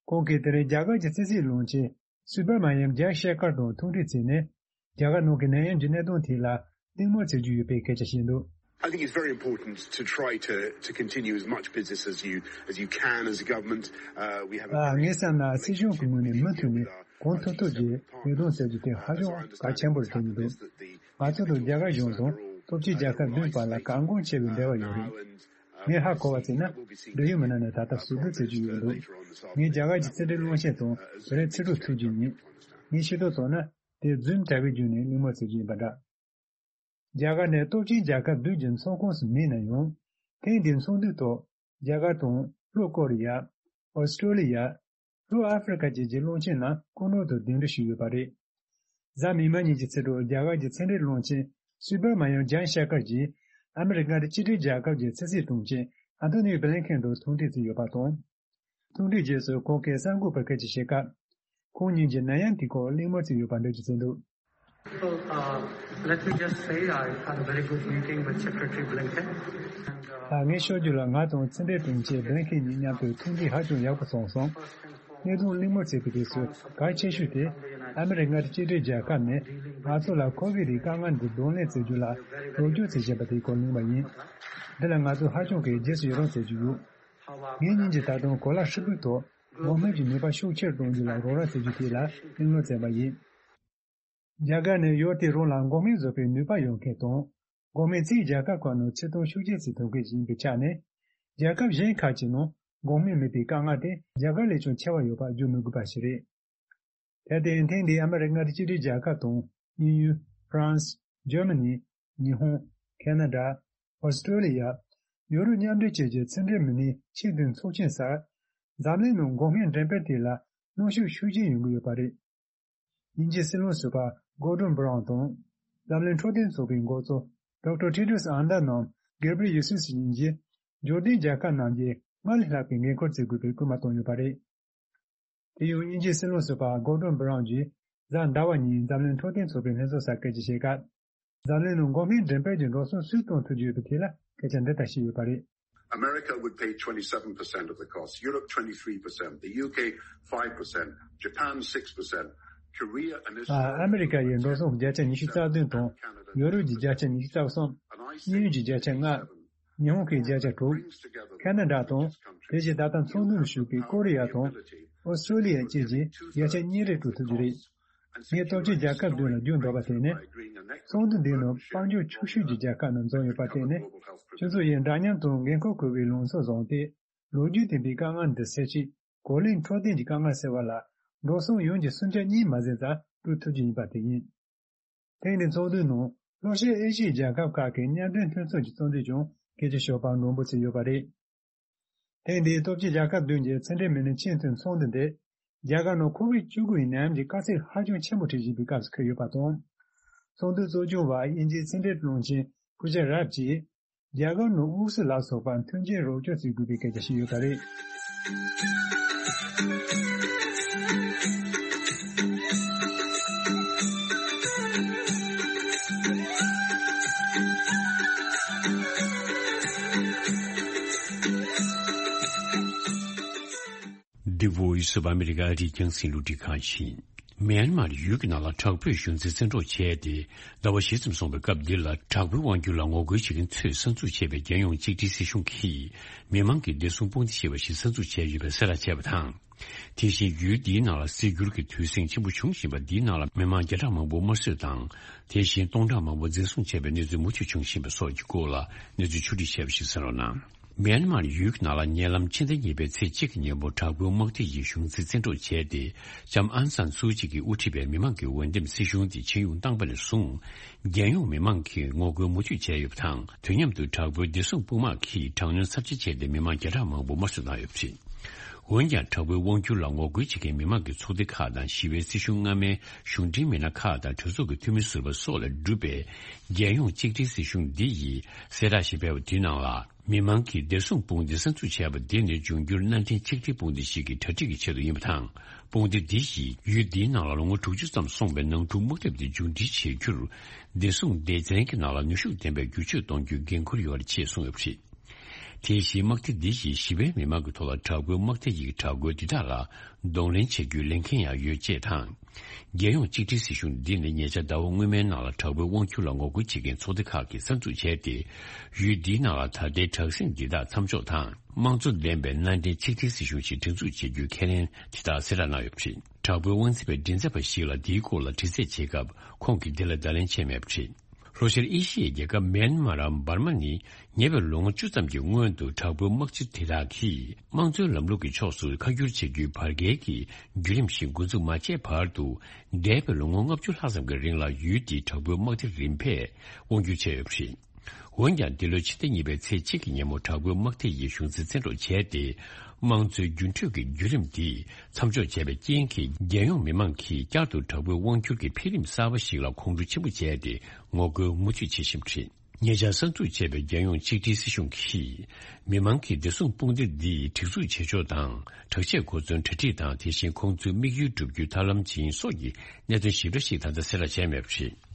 ཁོང་གིས་དེ་རིང་རྒྱ་གར་གྱི་ཕྱི་སྲིད་བློན་ཆེན་སུ་བྷར་མ་ཉམ་ཇའི་ཤེ་ཁར་དང་ཐུག་འཕྲད་བྱས་ནས་རྒྱ་གར་ནང་གི་ནད་ཡམས་ཀྱི་གནད་དོན་ཐད་ལ་གླེང་མོལ་བྱེད་རྒྱུ་ཡོད་པའི་སྐད་ཆ་བཤད་འདུག I think it's very important to try to, to continue as much business as you, as you can as a government. Uh, we have a ཨ། ངའི་བསམ་ན་སྲིད་གཞུང་གི་ངོས་ནས་མུ་མཐུད་ནས་གང་ཐུབ་ཐུབ་ཀྱིས་ལས་དོན་བྱ་རྒྱུ་དེ་ཧ་ཅང་གལ་ཆེན་པོ་རེད་དྲན་གྱི་འདུག་ང་ཚོ་དང་རྒྱ་གར་གཞུང་དང་སྟོབས་ཆེའི་རྒྱལ་ཁབ་བདུན་བར་ལ་གལ་འགངས་ཆེ་བའི་འབྲེལ་བ་ཡོད་རེད། ངས་ཧ་གོ་བ་བྱས་ན། འབྲེལ་ཡོད་མི་སྣ་ནས་ད་ལྟ་ཟུར་འདོན་བྱེད་ཀྱི་ཡོད་འདུག་ངས་རྒྱ་གར་གྱི་ཕྱི་འབྲེལ་བློན་ཆེན་དང་བོད་རིགས་ཕྱི་དྲིལ་ཐུག་རྒྱུ་ཡིན། ངས་ཤེས་རྟོགས་བྱུང་ན། དེ་ཛུམ་དྲ་བའི་བརྒྱུད་ནས་གླེང་མོལ་བྱེད་རྒྱུ་ཡིན་པ་འདྲ། རྒྱ་གར་ནི་སྟོབས་ཆེན་རྒྱལ་ཁབ་བདུན་གྱི་ཚོགས་ཁོངས་སུ་མེད་ན་ཡང་། ཐེངས་འདིའི་ཚོགས་འདུའི་ཐོག་རྒྱ་གར་དང་ལྷོ་ཀོ་རི་ཡ། ཨོ་སི་ཀྲོ་ལི་ཡ། ལྷོ་ཨ་ཧྥེ་རི་ཁ་བཅས་ཀྱི་བློན་ཆེན་རྣམས་སྐུ་མགྲོན་དུ་གདན་འདྲེན་ཞུས་ཡོད་པ་རེད། གཟའ་མིག་དམར་ཉིན་གྱི་ཚེས་དྲུག་རྒྱ་གར་གྱི་ཕྱི་འབྲེལ་བློན་ཆེན་སུ་བྷ་མ་ཡང་ཇཱན་ཤ་ཀར་གྱིས་ཨ་མི་རི་ཀ་དང་ཕྱི་འབྲེལ་རྒྱལ་ཁབ་ཀྱི་ཕྱི་སྲིད་དྲུང་ཆེ་ཨན་ཐོ་ནི་བྷི་ལིན་ཁེན་དང་ཐུག་འཕྲད་བྱས་ཡོད་པ་དང་། ཐུག་འཕྲད་རྗེས་སུ་ཁོང་གིས་གསར་འགོད་པར་སྐད་ཆ་བཤད་སྐབས། ཁོང་གཉིས་ཀྱིས་ནད་ཡམས་དེའི་སྐོར་གླེང་མོལ་བྱས་ཡོད་པ་འགྲེལ་བརྗོད་བྱས་འདུག Well, uh, let me just say I had a very good meeting with Secretary Blinken. And, uh, ད་ངས་ཤོད་རྒྱུ་ལ། ང་དང་ཕྱི་འབྲེལ་དྲུང་ཆེ་བྷི་ལིན་ཁེན་གཉིས་མཉམ་དུ་ཐུག་འཕྲད་ཧ་ཅང་ཡག་པོ་སོང་སོང་། གནད་དོན་གླེང་མོལ་བྱེད་པའི་དུས་སུ་གལ་ཆེ་ཤོས་དེ། ཨ་མི་རི་ཀ་དང་ཕྱི་འབྲེལ་རྒྱལ་ཁབ་ནས་ང་ཚོ་ལ་ཁོ་བིད་དེའི་དཀའ་ངལ་འདི་གདོང་ལེན་བྱེད་རྒྱུ་ལ་རོགས་སྐྱོར་བྱེད་བཞིན་པ་དེའི་སྐོར་གླེང་བ་ཡིན། འདི་ལ་ང་ཚོ་ཧ་ཅང་གི་རྗེས་སུ་ཡི་རང་བྱེད་ཀྱི་ཡོད། ངེད་གཉིས་ཀྱིས་ད་དུང་གོ་ལ་ཧྲིལ་པོའི་ཐོག་འགོག་སྨན་གྱི་ནུས་པ་ཤུགས་ཆེར་གཏོང་རྒྱུ་ལ་རོགས་རམ་བྱེད་རྒྱུ་དེ་ལ་གླེང་སློང་བྱས་པ་ཡིན། རྒྱ་གར་ནི་ཡུལ་དེ་རང་ལ་འགོག་སྨན་བཟོ་བའི་ནུས་པ་ཡོད་མཁན་དང་། འགོག་སྨན་ཚིག་རྒྱལ་ཁབ་ཁག་ནང་ཕྱིར་གཏོང་ཤུགས་ཆེ་བྱེད་ཐུབ་མཁན་ཞིག་ཡིན་པའི་ཆ་ནས། རྒྱལ་ཁབ་གཞན་ཁག་ཅིག་ནང་འགོག་སྨན་མེད་པའི་དཀའ་ངལ་དེ་རྒྱ་གར་ལས་ཀྱང་ཆེ་བ་ཡོད་པ་བརྗོད་མི་དགོས་པ་ཞིག་རེད། དེར་བརྟེན་ཐེངས་འདིའི་ཨ་མི་རི་ཀ་དང་ཕྱི་འབྲེལ་རྒྱལ་ཁབ་དང་དབྱིན་ཡུལ། ཧྥ་རན་སི། འཇར་མ་ནི། ཉི་ཧོང་། ཁེ་ན་ཌ། ཨོ་སི་ཀྲོ་ལི་ཡ། ཡོ་རོབ་མཉམ་འབྲེལ་བཅས་ཀྱི་ཕྱི་འབྲེལ་མི་སྣའི་ཆེས་མཐོའི་ཚོགས་ཆེན་སར། འཛམ་གླིང་ནང་འགོག་སྨན་འགྲེམས་སྤེལ་དེ་ལ་གནོན་ཤུགས་ཤུགས་ཆེན་ཡོང་གི་ཡོད་པ་རེད། དབྱིན་ཇིའི་སྲིད་བློན་ཟུར་པ་གོར་ཌོན་བྷི་རའུན་དང་། འཛམ་གླིང་འཕྲོད་བསྟེན་ཚོགས་པའི་འགོ་གཙོ་ཌོག་ཊར་ཊེ་ཌོ་སི་ཨན་དྷ་ནོམ་གེབ་རི་ཡེ་སུ་སི་གཉིས་ཀྱིས་འབྱོར་ལྡན་རྒྱལ་ཁབ་རྣམས་ཀྱིས་སྔར་ལས་ལྷག་པའི་འགན་འཁུར་བརྩི་དགོས་པའི་སྐུལ་མ་བཏང་ཡོད་པ་རེད། དེ་ཡང་དབྱིན་ཇིའི་སྲིད་བློན་ཟུར་པ་གོར་ཌོན་བྷི་རའུན་གྱིས་གཟའ་ཟླ་བ་ཉིན་འཛམ་གླིང་འཕྲོད་བསྟེན་ཚོགས་པའི་ལྷན་ཚོགས་སར་སྐད་ཆ་བཤད་སྐབས། འཛམ་གླིང་ནང་འགོག་སྨན་འགྲེམས་སྤེལ་གྱི་འགྲོ་སོང་སུས་གཏོང་ཐུབ་ཀྱི་ཡོད་པའི་ཐད་ལ་སྐད་ཆ་འདི་ལྟར་བཤད་ཡོད་པ་རེད། America would pay twenty-seven percent of the cost, Europe twenty-three percent, the U K five percent, Japan six percent, Korea and ཨ། Israel ཨ་མི་རི་ཀ་ཡིས་འགྲོ་སོང་བརྒྱ་ཆ་ཉི་ཤུ་རྩ་བདུན་དང་། ཡོ་རོབ་ཀྱི་བརྒྱ་ཆ་ཉི་ཤུ་རྩ་གསུམ། དབྱིན་ཡུལ་གྱི་བརྒྱ་ཆ་ལྔ། ཉི་ཧོང་གི་བརྒྱ་ཆ་དྲུག། ཁ་ན་ཌ་དང་། དེ་བཞིན་ད་ལྟ་ཚོགས་འདུར་ཞུགས་པའི་ཀོ་རི་ཡ་དང་། ཨོ་སི་ཀྲོ་ལི་ཡ་བཅས་ཀྱིས་བརྒྱ་ཆ་གཉིས་རེ་སྤྲོད་ཐུབ་རྒྱུ་རེད། ངས་སྟོབས་ཆེན་རྒྱལ་ཁབ་བདུན་ལ་རྒྱུ་འབྲས་བ་དེ་ནི། ཚོགས་འདུ་འདིའི་ནང་དཔལ་འབྱོར་ཆུང་ཤོས་ཀྱི་རྒྱལ་ཁབ་རྣམས་འཛོམས་ཡོད་པ་དེ་ནི། ཁྱོད་ཚོ་ཡིས་འདྲ་མཉམ་དང་འགན་ཁུར་དགོས་པའི་ལངས་ཕྱོགས་བཟུང་སྟེ། ལོ་རྒྱུས་ལྡན་པའི་དཀའ་ངལ་འདི་སེལ་ཆེད། གོ་ལའི་འཕྲོད་བསྟེན་གྱི་དཀའ་ངལ་སེལ་བ་ལ། འགྲོ་སོང་ཡོངས་ཀྱི་སུམ་ཆ་གཉིས་མ་ཟིན་ཙམ་སྤྲོད་ཐུབ་རྒྱུ་ཡིན་པ་དེ་ཡིན། ཐེངས་འདིའི་ཚོགས་འདུའི་ནང་ལྷོ་ཤར་ཨེ་ཤི་ཡའི་རྒྱལ་ཁབ་ཁག་གི་མཉམ་འབྲེལ་མཐུན་ཚོགས་ཀྱི་གཙོ་འཛིན་ཀྱང་སྐད་ཆ་ཤོད་པར་མགྲོན་འབོད་བྱས་ཡོད་པ་རེད། ཐེངས་འདིའི་སྟོབས་ཆེན་རྒྱལ་ཁབ་བདུན་གྱི་ཕྱི་འབྲེལ་མི་སྣའི་ཆེས་མཐོའི་ཚོགས་འདུ་འདི། རྒྱ་གར་ནང་ཁོ་བིད་བཅུ་དགུ་ཡི་ནད་ཡམས་ཀྱི་དཀའ་ཚེགས་ཧ་ཅང་ཆེན་པོ་འཕྲད་བཞིན་པའི་སྐབས་སུ་འཁེལ་ཡོད་པ་དང་། ཚོགས་འདུ་གཙོ་སྐྱོང་བ་དབྱིན་ཇིའི་ཕྱི་འབྲེལ་བློན་ཆེན་པུ་ཇ་རབ་ཀྱིས། རྒྱ་གར་ནང་དབུགས་སུབ་ལ་སོགས་པ་མཐུན་རྐྱེན་རོགས་སྐྱོར་བྱེད་དགོས་པའི་སྐད་ཆ་བཤད་ཡོད་པ་རེད། The Voice of America རིགས་རྒྱང་སྲིང་རླུང་འཕྲིན་ཁང་ཡིན། མེན་མར་ཡུལ་གྱི་ནང་ལ་དྲག་པོའི་གཞུང་འཛིན་བཙན་འཕྲོག་བྱས་ཏེ། ཟླ་བ་བཞི་ཙམ་སོང་བའི་སྐབས་འདི་ལ། དྲག་པོའི་དབང་སྒྱུར་ལ་ངོ་རྒོལ་བྱེད་མཁན་ཚོས་གསར་འཛུགས་བྱས་པའི་རྒྱལ་ཡོངས་གཅིག་སྒྲིལ་སྲིད་གཞུང་གིས། མི་མང་གི་བདེ་སྲུང་དཔུང་སྡེ་ཞེས་པ་ཞིག་གསར་འཛུགས་བྱས་ཡོད་པའི་གསལ་བསྒྲགས་བྱས་པ་དང་། དེ་བཞིན་ཡུལ་འདིའི་ནང་ལ་སྲིད་འགྱུར་གྱི་དུས་ཟིང་ཆེན་པོ་བྱུང་བཞིན་པ་འདིའི་ནང་ལ། མི་མང་བརྒྱ་ཕྲག་མང་པོ་དམར་གསོད་དང་། དེ་བཞིན་སྟོང་ཕྲག་མང་པོ་འཛིན་བཟུང་བྱས་པའི་གནས་ཚུལ་མུ་མཐུད་བྱུང་བཞིན་པ་སོགས་ཀྱི་སྐོར་ལ་གནས་ཚུལ་ཕྱོགས་སྒྲིག་བྱས་པ་ཞིག་གསན་རོགས་གནང་། མེན་མར་ཡུལ་གྱི་ནང་ལ་ཉེ་ལམ་ཕྱི་ཟླ་གཉིས་པའི་ཚེས་གཅིག་གི་ཉིན་མོ་དྲག་པོའི་དམག་སྡེ་ཡིས་གཞུང་འཛིན་བཙན་འཕྲོག་བྱས་ཏེ། ལྕམ་ཨང་སན་སུའུ་ཅི་གིས་དབུ་ཁྲིད་པའི་མི་མང་གི་འོས་འདེམས་སྲིད་གཞུང་དེ་ཆིངས་ཡོང་བཏང་པ་ནས་བཟུང་། རྒྱལ་ཡོངས་མི་མང་གིས་ངོ་རྒོལ་མུ་མཐུད་བྱས་ཡོད་པ་དང་། དུས་མཉམ་དུ་དྲག་པོའི་བདེ་སྲུང་དཔུང་དམག་གིས་དྲག་གནོན་ཚབས་ཆེ་བྱས་ཏེ་མི་མང་བརྒྱ་ཕྲག་མང་པོ་དམར་གསོད་བཏང་ཡོད་པ་རེད། འོན་ཀྱང་། དྲག་པོའི་དབང་སྒྱུར་ལ་ངོ་རྒོལ་བྱེད་མཁན་མི་མང་གི་ཚོགས་སྡེ་ཁག་དང་། ཞི་བའི་སྲིད་གཞུང་སྔ་མའི་གཞུང་འབྲེལ་མི་སྣ་ཁག་དང་། གྲོས་ཚོགས་ཀྱི་འཐུས་མི་ཟུར་པ་སོགས་ལས་གྲུབ་པའི་རྒྱལ་ཡོངས་གཅིག་སྒྲིལ་སྲིད་གཞུང་འདི་ཡིས་གསལ་བསྒྲགས་ཤིག་སྤེལ་བ་དེའི་ནང་ལ། མི་མང་གིས་བདེ་སྲུང་དཔུང་སྡེ་གསར་འཛུགས་བྱས་པ་འདི་ནི་འབྱུང་འགྱུར་མནའ་འབྲེལ་ཆིག་སྒྲིལ་དཔུང་སྡེ་ཞིག་གི་གྲ་སྒྲིག་གི་ཆེད་དུ་ཡིན་པ་དང་། དཔུང་སྡེ་འདི་ཡིས་ཡུལ་འདིའི་ནང་ལ་ལོ་ངོ་དྲུག་ཅུ་ཙམ་སོང་བའི་ནང་འཁྲུག་དམག་འཐབ་འདི་མཇུག་སྒྲིལ་བྱེད་རྒྱུར། བདེ་སྲུང་སྡེ་ཚན་གྱི་ནང་ལ་ནུས་ཤུགས་ལྡན་པའི་བསྒྱུར་བཅོས་གཏོང་རྒྱུའི་འགན་འཁུར་ཡོད་རེད་ཅེས་གསུངས་ཡོད་པ་རེད། དེ་བཞིན་དམག་སྡེ་འདི་ཡིས་ཞི་བའི་མི་མང་གི་ཐོག་ལ་དྲག་པོའི་དམག་སྡེ་ཡི་དྲག་རྒོལ་འདི་དག་ལ་གདོང་ལེན་བྱེད་རྒྱུའི་ལས་འགན་ཡང་ཡོད་ཅེས་དང་། རྒྱལ་ཡོངས་གཅིག་སྒྲིལ་སྲིད་གཞུང་འདི་ནི་ཉེ་ཆར་ཟླ་བ་སྔོན་མའི་ནང་ལ་དྲག་པོའི་དབང་སྒྱུར་ལ་ངོ་རྒོལ་བྱེད་མཁན་ཚོགས་སྡེ་ཁག་གིས་གསར་འཛུགས་བྱས་ཏེ། ཡུལ་འདིའི་ནང་ལ་ད་ལྟའི་དྲག་ཟིང་འདི་དག་མཚམས་འཇོག་དང་། དམངས་གཙོ་ལྡན་པའི་མནའ་འབྲེལ་ཆིག་སྒྲིལ་སྲིད་གཞུང་ཞིག་སྒྲིག་འཛུགས་བྱེད་རྒྱུའི་ཁས་ལེན་དེ་དག་གསལ་བསྒྲགས་གནང་ཡོད་པ་རེད། དྲག་པོའི་དབང་འཛིན་པའི་མགྲིན་ཚབ་པ་ཞིག་ལ་འདིའི་སྐོར་ལ་དྲི་རྩད་བྱེད་སྐབས། ཁོང་གིས་འདི་ལ་བརྡ་ལན་བྱས་མེད་པ་རེད། ལྷོ་ཤར་ཨེ་ཤི་ཡའི་རྒྱལ་ཁབ་མེན་མར་འམ་འབར་མ་ནི་ཉེ་བའི་ལོ་ངོ་བཅུ་ཙམ་གྱི་སྔོན་དུ་དྲག་པོའི་དམག་སྤྱི་དེ་དག་གིས་དམངས་གཙོའི་ལམ་ལུགས་ཀྱི་ཕྱོགས་སུ་ཁ་བསྒྱུར་བྱེད་རྒྱུའི་བར་བརྒལ་གྱི་བརྒྱུད་རིམ་ཞིག་འགོ་འཛུགས་མ་བྱས་བར་དུ། འདས་པའི་ལོ་ངོ་ལྔ་བཅུ་ལྷག་ཙམ་གྱི་རིང་ལ་ཡུལ་དེའི་དྲག་པོའི་དམག་སྡེ་རིམ་པས་དབང་སྒྱུར་བྱས་ཡོད་པ་རེད། འོན་ཀྱང་འདི་ལོའི་ཕྱི་ཟླ་གཉིས་པའི་ཚེས་གཅིག་གི་ཉིན་མོ་དྲག་པོའི་དམག་སྡེ་ཡིས་གཞུང་འཛིན་བཙན་འཕྲོག་བྱས་ཏེ། དམངས་གཙོའི་རྒྱུན་མཐུད་ཀྱི་བརྒྱུད་རིམ་འདི་མཚམས་འཇོག་བྱས་པའི་རྐྱེན་གྱིས། རྒྱལ་ཡོངས་མི་མང་གིས་བསྐྱར་དུ་དྲག་པོའི་དབང་སྒྱུར་གྱི་འཕེལ་རིམ་གསར་པ་ཞིག་ལ་ཁོང་ཁྲོ་ཆེན་པོ་བྱས་ཏེ། ངོ་རྒོལ་མུ་མཐུད་བྱེད་བཞིན་པ་རེད། ཉེ་ཆར་གསར་འཛུགས་བྱས་པའི་རྒྱལ་ཡོངས་གཅིག་སྒྲིལ་སྲིད་གཞུང་གིས། མི་མང་གིས་བདེ་སྲུང་དཔུང་སྡེ་འདིས་སྒྲིག་འཛུགས་བྱེད་ཕྱོགས་དང་། དྲག་ཆས་གོ་མཚོན་གྲ་སྒྲིག་དང་། དེ་བཞིན་ཁོང་ཚོའི་དམིགས་ཡུལ་བསྒྲུབ་རྒྱུའི་ཐབས་ལམ་སྦྱིན་སོགས་ཀྱི་གནད་དོན་ཞིབ་ཕྲ་ཞིག་ད་ལྟ་གསལ་བསྒྲགས་བྱས་མེད་པ་རེད།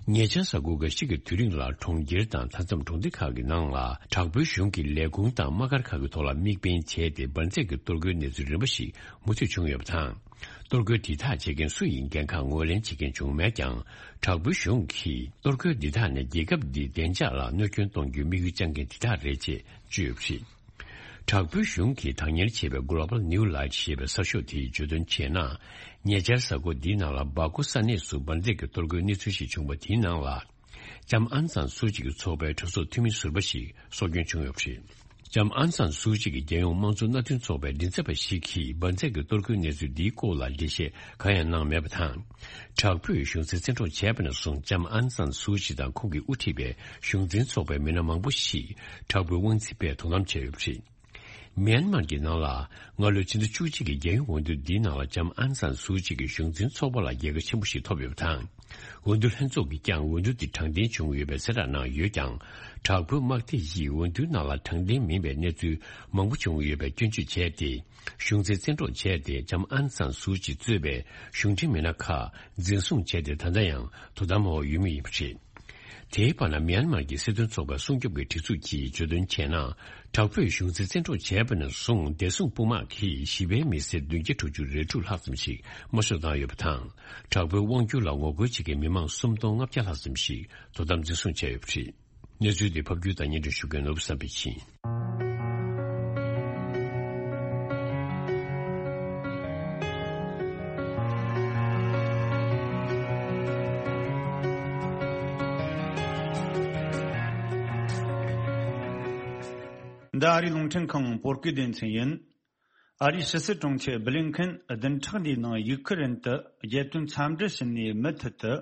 ཉེ་ཆར་གཟའ་འཁོར་འགའ་ཞིག་གི་དུས་རིང་ལ་གྲོང་ཁྱེར་དང་མཐའ་མཚམས་གྲོང་སྡེ་ཁག་གི་ནང་ལ་དྲག་པོའི་གཞུང་གི་ལས་ཁུངས་དང་དམག་སྒར་ཁག་གི་ཐོག་ལ་དམིགས་འབེན་བྱས་ཏེ། འབར་འཛེག་གི་གཏོར་རྒོལ་གནས་ཚུལ་རིམ་པ་ཞིག་མུ་མཐུད་བྱུང་ཡོད་པ་དང་། གཏོར་རྒོལ་འདི་དག་བྱེད་མཁན་སུ་ཡིན་འགན་ཁག་ངོས་ལེན་བྱེད་མཁན་བྱུང་མེད་ཀྱང་། དྲག་པོའི་གཞུང་གིས་གཏོར་རྒོལ་འདི་དག་ནི་རྒྱལ་ཁབ་འདིའི་བདེ་འཇགས་ལ་གནོད་སྐྱོན་གཏོང་རྒྱུའི་དམིགས་ཡུལ་བཅངས་མཁན་དེ་དག་རེད་ཅེས་བརྗོད་ཡོད་པ་རེད། དྲག་པོའི་གཞུང་གིས་བདག་གཉེར་བྱས་པའི་Global New Light ཞེས་པའི་གསར་ཤོག་དེས་བརྗོད་དོན་བྱས་ན། ཉེ་ཆར་གཟའ་འཁོར་འདིའི་ནང་ལ་སྦ་ཀུ་ས་གནས་སུ་འབར་འཛེག་གི་གཏོར་རྒོལ་གནས་ཚུལ་ཞིག་བྱུང་བ་དེའི་ནང་ལ། ལྕམ་ཨང་སན་སུའུ་ཅི་གི་ཚོགས་པའི་གྲོས་ཚོགས་འཐུས་མི་ཟུར་པ་ཞིག་སྲོག་སྐྱོན་བྱུང་ཡོད་པ་རེད། ལྕམ་ཨང་སན་སུའུ་ཅི་གིས་རྒྱལ་ཡོངས་དམངས་གཙོ་མནའ་མཐུན་ཚོགས་པའི་མགྲིན་ཚབ་པ་ཞིག་གིས་འབར་འཛེག་གི་གཏོར་རྒོལ་གནས་ཚུལ་འདིའི་སྐོར་ལ་འགྲེལ་བཤད་གང་ཡང་གནང་མེད་པ་དང་། དྲག་པོས་གཞུང་འཛིན་བཙན་འཕྲོག་བྱས་པ་ནས་བཟུང་ལྕམ་ཨང་སན་སུའུ་ཅི་དང་ཁོང་གིས་དབུ་ཁྲིད་པའི་གཞུང་འཛིན་ཚོགས་པའི་མི་སྣ་མང་པོ་ཞིག་དྲག་པོའི་དབང་འཛིན་པས་དོ་དམ་བྱས་ཡོད་པ་རེད། མེན་མར་གྱི་ནང་ལ་སྔ་ལོའི་ཕྱི་ཟླ་བཅུ་གཅིག་གི་རྒྱལ་ཡོངས་འོས་བསྡུ་འདིའི་ནང་ལ་ལྕམ་ཨང་སན་སུའུ་ཅི་གིས་གཞུང་འཛིན་ཚོགས་པ་ལ་རྒྱལ་ཁ་ཆེན་པོ་ཞིག་ཐོབ་ཡོད་པ་དང་། འོས་བསྡུ་ལྷན་ཚོགས་ཀྱིས་ཀྱང་འོས་བསྡུ་དེ་དྲང་བདེན་བྱུང་ཡོད་པའི་གསལ་བསྒྲགས་གནང་ཡོད་ཀྱང་། དྲག་པོའི་དམག་སྡེ་ཡིས་འོས་བསྡུའི་ནང་ལ་དྲང་བདེན་མིན་པའི་གནས་ཚུལ་མང་པོ་བྱུང་ཡོད་པའི་སྐྱོན་བརྗོད་བྱས་ཏེ། གཞུང་འཛིན་བཙན་འཕྲོག་བྱས་ཏེ། ལྕམ་ཨང་སན་སུའུ་ཅི་གཙོས་པའི་གཞུང་འབྲེལ་མི་སྣ་ཁག་འཛིན་བཟུང་བྱས་ཏེ། ད་ལྟ་ཡང་དོ་དམ་འོག་ཡོད་མུས་ཡིན་པ་རེད། དེའི་བར་ན། མེན་མར་གྱི་སྲིད་དོན་ཚོགས་པའི་སྲུང་སྐྱོབ་ཀྱི་སྒྲིག་འཛུགས་ཀྱིས་བརྗོད་དོན་བྱས་ན། དྲག་པོས་གཞུང་འཛིན་བཙན་འཕྲོག་བྱས་པ་ནས་བཟུང་བདེ་སྲུང་དཔུང་དམག་གིས་ཞི་བའི་མི་སེར་བདུན་བརྒྱ་དྲུག་ཅུ་རེ་དྲུག་ལྷག་ཙམ་ཞིག་དམར་གསོད་བཏང་ཡོད་པ་དང་། དྲག་པོའི་དབང་སྒྱུར་ལ་ངོ་རྒོལ་བྱེད་མཁན་མི་མང་སུམ་སྟོང་ལྔ་བརྒྱ་ལྷག་ཙམ་ཞིག་དོ་དམ་འཛིན་བཟུང་བྱས་ཡོད་པ་རེད། གནས་ཚུལ་དེ་ཕབ་སྒྱུར་དང་སྙན་སྒྲོན་ཞུ་མཁན་ནོར་བུ་བསམ་འཕེལ་ཡིན། འདི་ཨ་རིའི་རླུང་འཕྲིན་ཁང་བོད་སྐད་སྡེ་ཚན་ཡིན། ཨ་རིའི་ཕྱི་སྲིད་དྲུང་ཆེ་སྦི་ལིན་ཁིན་བདུན་ཕྲག་འདིའི་ནང་ཡུག་ཁི་རན་དུ་རྒྱལ་དོན་འཚམས་འདྲི་ཞུ་ནས་མུ་མཐུད་དུ།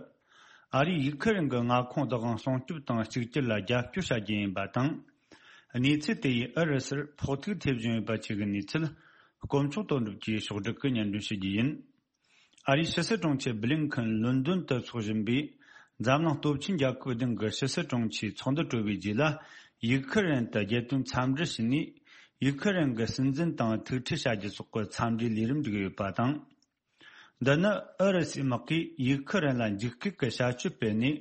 ཨ་རིས་ཡུག་ཁི་རན་གྱི་མངའ་ཁོངས་བདག་དབང་སྲུང་སྐྱོབ་དང་གཅིག་གྱུར་ལ་རྒྱབ་སྐྱོར་བྱ་རྒྱུ་ཡིན་པ་དང་། གནས་ཚུལ་དེ་ཡིས་ཨུ་རུ་སུར་ཕོག་ཐུག་ཐེབས་བཞིན་ཡོད་པ་བཅས་ཀྱི་གནས་ཚུལ་དཀོན་མཆོག་དོན་གྲུབ་ཀྱིས་ཕྱོགས་བསྒྲིགས་ཀྱིས་སྙན་སྒྲོན་ཞུ་རྒྱུ་ཡིན། ཨ་རིའི་ཕྱི་སྲིད་དྲུང་ཆེ་སྦི་ལིན་ཁིན་ལོན་ཌོན་དུ་འཚོགས་བཞིན་པའི་འཛམ་གླིང་སྟོབས་ཆེན་རྒྱལ་ཁབ་བདུན་གྱི་ཕྱི་སྲིད་དྲུང་ཆེའི་ཚོགས་འདུ་གྲོལ་བའི་རྗེས་ལ། ཡུག་ཁི་རན་དུ་རྒྱལ་དོན་འཚམས་འདྲི་ཞུས་ནས། ཡུག་ཁི་རན་གྱི་སྲིད་འཛིན་དང་ཐུག་འཕྲད་བྱ་རྒྱུ་སོགས་ཀྱི་འཚམས་འདྲིའི་ལས་རིམ་བསྒྲིགས་ཡོད་པ་དང་། འདི་ནི་ཨུ་རུ་སུའི་དམག་གིས་ཡུག་ཁི་རན་ལ་འཇིགས་སྐུལ་གྱི་བྱ་སྤྱོད་སྤེལ་ནས་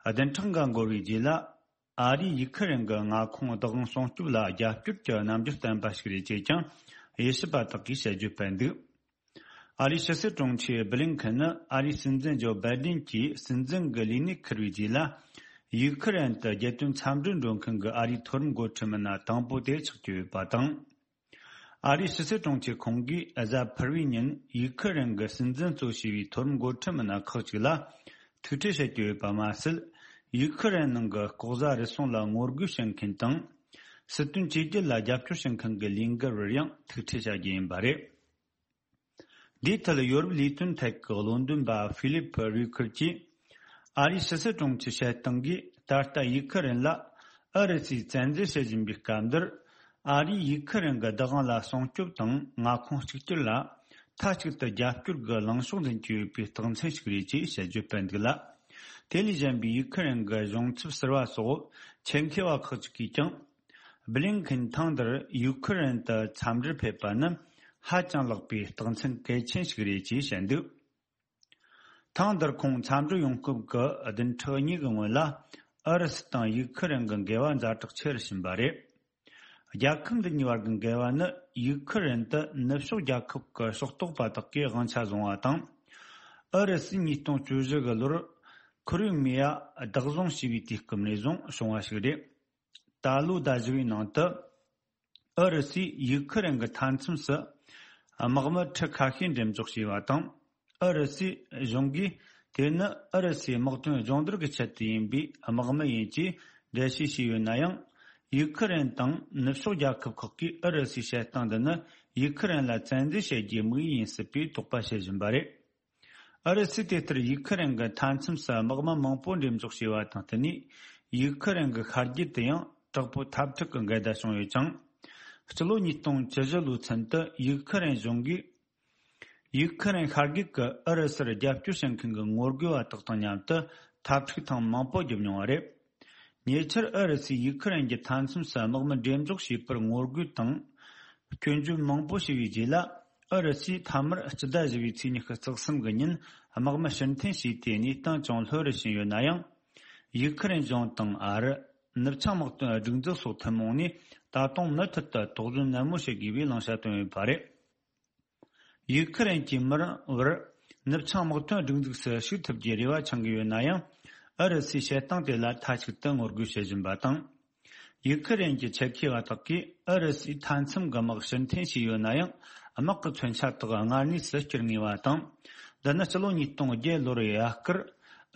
བདུན་ཕྲག་འགའ་འགོར་བའི་རྗེས་ལ། ཨ་རིས་ཡུག་ཁི་རན་གྱི་མངའ་ཁོངས་བདག་དབང་སྲུང་སྐྱོབ་ལ་རྒྱབ་སྐྱོར་གྱི་རྣམ་འགྱུར་བསྟན་པ་ཞིག་རེད་ཅེས་ཀྱང་དབྱེ་ཞིབ་པ་དག་གིས་དཔྱད་བརྗོད་སྤེལ་འདུག་ཨ་རིའི་ཕྱི་སྲིད་དྲུང་ཆེ་སྦི་ལིན་ཁིན་ནི་ཨ་རིའི་སྲིད་འཛིན་ཇོ་བྷའི་ཌེན་གྱིས་སྲིད་འཛིན་གྱི་ལས་གནས་འཁུར་བའི་རྗེས་ལ། ཡུག་ཁི་རན་དུ་རྒྱལ་དོན་འཚམས་འདྲིར་འགྲོ་མཁན་གྱི་ཨ་རིའི་མཐོ་རིམ་འགོ་ཁྲིད་མི་སྣ་དང་པོ་དེ་ཆགས་ཀྱི་ཡོད་པ་དང་། ཨ་རིའི་ཕྱི་སྲིད་དྲུང་ཆེ་ཁོང་གིས་གཟའ་ཕུར་བུའི་ཉིན་ཡུག་ཁི་རན་གྱི་སྲིད་འཛིན་གཙོ་བྱས་པའི་མཐོ་རིམ་འགོ་ཁྲིད་མི་སྣ་ཁག་ཅིག་ལ་ཐུག་འཕྲད་བྱེད་ཀྱི་ཡོད་པ་མ་ཟད། ཡུག་ཁི་རན་ནང་གི་ལྐོག་ཟ་རུལ་སུངས་ལ་ངོ་རྒོལ་བྱེད་མཁན་དང་། སྲིད་དོན་བཅོས་བསྒྱུར་ལ་རྒྱབ་སྐྱོར་བྱེད་མཁན་གྱི་ལས་འགུལ་བར་ཡང་ཐུག་འཕྲད་བྱ་རྒྱུ་ཡིན་པ་རེད། འདིའི་ཐད་ཡོ་རོབ་ལས་དོན་ཐད་ཀྱི་བློ་འདོན་པ་ཧྥི་ལིབ་རུས་ཁུར་གྱིས། ཨ་རིའི་ཕྱི་སྲིད་དྲུང་ཆེའི་བཤད་སྟངས་ཀྱིས་ད་ལྟ་ཡུག་ཁི་རན་ལ་ཨུ་རུ་སུས་བཙན་འཛུལ་བྱེད་བཞིན་པའི་སྐབས་འདིར། ཨ་རིས་ཡུག་ཁི་རན་གྱི་བདག་དབང་ལ་སྲུང་སྐྱོབ་དང་མངའ་ཁོངས་གཅིག་གྱུར་ལ་མཐའ་གཅིག་ཏུ་རྒྱབ་སྐྱོར་གྱི་ལངས་ཕྱོགས་འཛིན་གྱི་ཡོད་པའི་རྟགས་མཚན་ཞིག་རེད་ཅེས་དཔྱད་བརྗོད་སྤེལ་འདུག་ལ། དེ་ལས་གཞན་པའི་ཡུག་ཁི་རན་གྱི་གཞུང་ཚབ་ཟུར་པ་སོགས་ཆེད་མཁས་པ་ཁག་ཅིག་གིས་ཀྱང་། སྦི་ལིན་ཁིན་ཐེངས་འདིར་ཡུག་ཁི་རན་དུ་འཚམས་འདྲིར་ཕེབས་པ་ནི་ཧ་ཅང་ལེགས་པའི་རྟགས་མཚན་གལ་ཆེན་ཞིག་རེད་ཅེས་བཤད་འདུག་ཐེངས་འདིར་ཁོང་འཚམས་འདྲིར་ཡོང་སྐབས་ཀྱི་བདུན་ཕྲག་གཉིས་ཀྱི་སྔོན་ལ་ཨུ་རུ་སུ་དང་ཡུག་ཁི་རན་གྱི་འགལ་བ་ཛ་དྲག་ཆེ་རུ་ཕྱིན་པ་རེད། རྒྱལ་ཁབ་འདི་གཉིས་བར་གྱི་འགལ་བ་ནི་ཡུག་ཁི་རན་དུ་ནུབ་ཕྱོགས་རྒྱལ་ཁབ་ཀྱི་ཕྱོགས་གཏོགས་པ་དག་གིས་དབང་ཆ་བཟུང་བ་དང་། ཨུ་རུ་སུས་ཉིས་སྟོང་བཅུ་བཞི་གི་ལོར་ཁོར་ཡུག་མེ་ཡ་བདག་བཟུང་བྱས་པའི་དུས་སྐབས་ནས་བཟུང་བྱུང་བ་ཞིག་རེད། ད་ལོའི་ཟླ་བཞི་བའི་ནང་དུ། ཨུ་རུ་སུས་ཡུག་ཁི་རན་གྱི་མཐའ་མཚམས་སུ་དམག་མི་ཁྲི་ཁ་ཤས་འགྲེམས་འཇོག་བྱས་པ་དང་། ཨུ་རུ་སུའི་གཞུང་གིས་ དེ་ནི་ཨུ་རུ་སུའི་དམག་དོན་སྦྱོང་བརྡར་གྱི་ཆེད་དུ་ཡིན་པས་དམག་མི་ཡིན་ཅེས་འགྲེལ་བཤད་བྱས་ཡོད་ན་ཡང་། ཡུག་ཁི་རན་དང་ནུབ་ཕྱོགས་རྒྱལ་ཁབ་ཁག་གིས་ཨུ་རུ་སུའི་བྱེད་སྟངས་འདི་ནི་ཡུག་ཁི་རན་ལ་བཙན་འཛུལ་བྱེད་རྒྱུའི་དམིགས་ཡུལ་ཡིན་སྲིད་པའི་དོགས་པ་བྱེད་བཞིན་པ་རེད། ཨུ་རུ་སུས་དེ་ལྟར་ཡུག་ཁི་རན་གྱི་མཐའ་མཚམས་སུ་དམག་མི་མང་པོ་འགྲེམས་འཇོག་བྱས་པ་དང་བསྟུན་ནས། ཡུག་ཁི་རན་གྱི་ཤར་རྒྱུད་དུ་ཡང་དྲག་པོའི་འཐབ་འཁྲུག་གི་འགལ་ཟླ་བྱུང་ཡོད་ཅིང་། སྤྱི་ལོ་ཉིས་སྟོང་བཅུ་བཞི་ལོའི་ཚུན་དུ་ཡུག་ཁི་རན་གཞུང་གིས། ཡུག་ཁི་རན་ཤར་རྒྱུད་ཀྱི་ཨུ་རུ་སུར་རྒྱབ་སྐྱོར་བྱེད་མཁན་གྱི་ངོ་རྒོལ་བ་དག་དང་མཉམ་དུ་འཐབ་འཁྲུག་ཐེངས་མང་པོ་བརྒྱབ་མྱོང་བ་རེད། ཉེ་ཆར་ཨུ་རུ་སུས་ཡུག་ཁི་རན་གྱི་མཐའ་མཚམས་སུ་དམག་མི་འགྲེམས་འཇོག་བྱས་པར་ངོ་རྒོལ་དང་། སྐྱོན་བརྗོད་མང་པོ་བྱས་པའི་རྗེས་ལ། ཨུ་རུ་སུས་མཐའ་མར་སྤྱི་ཟླ་བཞི་པའི་ཚེས་ཉི་ཤུ་རྩ་གསུམ་གྱི་ཉིན་དམག་མི་ཕྱིར་འཐེན་བྱས་ཏེ་གནས་སྟངས་ཅུང་ལྷོད་རུ་ཕྱིན་ཡོད་ན་ཡང་། ཡུག་ཁི་རན་གཞུང་དང་ཨ་རི། ནུབ་བྱང་དམག་དོན་སྒྲིག་འཛུགས་སོགས་ཐུན་མོང་ནས་ད་དུང་མུ་མཐུད་དུ་དོགས་ཟོན་ནན་མོ་བྱེད་དགོས་པའི་བླང་བྱ་བཏོན་ཡོད་པ་རེད། ཡུག་ཁི་རན་གྱི་མི་རང་བར་ནུབ་བྱང་དམག་དོན་སྒྲིག་འཛུགས་སུ་ཞུགས་ཐུབ་རྒྱུའི་རེ་བ་འཆང་གི་ཡོད་ན་ཡང་། ཨུ་རུ་སུའི་བྱེད་སྟངས་དེ་ལ་མཐའ་གཅིག་ཏུ་ངོ་རྒོལ་བྱེད་བཞིན་པ་དང་། ཡུག་ཁི་རན་གྱི་ཆེད་མཁས་པ་དག་གིས་ཨུ་རུ་སུའི་མཐའ་མཚམས་ཀྱི་དམག་ཕྱིར་འཐེན་བྱས་ཡོད་ན་ཡང་། དམག་གི་མཚོན་ཆ་དག་སྔར་གནས་སུ་བསྐྱུར་ངེས་པ་དང་། འདི་ནི་སྤྱི་ལོ་ཉིས་སྟོང་བརྒྱད་ལོར་ཡ་སྐུར་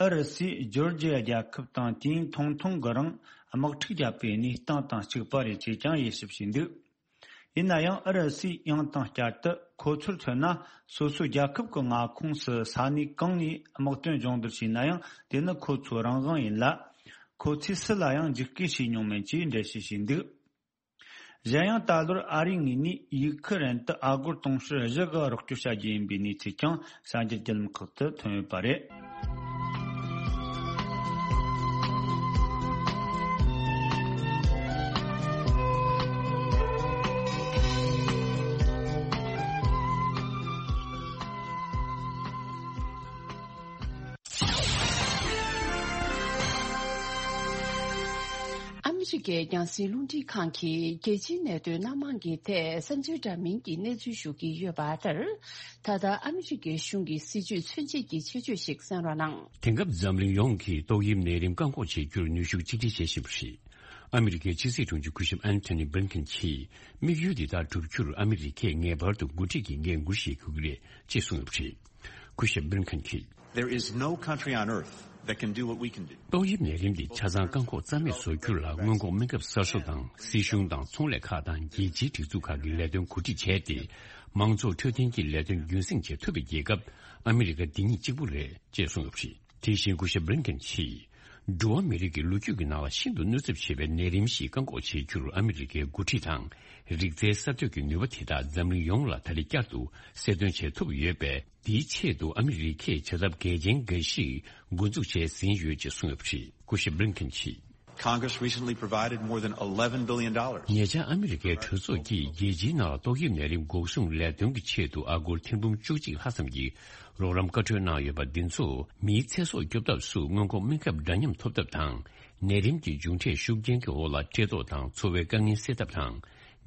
ཨུ་རུ་སུས་ཇོར་ཇི་ཡ་རྒྱལ་ཁབ་དང་དུས་ཡུན་ཐུང་ཐུང་གི་རིང་དམག་འཁྲུག་བརྒྱབ་པའི་གནས་སྟངས་དང་གཅིག་པ་རེད་ཅེས་ཀྱང་དབྱེ་ཞིབ་བྱས་འདུག་ཡིན་ན་ཡང་ཨུ་རུ་སུས་ཡང་དང་བསྐྱར་དུ་ཁོ་ཚོར་མཚོན་ན། སོ་སོའི་རྒྱལ་ཁབ་ཀྱི་མངའ་ཁོངས་སུ་ས་གནས་གང་ནས་དམག་དོན་སྦྱོང་བརྡར་བྱས་ན་ཡང་། དེ་ནི་ཁོ་ཚོའི་རང་དབང་ཡིན་ལ། ཁོ་ཚོས་སུ་ལ་ཡང་འཇིགས་སྐུལ་བྱས་མྱོང་མེད་ཅེས་འགྲེལ་བཤད་བྱས་འདུག་གཞན་ཡང་། ད་ལོར་ཨ་རིའི་ངོས་ནས་ཡུག་ཁི་རན་དུ་ཨ་སྒོར་དུང་ཕྱུར་བཞི་གི་རོགས་སྐྱོར་བྱ་རྒྱུ་ཡིན་པའི་གནས་ཚུལ་ཀྱང་གསར་འགྱུར་བརྒྱུད་ལམ་ཁག་ཏུ་ཐོན་ཡོད་པ་རེད། ཨ་མི་རི་ཀའི་རྒྱང་སྲིང་རླུང་འཕྲིན་ཁང་གིས་རྒྱལ་སྤྱིའི་གནད་དོན་སྣ་མང་གི་ཐད་བསམ་ཚུལ་འདྲ་མིན་གྱི་གནས་ཚུལ་ཞུ་གི་ཡོད་པ་ལྟར། ད་ལྟ་ཨ་མི་རི་ཀའི་གཞུང་གི་སྲིད་ཇུས་མཚོན་བྱེད་ཀྱི་ཆེད་བརྗོད་ཞིག་གསན་རོགས་གནང་། དེང་སྐབས་འཛམ་གླིང་ཡོངས་ཀྱིས་ཏོག་དབྱིབས་ནད་རིམས་བཀག་འགོག་བྱེད་རྒྱུར་ནུས་ཤུགས་གཅིག་སྒྲིལ་བྱེད་བཞིན་པ་རེད། ཨ་མི་རི་ཀའི་ཕྱི་སྲིད་དྲུང་ཆེ་སྐུ་ཞབས་ཨན་ཐོ་ནི་བྷི་ལིན་ཁིན་གྱིས་དམིགས་ཡུལ་འདི་དག་བསྒྲུབ་རྒྱུར་ཨ་མི་རི་ཀས་ངེས་པར་དུ་འགོ་ཁྲིད་ཀྱི་འགན་འཁུར་བཞེས་དགོས་ཀྱི་རེད་ཅེས་གསུངས་ཡོད་པ་རེད། སྐུ་ཞབས་བྷི་ལིན་ཁིན་གྱིས། There is no country on earth that can do what we can do. ཏོག་དབྱིབས་ནད་རིམས་འདི་ཆ་ཚང་བཀག་འགོག་རྩ་མེད་བཟོ་རྒྱུ་ལ་སྔོན་འགོག་སྨན་ཁབ་གསར་བཟོ་དང་སྲིད་གཞུང་དང་ཚོང་ལས་ཁག་དང་རྒྱལ་སྤྱིའི་སྒྲིག་འཛུགས་ཁག་གིས་ལས་དོན་གོ་སྒྲིག་བྱས་ཏེ། མང་ཚོགས་འཕྲོད་བསྟེན་གྱི་ལས་དོན་རྒྱུན་སྲིང་བྱེད་ཐུབ་པའི་རྒྱལ་ཁབ་ཨ་མི་རི་ཀ་འདི་ཉིད་གཅིག་པུ་རེད་ཅེས་གསུངས་ཡོད་པ་རེད། དེ་བཞིན་སྐུ་ཞབས་བྷི་ལིན་ཁིན་གྱིས། འགྲོ་བ་མི་རིགས་ཀྱི་ལོ་རྒྱུས་ཀྱི་ནང་ལ་ཤིན་ཏུ་གནོད་ཚབས་ཆེ་བའི་ནད་རིམས་ཤིག་བཀག་འགོག་བྱེད་རྒྱུར་ཨ་མི་རི་ཀའི་འགོ་ཁྲིད་དང་། རིག་རྩལ་གསར་གཏོད་ཀྱི་ནུས་པ་དེ་དག་འཛམ་གླིང་ཡོངས་ལ་ད་རེས་བསྐྱར་དུ་གསལ་སྟོན་བྱེད་ཐུབ་ཡོད་པས། འདིའི་ཆེད་དུ་ཨ་མི་རི་ཀས་བྱ་ཐབས་གལ་ཆེན་འགའ་ཞིག་འགོ་འཛུགས་བྱས་ཟིན་ཡོད་ཅེས་གསུངས་ཡོད་པ་རེད། སྐུ་ཞབས་བྷི་ལིན་ཁིན་གྱིས། Congress recently provided more than eleven billion dollars. ཉེ་ཆར་ཨ་མི་རི་ཀའི་གྲོས་ཚོགས་ཀྱིས་རྒྱལ་སྤྱིའི་ནང་ལ་ཏོག་དབྱིབས་ནད་རིམས་འགོག་སྲུང་ལས་དོན་གྱི་ཆེད་དུ་ཨ་སྒོར་ཐེར་འབུམ་བཅུ་གཅིག་ལྷག་ཙམ་གྱི་རོགས་རམ་བཀའ་འཁྲོལ་གནང་ཡོད་པ་འདི་ཚོ་མིའི་ཚེ་སྲོག་སྐྱོབ་ཐབས་སུ་སྔོན་འགོག་སྨན་ཁབ་འདྲ་མཉམ་ཐོབ་ཐབས་དང་། ནད་རིམས་ཀྱི་མཇུག་འབྲས་ཤུགས་རྐྱེན་གྱི་འོག་ལ་བཀྲེས་ལྟོགས་དང་འཚོ་བའི་དཀའ་ངལ་སེལ་ཐབས་དང་།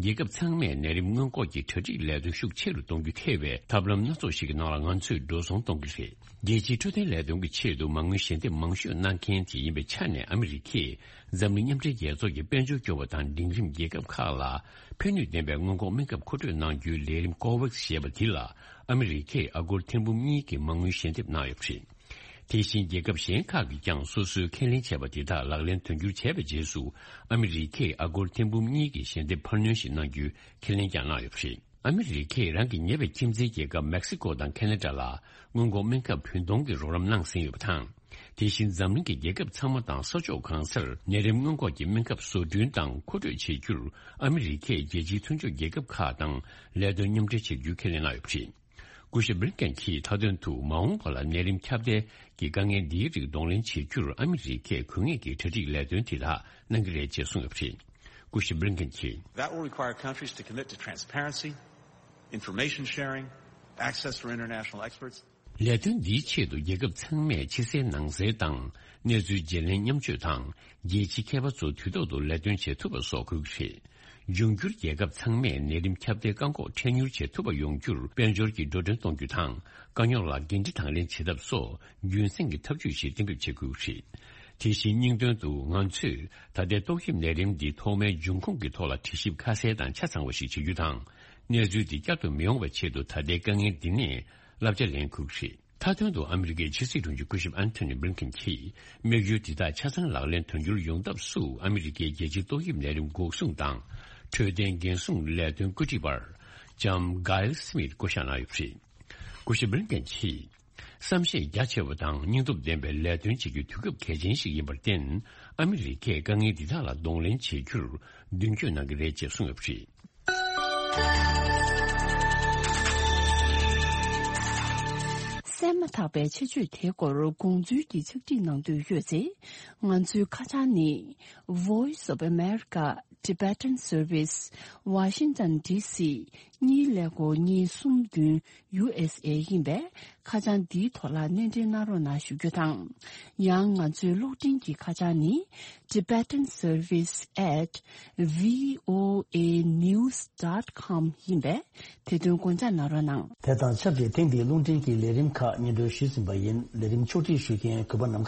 རྒྱལ་ཁབ་ཚང་མས་ནད་རིམས་སྔོན་འགོག་གི་གྲ་སྒྲིག་ལས་དོན་ཤུགས་ཆེ་རུ་གཏོང་རྒྱུ་ཐེ་བའི་ཐབས་ལམ་སྣ་ཚོགས་ཤིག་གི་ནང་ལ་ང་ཚོས་འགྲོ་སོང་གཏོང་གི་རེད། རྒྱལ་སྤྱིའི་འཕྲོད་བསྟེན་ལས་དོན་གྱི་ཆེད་དུ་མ་དངུལ་ཞལ་འདེབས་མང་ཤོས་གནང་མཁན་དེ་ཡིན་པའི་ཆ་ནས་ཨ་མི་རི་ཀས་འཛམ་གླིང་མཉམ་འབྲེལ་རྒྱལ་ཚོགས་ཀྱི་དཔལ་འབྱོར་སྐྱོ་བ་དང་འབྲིང་རིམ་རྒྱལ་ཁབ་ཁག་ལ་ཕན་ནུས་ལྡན་པའི་སྔོན་འགོག་སྨན་ཁབ་མཁོ་སྤྲོད་གནང་རྒྱུའི་ལས་རིམ་ཀོ་ཝེག་སི་ཞེས་པ་དེ་ལ་ཨ་མི་རི་ཀས་ཨ་སྒོར་ཐེར་འབུམ་གཉིས་ཀྱི་མ་དངུལ་ཞལ་འདེབས་གནང་ཡོད་པ་རེད། དེ་བཞིན་རྒྱལ་ཁབ་གཞན་ཁག་གིས་ཀྱང་སོ་སོའི་ཁས་ལེན་བྱས་པ་དེ་དག་ལག་ལེན་དོན་འཁྱོལ་བྱས་པའི་རྗེས་སུ་ཨ་མི་རི་ཀས་ཨ་སྒོར་ཐེར་འབུམ་གཉིས་ཀྱི་ཞལ་འདེབས་འཕར་སྣོན་ཞིག་གནང་རྒྱུའི་ཁས་ལེན་ཀྱང་གནང་ཡོད་པ་རེད། ཨ་མི་རི་ཀས་རང་གི་ཉེ་བའི་ཁྱིམ་མཚེས་རྒྱལ་ཁབ་མེག་སི་ཀོ་དང་ཁེ་ན་ཌ་ལ་སྔོན་འགོག་སྨན་ཁབ་བུན་གཏོང་གི་རོགས་རམ་གནང་ཟིན་ཡོད་པ་དང་། དེ་བཞིན་འཛམ་གླིང་གི་རྒྱལ་ཁབ་ཚང་མ་དང་ས་ཕྱོགས་གང་སར་ནད་རིམས་སྔོན་འགོག་གི་སྨན་ཁབ་བཟོ་སྐྲུན་དང་མཁོ་སྤྲོད་བྱེད་རྒྱུར་ཨ་མི་རི་ཀས་རྒྱལ་སྤྱིའི་མཐུན་ཕྱོགས་རྒྱལ་ཁབ་ཁག་དང་ལས་དོན་མཉམ་འབྲེལ་བྱེད་རྒྱུའི་ཁས་ལེན་གནང་ཡོད་པ་རེད། སྐུ་ཞབས་བྷི་ལིན་ཀེན་གྱིས་མཐའ་དོན་དུ་མ་འོངས་པ་ལ་ནད་རིམས་ཁྱབ་གདལ་གྱི་དཀའ་ངལ་འདིའི་རིགས་གདོང་ལེན་བྱེད་རྒྱུར་ཨ་མི་རི་ཀས་དགོས་ངེས་ཀྱི་གྲ་སྒྲིག་ལས་དོན་དེ་དག་གནང་གི་རེད་ཅེས་གསུངས་ཡོད་པ་རེད། སྐུ་ཞབས་བྷི་ལིན་ཀེན་གྱིས། That will require countries to commit to transparency, information sharing, access for international experts. ལས་དོན་འདིའི་ཆེད་དུ་རྒྱལ་ཁབ་ཚང་མས་ཕྱི་གསལ་ནང་གསལ་དང་གནས་ཚུལ་བརྗེ་ལེན་མཉམ་སྤྱོད་དང་རྒྱལ་སྤྱིའི་མཁས་པ་ཚོ་དུས་ཐོག་ཏུ་ལས་དོན་བྱེད་ཐུབ་པ་སོགས་དགོས་ཀྱི་རེད། འབྱུང་འགྱུར་རྒྱལ་ཁབ་ཚང་མས་ནད་རིམས་ཁྱབ་གདལ་བཀག་འགོག་འཕྲལ་མྱུར་བྱེད་ཐུབ་པ་ཡོང་རྒྱུར་དཔལ་འབྱོར་གྱི་འགྲོ་གྲོན་གཏོང་རྒྱུ་དང་དཀའ་རྙོག་ལ་འགན་འཁྲི་དང་ལེན་བྱེད་ཐབས་སོགས་རྒྱུན་སྲིང་གི་ཐབས་ཇུས་ཤིག་གཏན་འབེབས་བྱེད་དགོས་ཀྱི་རེད། དེ་བཞིན་སྙིང་དོན་དུ་ང་ཚོས་ད་ལྟའི་ཏོག་དབྱིབས་ནད་རིམས་འདི་ཐོག་མའི་འབྱུང་ཁུངས་ཀྱི་ཐོག་ལ་དྲི་ཞིབ་ཁ་གསལ་དང་ཆ་ཚང་བ་ཞིག་བྱེད་རྒྱུ་དང་། གནས་ཚུལ་འདི་བསྐྱར་དུ་མི་ཡོང་བའི་ཆེད་དུ་ད་ལྟའི་དཀའ་ངལ་འདི་ནས་བསླབ་བྱ་ལེན་དགོས་ཀྱི་རེད། མཐའ་དོན་དུ་ཨ་མི་རི་ཀའི་ཕྱི་སྲིད་དྲུང་ཆེ་སྐུ་ཞབས་ཨན་ཐོ་ནི་བྷི་ལིན་ཀེན་གྱིས་དམིགས་ཡུལ་འདི་དག་ཆ་ཚང་ལག་ལེན་དོན་འཁྱོལ་ཡོང་ཐབས་སུ་ཨ་མི་རི་ཀའི་རྒྱལ་སྤྱིའི་ཏོག་དབྱིབས་ནད་རིམས་འགོག་སྲུང་དང་འཕྲོད་བསྟེན་འགན་སྲུང་ལས་དོན་བཀོད་སྒྲིག་པ་ལྕམ་གྷལ་སི་མིད་བསྐོ་གཞག་གནང་ཡོད་པ་རེད། སྐུ་ཞབས་བྷི་ལིན་ཀེན་གྱིས། བསམ་ཤེས་རྒྱ་ཆེ་བ་དང་སྙིང་སྟོབས་ལྡན་པའི་ལས་དོན་བྱེད་རྒྱུའི་དུས་སྐབས་གལ་ཆེན་ཞིག་ཡིན་པར་བརྟེན། ཨ་མི་རི་ཀས་དཀའ་ངལ་འདི་དག་ལ་གདོང་ལེན་བྱེད་རྒྱུར་མདུན་སྐྱོད་གནང་གི་རེད་ཅེས་གསུངས་ཡོད་པ་རེད། གསན་མ་ཐག་པའི་ཆེད་བརྗོད་དེའི་སྐོར་དགོངས་ཚུལ་གྱི་ཕྱག་བྲིས་གནང་འདོད་ཡོད་ཚེ། ང་ཚོའི་ཁ་བྱང་ནི། Voice of America Tibetan Service, Washington D C གཉིས་ཀླད་ཀོར་གཉིས་གསུམ་བདུན། ཡུ་ཨེས་ཨེ་ཡིན་པས། ཁ་བྱང་འདིའི་ཐོག་ལ་སྣེ་འདྲེན་གནང་རོགས་གནང་ཞུ་རྒྱུ་དང་། ཡང་ང་ཚོའི་གློག་འཕྲིན་གྱི་ཁ་བྱང་ནི། Tibetan Service at V O A news dot com ཡིན་པས། དེ་དོན་དགོངས་འཇགས་གནང་རོགས་གནང་། དེ་དང་ཆབས་ཅིག་ཐེངས་འདིའི་རླུང་འཕྲིན་གྱི་ལས་རིམ་ཁག་སྙན་སྒྲོན་ཞུས་ཟིན་པ་ཡིན། ལས་རིམ་ཕྱོགས་སྒྲིག་ཞུ་མཁན་གུས་པ་ནམ་